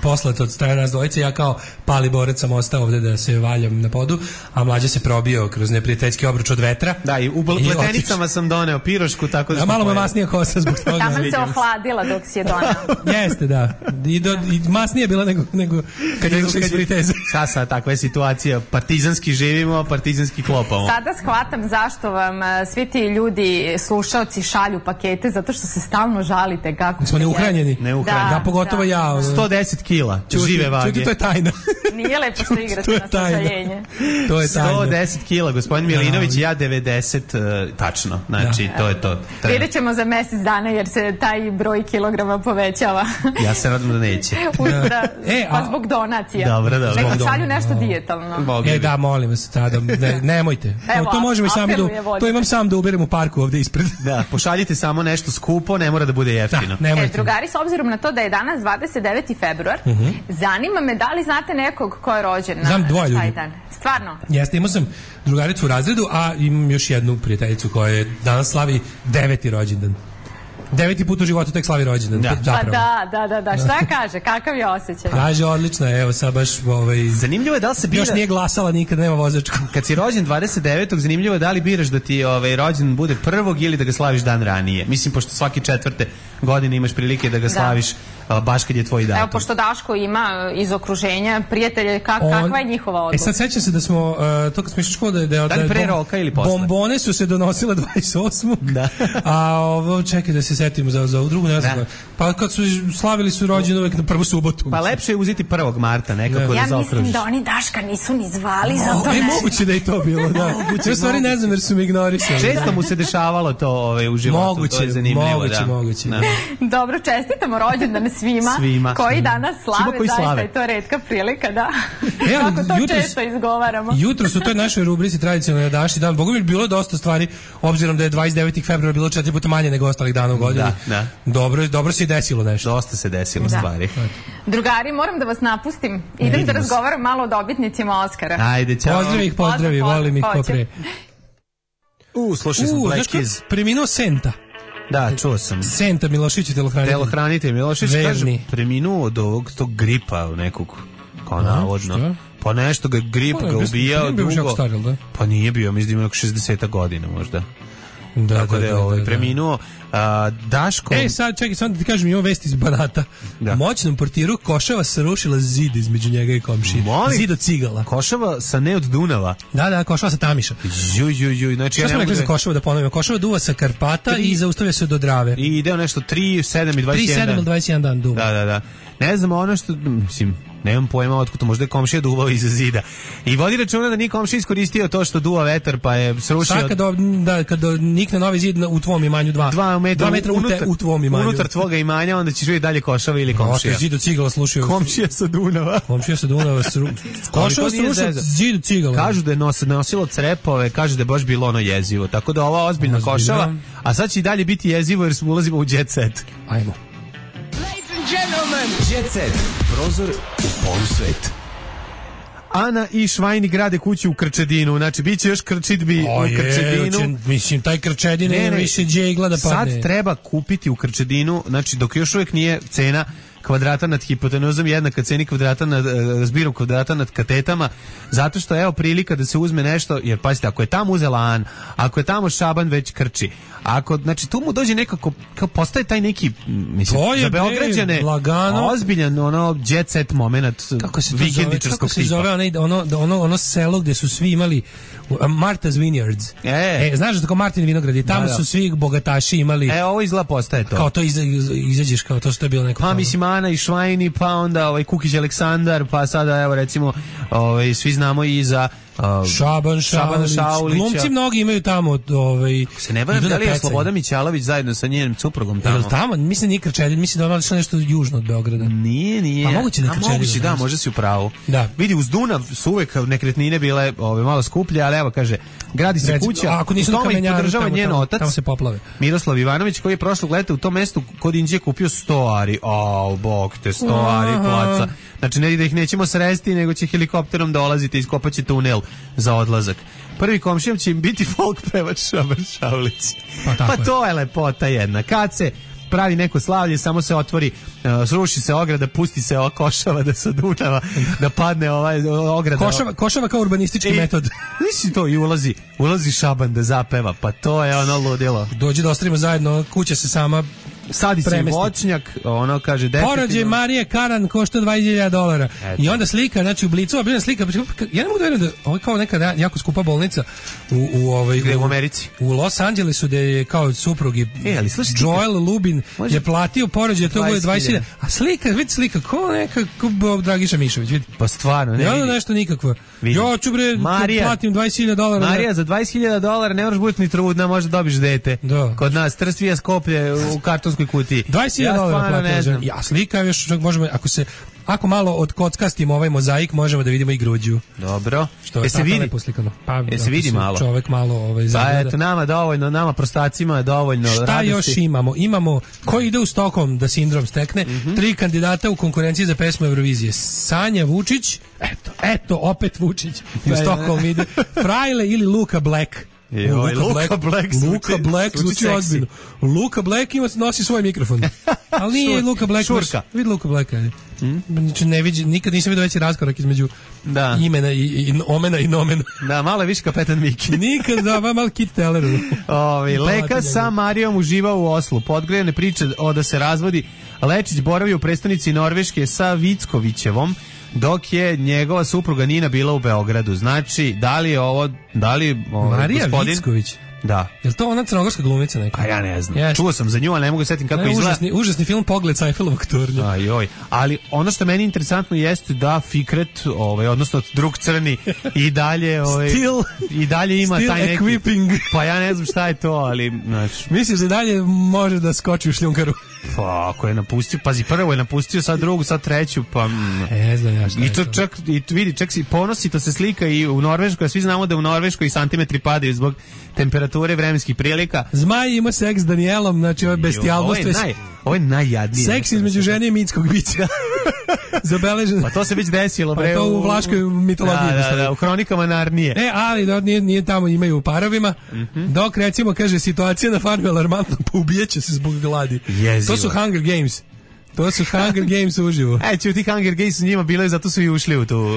poslat od strane nas dvojice, ja kao pali borac sam ostao ovde da se valjam na podu, a Mlađe se probio kroz neprijateljski obruč od vetra. Da, i u pletenicama sam doneo pirošku, tako da smo malo me masnija kosa zbog toga. Tamo se ohladila dok si je doneo. Jeste, da. I masnije bila nego kad je izašla iz friteze. Sad sad takva je situacija. Partizanski živimo, partizanski klopamo. Sada shvatam zašto vam svi ti ljudi, slušaoci, šalju pakete, zato što se stalno žalite kako smo neuhranjeni. Da, ja pogotovo ja. 110 kila žive vage. Čuti, to je tajna. Nije lepo što igrate na sažaljenje. To je tajna. 110 kila, gospodin Milinović i ja 90 tačno. Znači, to je to. Vidjet ćemo za mesec dana jer se taj broj kilograma povećava. Ja se radim da neće. Pa zbog donacija. Dobro. Nego šalju nešto dijetalno. Da, molim vas, nemojte. Evo, to možemo i sami to imam sam da uberem u parku ovde ispred. Da, pošaljite samo nešto skupo, ne mora da bude jeftino. Drugari, s obzirom na to da je danas 29. februar, zanima me da li znate nekog ko je rođen na taj dan. Stvarno? Jeste, imao sam drugaricu u razredu, a imam još jednu prijateljicu koja je danas slavi 9. rođendan. 9. put u životu tek slavi rođendan. Pa da. Šta kaže? Kakav je osjećaj? Kaže, odlično, evo sad baš... Zanimljivo je da li se bira... Još nije glasala nikad, nema vozačku. Kad si rođen 29. zanimljivo je da li biraš da ti rođendan bude 1. ili da ga slaviš dan ranije. Mislim, pošto svake 4. godine imaš prilike da ga slaviš baš kad je tvoj datum. Evo, pošto Daško ima iz okruženja prijatelje, kakva je njihova odluka? Sad sećam se da smo, to kad smo išli školu, da li pre roka ili posle? Bombone su se donosile 28. Da. A ovo, čekaj da se setimo za ovu drugu, ne znam. Pa kad su slavili su rođendan uvek na prvu subotu. Pa lepše je uzeti 1. marta nekako da zaokružiš. Ja mislim da oni Daška nisu ni zvali za to. Moguće da je to bilo, da. U stvari ne znam jer su mi ignorisali. Često mu se dešavalo to u životu, to je zanimljivo. Moguće. Dobro, čestitamo rođendan svima koji danas slave, zaista je to retka prilika da kako to često izgovaramo. Jutro su u toj našoj rubrici tradicionalno Daši dan, Bogu mi je bilo dosta stvari, obzirom da je 29. februara bilo 4 puta manje nego ostalih dana u godini. Da. Dobro se i desilo nešto. Dosta se desilo stvari. Drugari, moram da vas napustim. Idem da razgovaram malo o dobitnicima Oskara. Ajde, čao. Pozdravi, volim ih ko pre. Slušaj sam Black Keys. Preminuo Senta. Da, čuo sam. Senta Milošić, telohranitelj Milošić, kaže, preminuo od ovog tog gripa nekog, kao navodno. Pa nešto ga grip ga ubijao dugo. Pa nije bio, mislim da ima 60 godina možda. Tako da je preminuo. Daško... sad čekaj, samo da ti kažem, imamo vest iz Banata. Moćnom portiru Košava srušila zid između njega i komšije. Zid od cigala. Košava sa ne od Dunava? Da, Košava sa Tamiša. Znači, šta smo rekli za Košava da ponovimo? Košava duva sa Karpata i zaustavlja se do Drave. I ideo nešto 3, 7 i 21 dan. 3, 7 ili 21 dan duva. Da. Ne znam, ono što, mislim, nemam pojma otkud to, možda je komšija duvao iza zida. I vodi računa da nije komšija iskoristio to što duva vetar, pa je srušio... Sad kad nikne novi zid u tvom imanju 2 metra u tvom imanju. Unutar tvoga imanja, onda ćeš vidjeti dalje Košava ili komšija. Zid od cigala slušaju. Komšija sa Dunava. Košava srušio zid od cigala. Kažu da je nosilo crepove, kažu da je baš bilo ono jezivo. Tako da ova ozbiljna Košava, a sad će i dalje biti jezivo jer ulazimo u jet set. Ajmo. Jet set. Prozor u polusvet. Ana i Švajni grade kuću u Krčedinu. Znači, bit će još krčidbi u Krčedinu. Mislim, taj Krčedin ne više džegla da padne. Sad treba kupiti u Krčedinu, znači, dok još uvijek nije cena kvadrata nad hipotenuzom jednaka ceni kvadrata nad zbirom kvadrata nad katetama, zato što evo prilika da se uzme nešto, jer pazite, ako je tamo uzela An, ako je tamo Šaban već krči, ako, znači tu mu dođe nekako, kao postaje taj neki, mislim, za Beograđane ozbiljan ono jet set moment vikendičarskog tipa. Kako se zove ono selo gde su svi imali Martha's Vineyards. Znaš da tako Martin vinograd i tamo su svi bogataši imali. Ovo izgleda postaje to. Kao to izađeš kao to što je bilo neko. Pa mislim Ana i Švajni, pa onda Kukić Aleksandar, pa sada evo recimo svi znamo i za Šaban Šaulić. Glumci mnogi imaju tamo se ne varam da li je Sloboda Mićalović zajedno sa njenim suprugom tamo. Jel tamo? Mislim nije Krčedin, mislim da ono je nešto južno od Beograda. Nije. Pa moguće da je Krčedin. Da, možda si u pravu. Da. Vidi, uz Dunav su uvek nekretnine bile malo skuplje, ali evo kaže, gradi se kuća, ako nisu na Kamenjaru, podržava njen otac, tamo se poplave. Miroslav Ivanović, koji je prošlog leta u tom mestu kod Inđije kupio 100 ari. Bog te 100 ari placa. Znači, ne da ih nećemo sresti, nego će helikopterom dolaziti i iskopaće tunel za odlazak. Prvi komšijom će im biti folk pevač Šaban Šaulić. Pa to je lepota jedna. Kad se pravi neko slavlje, samo se otvori, sruši se ograda, pusti se ova Košava da se Dunava, da padne ograda. Košava kao urbanistički metod. Nisi to i ulazi Šaban da zapeva, pa to je ono ludilo. Dođe da ostavimo zajedno, kuća se sama Sadi se premesti. voćnjak, ono kaže definitivno. Porođaj Marije Karan košta $20.000. I onda slika, znači u Blicu obilna slika. Ja ne mogu da verujem da ovo je kao neka jako skupa bolnica u Americi. U Los Angelesu gde je kao suprug i Joel Lubin je platio porođaj, to bude 20.000. A slika, vidi slika, ko neka Dragiša Mišović, vidi. Pa stvarno, ne vidi. Nešto nikakvo. Ja ću bre, platim $20.000. Marija, za $20.000 ne moraš biti ni trudna, možda dobiš dete. Da. Kod nas Trstvija Skoplje u kartonskoj kutiji. $20.000 platio. Ja slika još možemo, ako malo odkockastimo ovaj mozaik, možemo da vidimo i gruđu. Dobro. Što je se vidi? Pa, se vidi malo? Čovek malo zagleda. Pa eto, nama dovoljno, nama prostacima je dovoljno šta radosti. Još imamo? Imamo, ko ide u Stockholm da sindrom stekne, 3 kandidata u konkurenciji za pesmu Eurovizije. Sanja Vučić, eto, opet Vučić, u Stockholm ide, Frajle ili Luka Black. Luka Black zvuči ozbiljno. Luka Black nosi svoj mikrofon. Ali nije Luka Black. Šurka. Vidi Luka Blacka. Znači nikad nisam vidio veći raskorak između imena i omena i nomena. Da, malo je više Kapetan Miki. Nikad, malo Kit Telleru. Leka sa Marijom uživao u Oslu. Podgrejane priče da se razvodi. Lečić boravio u prestonici Norveške sa Vickovićevom, dok je njegova supruga Nina bila u Beogradu. Znači, da li Marija gospodin Vicković? Da. Je li to ona crnogorska glumica neka? A ja ne znam. Yes. Čuo sam za nju, ali ne mogu setim kako izgleda. Užasni film Pogled sa Eiffelovog tornja. Ajoj. Ali ono što meni interesantno jeste da Fikret, odnosno drug crni, i dalje i dalje ima taj neki equipping. Pa ja ne znam šta je to, ali misliš da dalje može da skoči u šljunkaru? Pa ako je napustio, pazi, prvo je napustio, sad drugu, sad treću, pa ne znam ja šta je. I to čak, vidi, čak si ponosi, to se slika i u Norveškoj, a svi znamo da u Norveškoj santimetri padaju zbog temperature, vremenskih prilika. Zmaj ima seks s Danielom, znači ovo je bestijalnost. Ovo je najjadnije. Seks između žene i mitskog bića. Zabeleženo. Pa to se već desilo. Pa to u vlaškoj mitologiji. Da, u hronikama Narnije. Ali nije tamo, imaju u parovima. Dok recimo, kaže, situacija na farmi alarmantno, pa ubijeće se zbog gladi. To su Hunger Games. To su Hunger Games uživo. Ti Hunger Games su njima bilo i zato su i ušli u tu.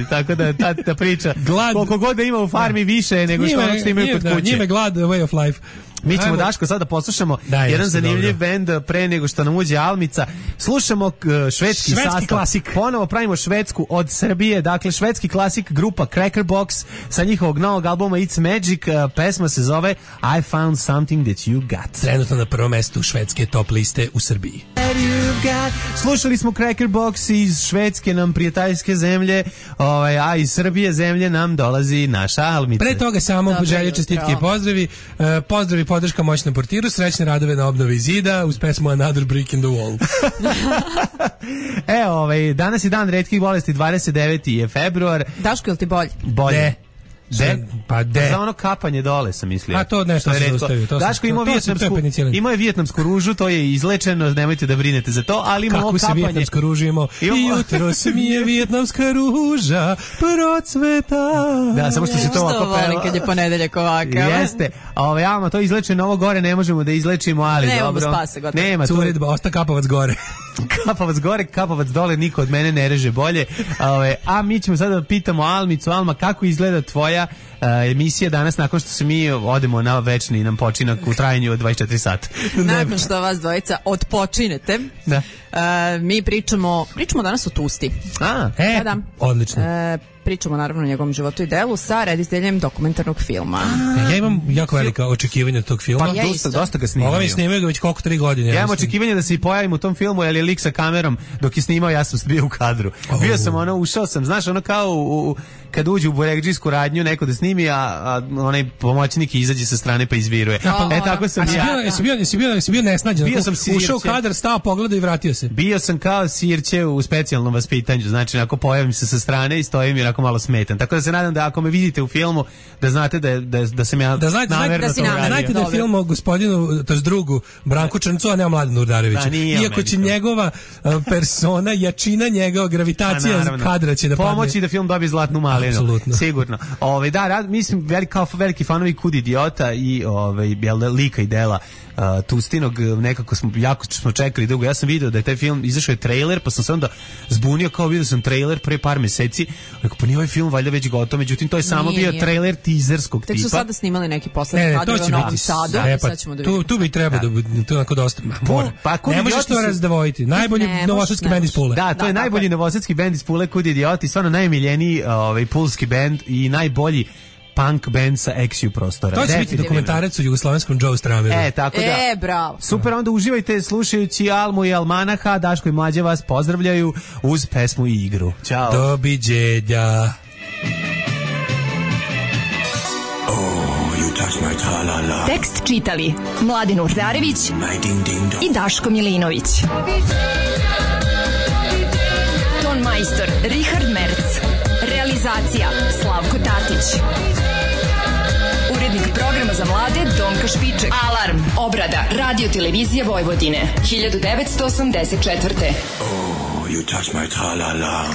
Tako da ta priča. Koliko god da ima u farmi više nego što imaju kod kuće. Njime glad, way of life. Mi ćemo, Daško, sada poslušamo jedan zanimljiv bend pre nego što nam uđe Almica. Slušamo švedski sastav. Klasik. Ponovo pravimo švedsku od Srbije. Dakle, švedski klasik, grupa Crackerbox sa njihovog novog albuma It's Magic. Pesma se zove I Found Something That You Got. Trenutno na prvom mestu švedske top liste u Srbiji. Slušali smo Crackerbox iz Švedske, nam prijateljske zemlje, a iz Srbije zemlje nam dolazi naša Almica. Pre toga samo želje, čestitke i pozdravi. Pozdravi, podrška moćnom portiru, srećne radove na obnovi zida uz pesmu Another Brick in the Wall. Danas je dan retkih bolesti, 29. je februar. Daško, je li ti bolje? Bolje. Pa za ono kapanje dole sam mislio. A to nešto se zaustavio. Daško imao vijetnamsku ružu, to je izlečeno, nemojte da brinete za to, ali imamo kapanje. Kako se vijetnamsku ružu imao? I jutro se mi je vijetnamska ruža procveta. Da, samo što se to ovako peva. Što volim kad je ponedeljak ovakav. Jeste. Ama to izlečeno, ovo gore ne možemo da izlečimo, ali ne, dobro. Spase, gotovo. Nema curedba, osta kapavac gore. Kapavac gore, kapavac dole, niko od mene ne reže bolje. A mi ćemo sada da pitamo Almicu. Alma, kako izgleda tvoja emisija danas nakon što se mi odemo na večni nam počinak u trajanju od 24 sata? Nakon što vas dvojica odpočinete, mi pričamo danas o Tusti. Odlično. Pričamo naravno o njegovom životu i delu sa rediteljem dokumentarnog filma. Ja imam jako velika očekivanja od tog filma. Dosta ga snimaju. Ovo mi snimaju ga već koliko 3 godine. Ja imam očekivanja da se i pojavim u tom filmu, jer je lik sa kamerom dok je snimao, ja sam bio u kadru. Bio sam ušao sam, znaš, kao kad uđe u buregđijsku radnju neko da snimi, a onaj pomoćnik izađe sa strane pa izviruje. Tako sam ja. Jesi bio nesnađen? Ušao u kadar, stao, pogledao i vratio se. Bio sam kao sirće u specijalnom vaspitanju, znači ako pojavim se sa strane i stojim i onako malo smetan. Tako da se nadam da ako me vidite u filmu, da znate da sam ja namerno to uradio. Znajte da je film o gospodinu, to je drugu, Branku Črncu, a ne o Mladenu Urdareviću. Iako će njegova persona, jačina njegova, gravitacija kadra će da padne. Pomoći da film dobije zlatnu malinu. Apsolutno. Sigurno. Mislim, veliki fanovi Kud idiota i lika i dela Tustinog, nekako jako smo čekali dugo. Ja sam video da je taj film, izašao je trailer, pa sam se onda zbunio, kao vidio sam trailer pre par meseci, rekao, pa nije ovaj film valjda već gotov, međutim to je samo bio trailer teaserskog tipa. Tek su sada snimali neki poslednji kadar u Novom Sadu, sad ćemo da vidimo. Tu bi trebao da bude, to je onako dosta, ne možeš to razdvojiti. Najbolji novosadski bend iz Pule. Da, to je najbolji novosadski bend iz Pule, Kud idioti, stvarno najmiljeniji pulski bend i najbolji punk band sa Exiu prostora. To će biti dokumentarac o jugoslovenskom Joe Strameru. Tako da. Bravo. Super, onda uživajte slušajući Almu i Almanaha. Daško i Mlađe vas pozdravljaju uz pesmu i igru. Ćao. Doviđenja. Tekst čitali Mladin Urdarević i Daško Milinović. Ton majstor Richard Merc. Realizacija Slavko Tatić. Urednik programa za mlade Donka Špiček. Alarm. Obrada Radio Televizije Vojvodine 1984. Oh, you touch my tra-la-la.